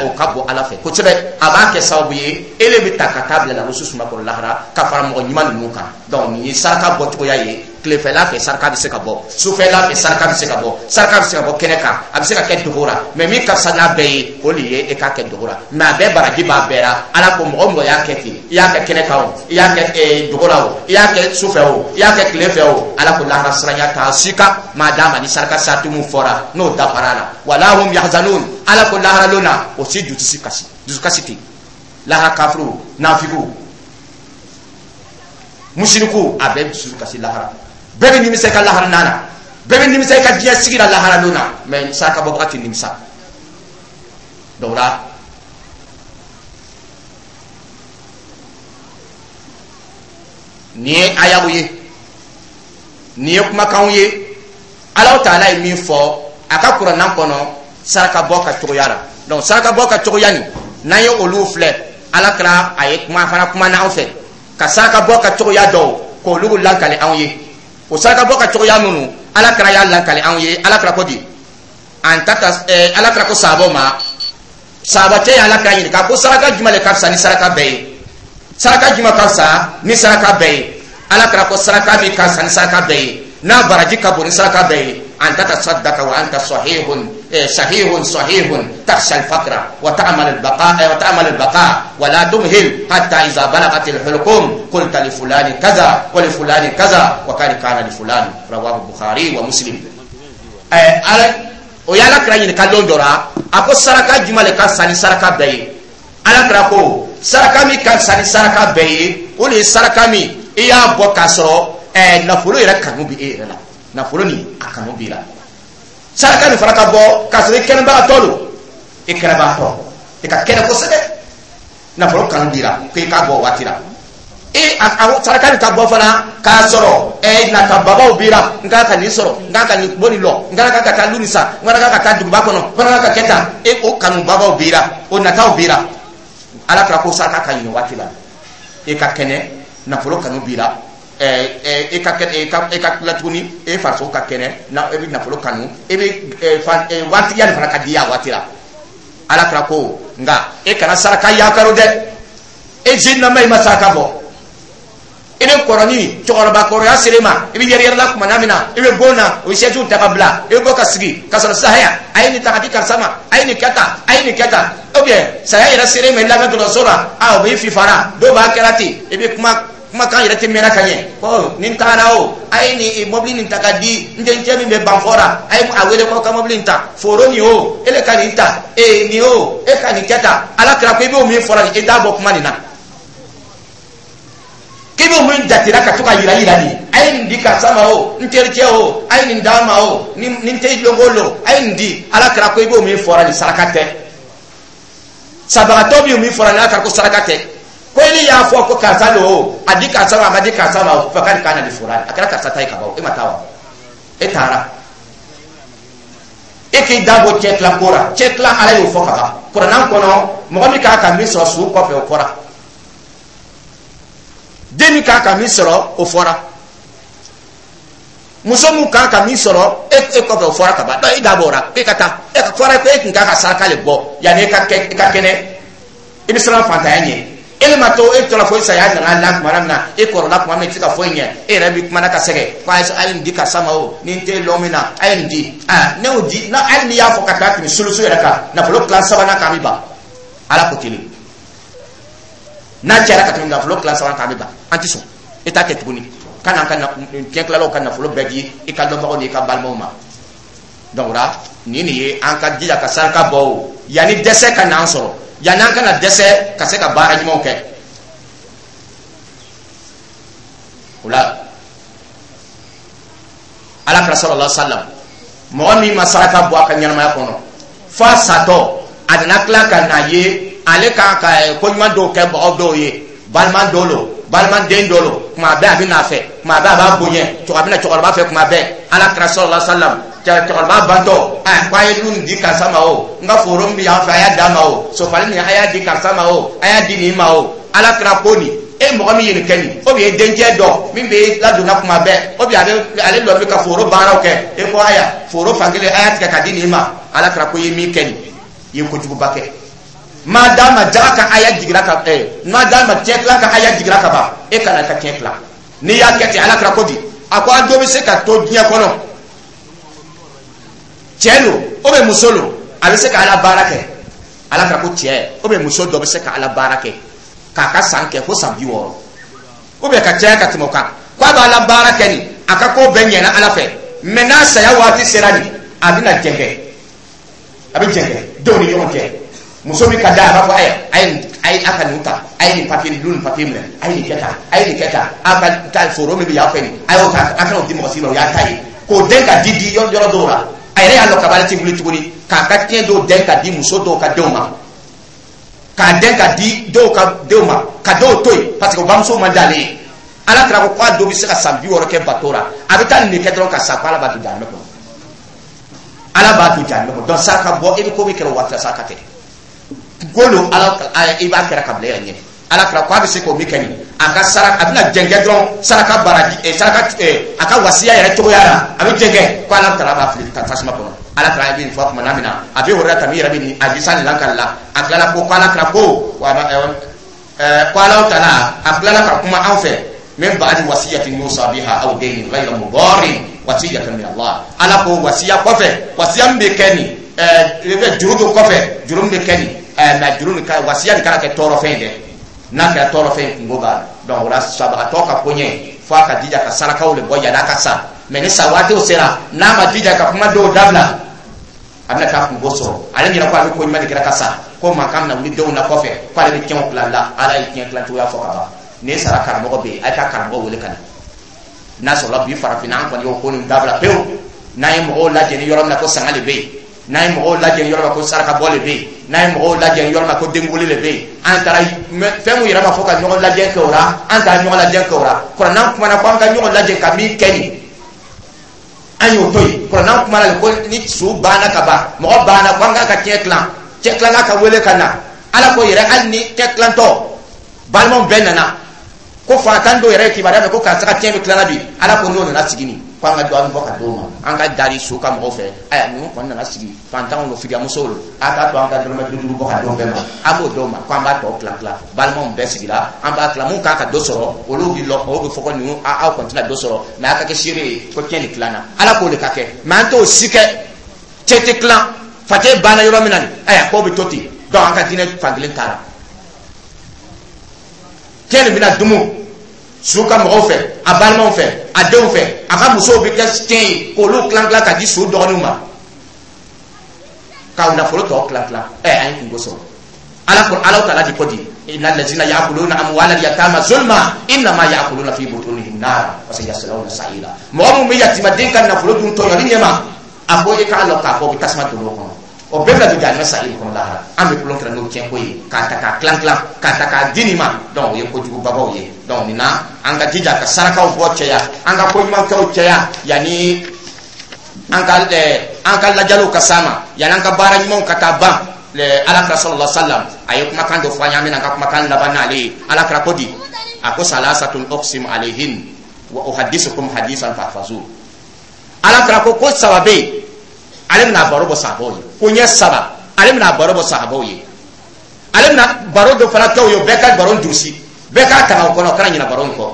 o ka bɔ Ala fɛ kosɛbɛ. A b'a kɛ sababu ye e le bɛ ta ka taa bila lamuso suma kɔrɔ lahara ka fara mɔgɔ ɲuman ninnu kan. Donc nin ye saraka bɔcogoya ye. Tilefɛla fɛ saraka bɛ se ka bɔ, sufɛla fɛ saraka bɛ se ka bɔ, saraka bɛ se ka bɔ kɛnɛ kan, a bɛ se ka kɛ dogo la. Mais min ka fisa n'a bɛɛ ye, o de ye e k'a kɛ dogo la. Mais a bɛɛ baraji b'a bɛɛ la. Ala ko mɔgɔ o mɔgɔ y'a kɛ ten, i y'a kɛ kɛnɛ kan o, i y'a kɛ dogo la o, i y'a kɛ sufɛ o, i y'a kɛ tile fɛ o, Ala ko lahara siranya t'a si kan. Maa d'a ma ni saraka sarati mun fɔra, n'o dafara a la. Wala hum yahzanun. Ala ko lahara lon na, o si dusu kasi, dusukasi tɛ lahara. Kafiru, nafiku, musiriku, a bɛɛ dusu kasi lahara. Bɛɛ bɛ nimisa i ka lahara nana, bɛɛ bɛ nimisa i ka diɲɛ sigi la lahara lon na. Mais saraka bɔbaga tɛ nimisa. Donc la, nin ye ayaw ye, nin ye kumakanw ye Alahu taala ye min fɔ a ka kuranna kɔnɔ saraka bɔ ka cogoya la. Donc saraka bɔ ka cogoya nin, n'an ye olu filɛ, Ala kɛra a ye kuma fana kuma n'anw fɛ ka saraka bɔ ka cogoya dɔw k'olu lankali anw ye. O saraka bɔ ka cogoya minnu Ala kɛra y'a lankali anw ye, Ala kɛra ko di an ta ta Ala kɛra ko sahabaw ma, sahabacɛ ye Ala kɛra ɲininka ko saraka jumɛn de ka fisa ni saraka bɛɛ ye? Saraka jumɛn ka fisa ni saraka bɛɛ ye? Ala kɛra ko saraka min ka fisa ni saraka bɛɛ ye, n'a baraji ka bon ni saraka bɛɛ ye, an tatasaddaka wa anta sahihun sahihun sahihun takhsha al-faqra wa ta'mal al-baqa wa ta'mal al-baqa wa la tumhil hatta idha balagat al-hulqum qulta li fulani kaza wa li fulani kaza wa kad kana li fulani. Rawahu Bukhari wa Muslim. Ala o ye Ala kira ɲininka lon dɔ la, a ko saraka jumɛn de ka fisa ni saraka bɛɛ ye? Ala kira ko saraka min ka fisa ni saraka bɛɛ ye, o de ye saraka min i y'a bɔ k'a sɔrɔ nafolo yɛrɛ kanu bɛ e yɛrɛ la, nafolo nin a kanu b'i la. Saraka nin fana ka bɔ k'a sɔrɔ i kɛnɛbagatɔ don, i kɛnɛbagatɔ, i ka kɛnɛ kosɛbɛ, nafolo kanu b'i la ko i k'a bɔ o waati la. E a saraka nin ka bɔ fana k'a sɔrɔ nata babaw b'i la, n kan ka nin sɔrɔ, n kan ka nin bɔ nin lɔ, n kan ka taa lu nin san, n kan ka taa duguba kɔnɔ, n kan ka kɛ tan, e o kanu babaw b'i la, o nataw b'i la. Ala kɛra ko saraka ka ɲi waati la, e ka kɛnɛ, nafolo kanu b'i la, e ka kɛnɛ, e ka tila tuguni, e farisogo ka kɛnɛ, na e bɛ nafolo kanu, e bɛ waatiya nin fana ka di a waati la. Ala kɛra ko nka e kana saraka yakaro dɛ, e zinama i ma saraka bɔ, i bɛ kɔrɔni cɛkɔrɔba kɔrɔya sera e ma, i bɛ yɛrɛ yɛrɛ la tuma min na, i bɛ bon na, o bɛ sɛsiw ta ka bila, i bɛ bɔ ka sigi ka sɔrɔ sisan haya, a ye nin ta ka di karisa ma, a ye nin kɛ tan, a ye nin kɛ tan, ou bien saya yɛrɛ sera e ma, i lamɛn dɔgɔtɔrɔso la, a o b'i fifara, dɔw b'a kɛra ten, i bɛ kuma kumakan yɛrɛ tɛ mɛnna ka ɲɛ, ko nin taara o, a ye nin mɔbili nin ta ka di n dencɛ min bɛ Banfɔ la, a ye a wele ko ka mɔbili nin ta, foro nin o, e le ka nin ta, ee nin o, e ka nin kɛ tan. Ala kɛra ko i b'o min fɔra nin, i t'a bɔ kuma nin na, k'i b'o min jatera ka to ka yira yira nin, a ye nin di karisa ma o, n tericɛ o, a ye nin d'a ma o, ni n tɛ lon o lon, a ye nin di. Ala kɛra ko i b'o min fɔra nin, saraka tɛ. Sabagatɔ b'o min fɔra nin, Ala kɛra ko saraka tɛ. Ko i y'a fɔ ko karisa don o, a di karisa ma, a ma di karisa ma o, fakari kana di fura, a kɛra karisa ta ye ka ban o, e ma taa wa? E taara, e k'i da bɔ cɛ tila ko la, cɛ tila Ala y'o fɔ ka ban kuranna kɔnɔ, mɔgɔ min k'a ka min sɔrɔ su kɔfɛ, o fɔra, den min k'a ka min sɔrɔ, o fɔra, muso min k'a ka min sɔrɔ e kɔfɛ, o fɔra ka ban. Donc e da bɔra e ka taa, e ka fɔra ko e tun k'a ka saraka le bɔ yanni e ka kɛ, e ka kɛnɛ, i bɛ siran fantanya ɲɛ. E ma to e tora fo saya nana la tuma min na, e kɔrɔla tuma min, i tɛ se ka foyi ɲɛ, e yɛrɛ bɛ kumana ka sɛgɛn ko a ye nin di karisa ma o, ni n tɛ lɔn min na, a ye nin di, aa ne y'o di na. Hali n'i y'a fɔ ka taa tɛmɛ solution yɛrɛ kan, nafolo tilan sabanan kan, an bɛ ban. Ala ko kelen n'a cayara ka tɛmɛ nafolo tilan sabanan kan, an bɛ ban, an tɛ sɔn. E t'a kɛ tuguni ka n'an ka tiɲɛ tilalaw ka nafolo bɛɛ di i ka dɔnbagaw n'i ka balimaw ma. Donc o la nin de ye an ka jija ka saraka bɔ o, yanni dɛsɛ ka n'an sɔrɔ, yanni an kana dɛsɛ ka se ka baara ɲumanw kɛ. O la Ala kira sallallahu alaihi wa sallam, mɔgɔ min ma saraka bɔ a ka ɲɛnamaya kɔnɔ f'a satɔ, a nana tila ka na ye ale kan ka ko ɲuman dɔw kɛ mɔgɔ dɔw ye, balima dɔw lo, balima den dɔw lo, kuma bɛɛ a bɛ n'a fɛ, kuma bɛɛ a b'a bonya, a bɛ na cɛkɔrɔba fɛ kuma bɛɛ. Ala kira sallallahu alaihi wa sallam, cɛkɔrɔba bantɔ, a ko a ye lu nin di karisa ma o, n ka foro min bɛ yan fɛ a y'a d'a ma o, sofali nin a y'a di karisa ma o, a y'a di nin ma o. Ala kira ko nin, e mɔgɔ min ye nin kɛ nin, o bɛ dencɛ dɔ min bɛ ladonna kuma bɛɛ, o bɛ ale lɔ bɛ ka foro baaraw kɛ, e ko aya foro fankelen a y'a tigɛ ka di nin ma. Ala kira ko i ye min kɛ nin, i ye kojuguba kɛ. Maa d'a ma jaga ka aya jigira ka maa d'a ma tiɲɛ tila ka aya jigira ka ban, e kana ka tiɲɛ tila. N'i y'a kɛ ten, Ala kira ko di, A ko an dɔ bɛ se ka to diɲɛ kɔnɔ, cɛ lo ou bien muso lo, a bɛ se ka Ala baara kɛ. Ala kira ko cɛ ou bien muso dɔ bɛ se ka Ala baara kɛ k'a ka san kɛ fo san 60 ou bien ka caya ka tɛmɛ o kan, k'a bɛ Ala baara kɛ nin, a ka ko bɛɛ ɲɛna Ala fɛ, mɛ n'a saya waati sera nin, a bɛna jɛngɛ, a bɛ jɛngɛ denw ni ɲɔgɔn cɛ. Muso min ka d'a ye, a b'a fɔ: ayiwa, a ye a ye a ka nin ta, a ye nin papiye nin, nin papiye minɛ, a ye nin kɛ tan, a ye nin kɛ tan, a ka taa foro min bɛ yan fɛ nin, a y'o ta, a kana o di mɔgɔ si ma, o y'a ta ye. K'o den ka di di yɔrɔ dɔw la, a yɛrɛ y'a lɔn kaba ale ti wuli tuguni, k'a ka tiɲɛ dɔw den ka di muso dɔw ka denw ma, k'a den ka di dɔw ka denw ma, ka dɔw to yen parce que o bamuso man d'ale ye. Ala kira ko k'a dɔ bɛ se ka san 60 kɛ bato la, a bɛ taa nin de kɛ dɔrɔn ka sa, ko Ala b'a don jahanamɛ kɔnɔ, Ala b'a don jahanamɛ kɔnɔ. Donc saraka bɔ, e bɛ ko min kɛra o waati la, saraka tɛ ko lo Ala i b'a kɛra ka bila e yɛrɛ ɲɛ. Ala kira ko a bɛ se k'o min kɛ nin, a ka saraka, a bɛna jɛnkɛ dɔrɔn, saraka baraji, saraka, a ka wasiya yɛrɛ cogoya la, a bɛ jɛnkɛ, ko Ala taala b'a fili tasuma kɔnɔ. Ala kira bɛ nin fɔ tuma min na, a bɛ wɛrɛ ta min yɛrɛ bɛ nin hadisa nin lakali la, a tilala ko Ala kira ko ko Ala taala, a tilala ka kuma an fɛ: min ba'di wasiyatin yusa biha aw daynin ghayra mudarrin wasiyatan min Allah. Ala ko wasiya kɔfɛ, wasiya min bɛ kɛ nin, juru dɔ kɔfɛ, juru min bɛ kɛ nin, mɛ juru nin ka wasiya nin kana kɛ tɔɔrɔfɛn ye dɛ. N'a kɛra tɔɔrɔfɛn ye, kungo b'a la. Donc o la, sabagatɔ ka koɲɛ fo a ka jija ka sarakaw de bɔ yan'a ka sa. Mɛ ni sa waatiw sera, n'a ma jija ka kuma dɔw dabila, a bɛna taa kungo sɔrɔ. Ale ɲɛna ko a bɛ ko ɲuman de kɛra ka sa, ko mankan bɛna wuli denw na kɔfɛ, ko ale bɛ tiɲɛw tila la. Ala ye tiɲɛ tilan cogoya fɔ ka ban. N'i sara, karamɔgɔ bɛ yen, a ye taa karamɔgɔ wele ka na. N'a sɔrɔla bi farafinna, an kɔni y'o ko nin dabila pewu. N'an ye mɔgɔw lajɛ ni yɔrɔ min na ko sanga de bɛ yen, n'an ye mɔgɔw lajɛ ni yɔrɔ min na ko saraka bɔ de bɛ yen, n'an ye mɔgɔw lajɛ ni yɔrɔ min na ko denwuli de bɛ yen, an taara fɛn mun yɛrɛ ma fɔ ka ɲɔgɔn lajɛ kɛ o la, an taara ɲɔgɔn lajɛ kɛ o la. Kuranɛ kumana ko an ka ɲɔgɔn lajɛ ka min kɛ nin, an y'o to yen. Kuranɛ kumana ko ni su banna ka ban, mɔgɔ banna, ko an k'a ka tiɲɛ tilan, cɛ tilanna ka wele ka na. Ala ko yɛrɛ, hali ni cɛ tilantɔ balimaw bɛɛ nana, ko fantan dɔw yɛrɛ ye kibaruya mɛn ko karisa ka tiɲɛ bɛ tilala bi, Ala ko n'o nana sigi nin, ko an ka dɔ bɔ ka d'o ma. An ka dari so ka mɔgɔw fɛ, ayiwa, ninnu kɔni nana sigi, fantanw don, firiyamusow don, a t'a to an ka dɔrɔmɛ 5 5 bɔ ka d'o bɛɛ ma. An b'o d'o ma, ko an b'a tɔ tila tila, balimaw bɛɛ sigira, an b'a tila. Mun kan ka dɔ sɔrɔ, olu bɛ lɔ, olu bɛ fɔ ko ninnu, aw kɔni tɛna dɔ sɔrɔ, mɛ a ka kɛ seere ye ko tiɲɛ nin tilanna. Ala k'o de ka kɛ, mɛ an t'o si kɛ. Cɛ tɛ tilan, facɛ banna yɔrɔ min na nin, ayiwa, k'o bɛ to ten. Donc an ka diinɛ fankelen taara, tiɲɛ nin bɛna dumu su ka mɔgɔw fɛ, a balimaw fɛ, a denw fɛ, a ka musow bɛ kɛ tiɲɛ ye k'olu tilan tilan ka di su dɔgɔninw ma, k'aw nafolo tɔ tilan tilan. An ye kungo sɔrɔ. Ala ko, Ala taala di ko di: inna allazina ya'kuluna amwala yatama zulma innama ya'kuluna fi butunihim nar wa sayaslawna sa'ira. Mɔgɔ mun bɛ yatimaden ka nafolo dun tɔɲɔli ɲɛma, a ko i k'a lɔn k'a fɔ o bɛ tasuma don o kɔnɔ, o bɛɛ bɛna don jahanama sa'iri kɔnɔ lahara. An bɛ tulon kɛra n'o tiɲɛ ko ye, k'a ta k'a tilan tilan, k'a ta k'a di nin ma. Donc o ye kojugubabaw ye. Donc nin na, an ka jija ka sarakaw bɔ cɛya, an ka koɲumankɛw cɛya, yanni an ka lajaliw ka s'an ma, yanni an ka baara ɲumanw ka taa ban. Ala kira sallallahu alaihi wasallam, a ye kumakan dɔ fɔ an ye, an bɛna an ka kumakan laban n'ale ye. Ala kira ko di? A ko: salasatun uqsimu alayhin wa uhaddisukum hadisan fahfazu. Ala kira ko saba bɛ yen, ale bɛna baro bɔ sahabaw ye, ko ɲɛ saba, ale bɛna baro bɔ sahabaw ye, ale bɛna baro dɔ fana kɛ o ye. Bɛɛ ka baro durusi, bɛɛ k'a ta o kɔnɔ, o kana ɲinɛ baro in kɔ.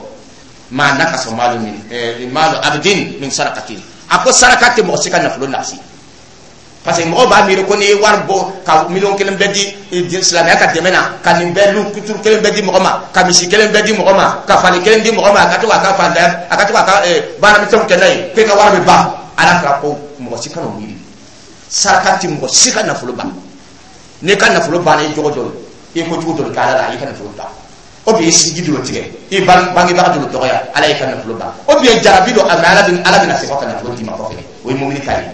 Ma nakasa maalu min maalu abdin min sarakatin. A ko saraka tɛ mɔgɔ si ka nafolo nasi, parce que mɔgɔw b'a miiri ko n'i ye wari bɔ ka miliyɔn 1 bɛɛ di silamɛya ka dɛmɛ na, ka nin bɛɛ lu kuturu kelen bɛɛ di mɔgɔ ma, ka misi kelen bɛɛ di mɔgɔ ma, ka fali kelen di mɔgɔ ma, a ka to k'a ka fantanya, a ka to k'a ka baaramisɛnw kɛ n'a ye, k'e ka wari bɛ ban. Ala kira ko mɔgɔ si kana o miiri, saraka tɛ mɔgɔ si ka nafolo ban. N'i ka nafolo banna, i jogo dɔ, i kojugu dɔ kɛ Ala la, i ka nafolo ban, o bi i sinji dɔ tigɛ, i bangebaga dɔ dɔgɔya, Ala y'i ka nafolo ban, o bi jarabi dɔ, mɛ Ala bɛna segin ka nafolo d'i ma kɔfɛ. O ye mobili ta ye.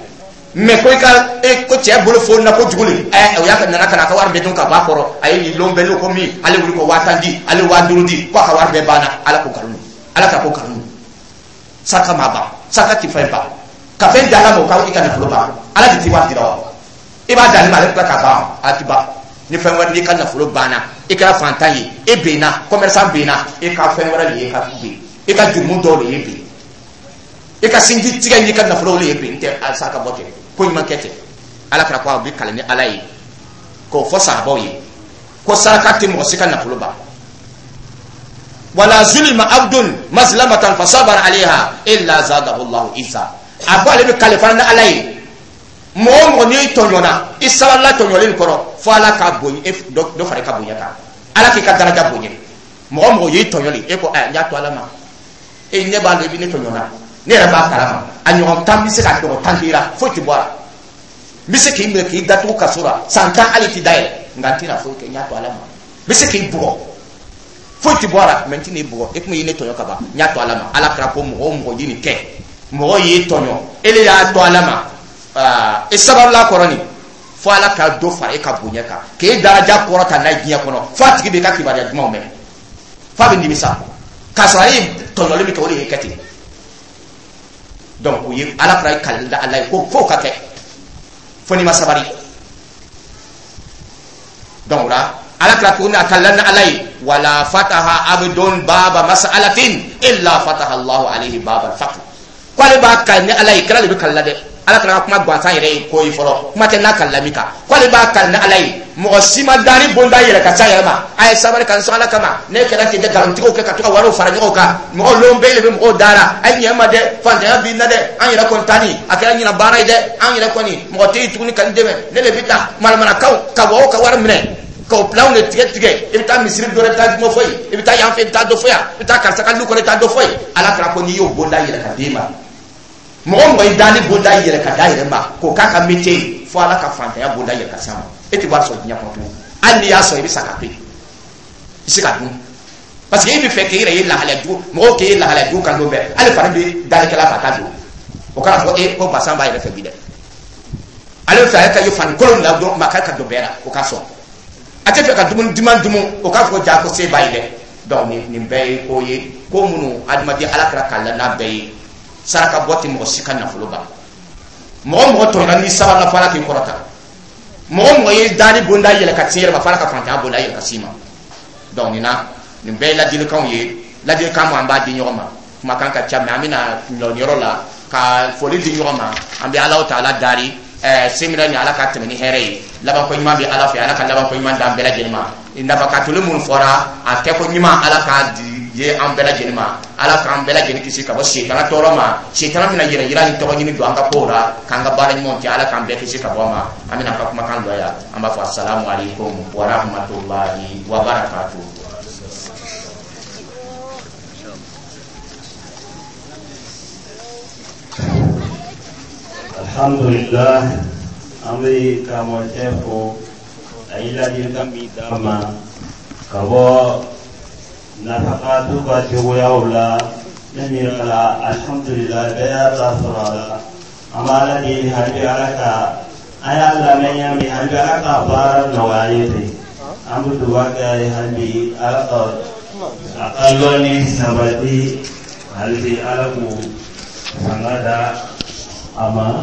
Mɛ ko i ka e ko cɛ bolo fo na kojugu le, o y'a ka nana ka na a ka wari bɛɛ dun ka bɔ a kɔrɔ, a ye nin lon bɛɛ n'o ko min, ale wuli ko 10,000 di, ale 5,000 di, ko a ka wari bɛɛ banna. Ala ko nkalon don, Ala ka ko nkalon don. Saraka ma ban, saraka ti fɛn ban. Ka fɛn di Ala ma, o ka i ka nafolo ban, Ala de ti wari dira wa? I b'a d'ale ma, ale bɛ tila ka ban, a ti ban ni fɛn wɛrɛ. N'i ka nafolo banna, i kɛra fantan ye, e benna, commerçant benna, e ka fɛn wɛrɛ de ye ka ben, i ka jurumu dɔw de ye ben, i ka sinji tigɛ n'i ka nafolo de ye ben, n tɛ saraka bɔ tɛ, ko ɲuman kɛ tɛ. Ala kɛra ko a bɛ kalan ni Ala ye k'o fɔ sahabaw ye ko saraka tɛ mɔgɔ si ka nafolo ban. Wala zulima abdun mazlamatan fasabara alayha illa zadahu Allahu izza. A ko ale bɛ kale fana ni Ala ye, mɔgɔ o mɔgɔ n'i tɔɲɔna, i sabalila tɔɲɔlen kɔrɔ, fo Ala ka bonya, dɔ fara i ka bonya kan, Ala k'i ka daraja bonya. Mɔgɔ o mɔgɔ y'i tɔɲɔli, e ko ɛ, n y'a to Ala ma, e ne b'a dɔn i bɛ ne tɔɲɔna, ne yɛrɛ b'a kalama, a ɲɔgɔn 10 bɛ se ka ɲɔgɔn 10 k'i la, foyi tɛ bɔ a la. N bɛ se k'i minɛ k'i datugu kaso la san 10, hali t'i dayɛlɛ, nka n tɛna foyi kɛ, n y'a to Ala ma. N bɛ se k'i bugɔ, foyi tɛ bɔ a la, mɛ n tɛna i bugɔ, e kun y'i ne tɔɲɔ ka ban, n y'a to Ala ma. Ala kɛra ko mɔgɔ o mɔgɔ ye nin kɛ, mɔgɔ y'i tɔɲɔ, e de y'a to Ala ma, e sabalila kɔrɔ nin, fo Ala ka dɔ fara e ka bonya kan, k'e daraja kɔrɔta n'a ye diɲɛ kɔnɔ, fo a tigi b'i ka kibaruya dumanw mɛn, f'a bɛ nimisa k'a sɔrɔ ale ye tɔɲɔli min kɛ, o de ye kɛ ten. Donc o ye Ala kɛra kali da Ala ye ko f'o ka kɛ, fo n'i ma sabali. Donc o la, Ala kɛra tuguni a kalila ni Ala ye, wala fataha abdun baba mas'alatin illa fataha Allahu alayhi baba al-faqr. Ko ale b'a kali ni Ala ye, kira de bɛ kalila dɛ, Ala kɛra ka kuma gansan yɛrɛ ye ko ye fɔlɔ, kuma tɛ n'a kalila min kan. Ko ale b'a kali ni Ala ye, mɔgɔ si ma daani bonda yɛlɛ ka ca yɛrɛ ma, a ye sabali ka n sɔn Ala kama, ne kɛra ten tɛ nkalontigiw kɛ ka to ka wariw fara ɲɔgɔn kan, mɔgɔw lon bɛɛ de bɛ mɔgɔw dara, a ye ɲɛ ma dɛ, fantanya b'i na dɛ, an yɛrɛ kɔni tani a kɛra ɲina baara ye dɛ, an yɛrɛ kɔni mɔgɔ tɛ yen tuguni ka n dɛmɛ, ne de bɛ taa manamanakaw ka mɔgɔw ka wari minɛ k'o pilanw de tigɛ tigɛ, i bɛ taa misiri dɔ la, i bɛ taa dɔ fɔ yen, i bɛ taa yan fɛ, i bɛ taa dɔ fɔ yan, i bɛ taa karisa ka lu kɔnɔ, i bɛ taa dɔ fɔ yen. Ala kɛra ko n'i y'o bonda yɛlɛ ka d'e ma, mɔgɔ mɔgɔ ye daani bonda yɛlɛ ka d'a yɛrɛ ma k'o k'a ka métier ye, fo Ala ka fantanya bonda yɛlɛ ka s'a ma, e tɛ wari sɔrɔ diɲɛ kɔnɔ tuguni. Hali n'i y'a sɔrɔ, i bɛ sa ka to yen, i tɛ se ka dun, parce que e bɛ fɛ k'e yɛrɛ ye lahalaya jugu, mɔgɔw k'e ye lahalaya jugu kan don bɛɛ, hali fari bɛ dalikɛla fɛ a t'a don, o kana fɔ e ko basan b'a yɛrɛ fɛ bi dɛ, ale bɛ fɛ a ka ye fani kolon la dɔrɔn, maa ka don bɛɛ la, o ka sɔn, a tɛ fɛ ka dumuni duman dumu, o k'a fɔ ja ko se b'a ye dɛ. Donc nin bɛɛ ye ko ye, ko minnu adamaden Ala kɛra k'a la n'a bɛɛ ye. Saraka bɔ tɛ mɔgɔ si ka nafolo ban. Mɔgɔ mɔgɔ tɔɲɔna, n'i sabalila, fo Ala k'i kɔrɔta. Mɔgɔ mɔgɔ ye daani bonda yɛlɛ ka s'i yɛrɛ ma, fo Ala ka fantanya bonda yɛlɛ ka s'i ma. Donc nin na, nin bɛɛ ye ladilikanw ye, ladilikan mun an b'a di ɲɔgɔn ma. Kumakan ka ca, mɛ an bɛna lɔ yɔrɔ la ka foli di ɲɔgɔn ma. An bɛ Alahu taala dari séminaire ni Ala ka tɛmɛ ni hɛrɛ ye, labanko ɲuman bɛ Ala fɛ, Ala ka labanko ɲuman d'an bɛɛ lajɛlen ma. Nafakatoli minnu fɔra, a kɛko ɲuman, Ala k'a di ye an bɛɛ lajɛlen ma. Ala k'an bɛɛ lajɛlen kisi ka bɔ setana tɔɔrɔ ma, setana bɛna yɛrɛ yira ni tɔgɔ ɲini don an ka kow la, k'an ka baara ɲumanw kɛ, Ala k'an bɛɛ kisi ka bɔ a ma. An bɛna an ka kumakan lɔ yan, an b'a fɔ asalamu aleykum wa rahmatulahi wa barakatuh. Alhamdulillah, an bɛ karamɔgɔcɛ fo, a ye ladilikan min d'an ma ka bɔ nafakatu ka cogoyaw la, ne miiri la, alhamdulillah, bɛɛ y'a ta sɔrɔ a la. An b'a ala deli hali bi Ala ka an y'a lamɛn ɲa min, hali bi Ala ka baara nɔgɔya an ye ten. An bɛ dugawu kɛ a ye hali bi Ala ka a ka lɔnni sabati, hali bi Ala k'u fanga da a ma.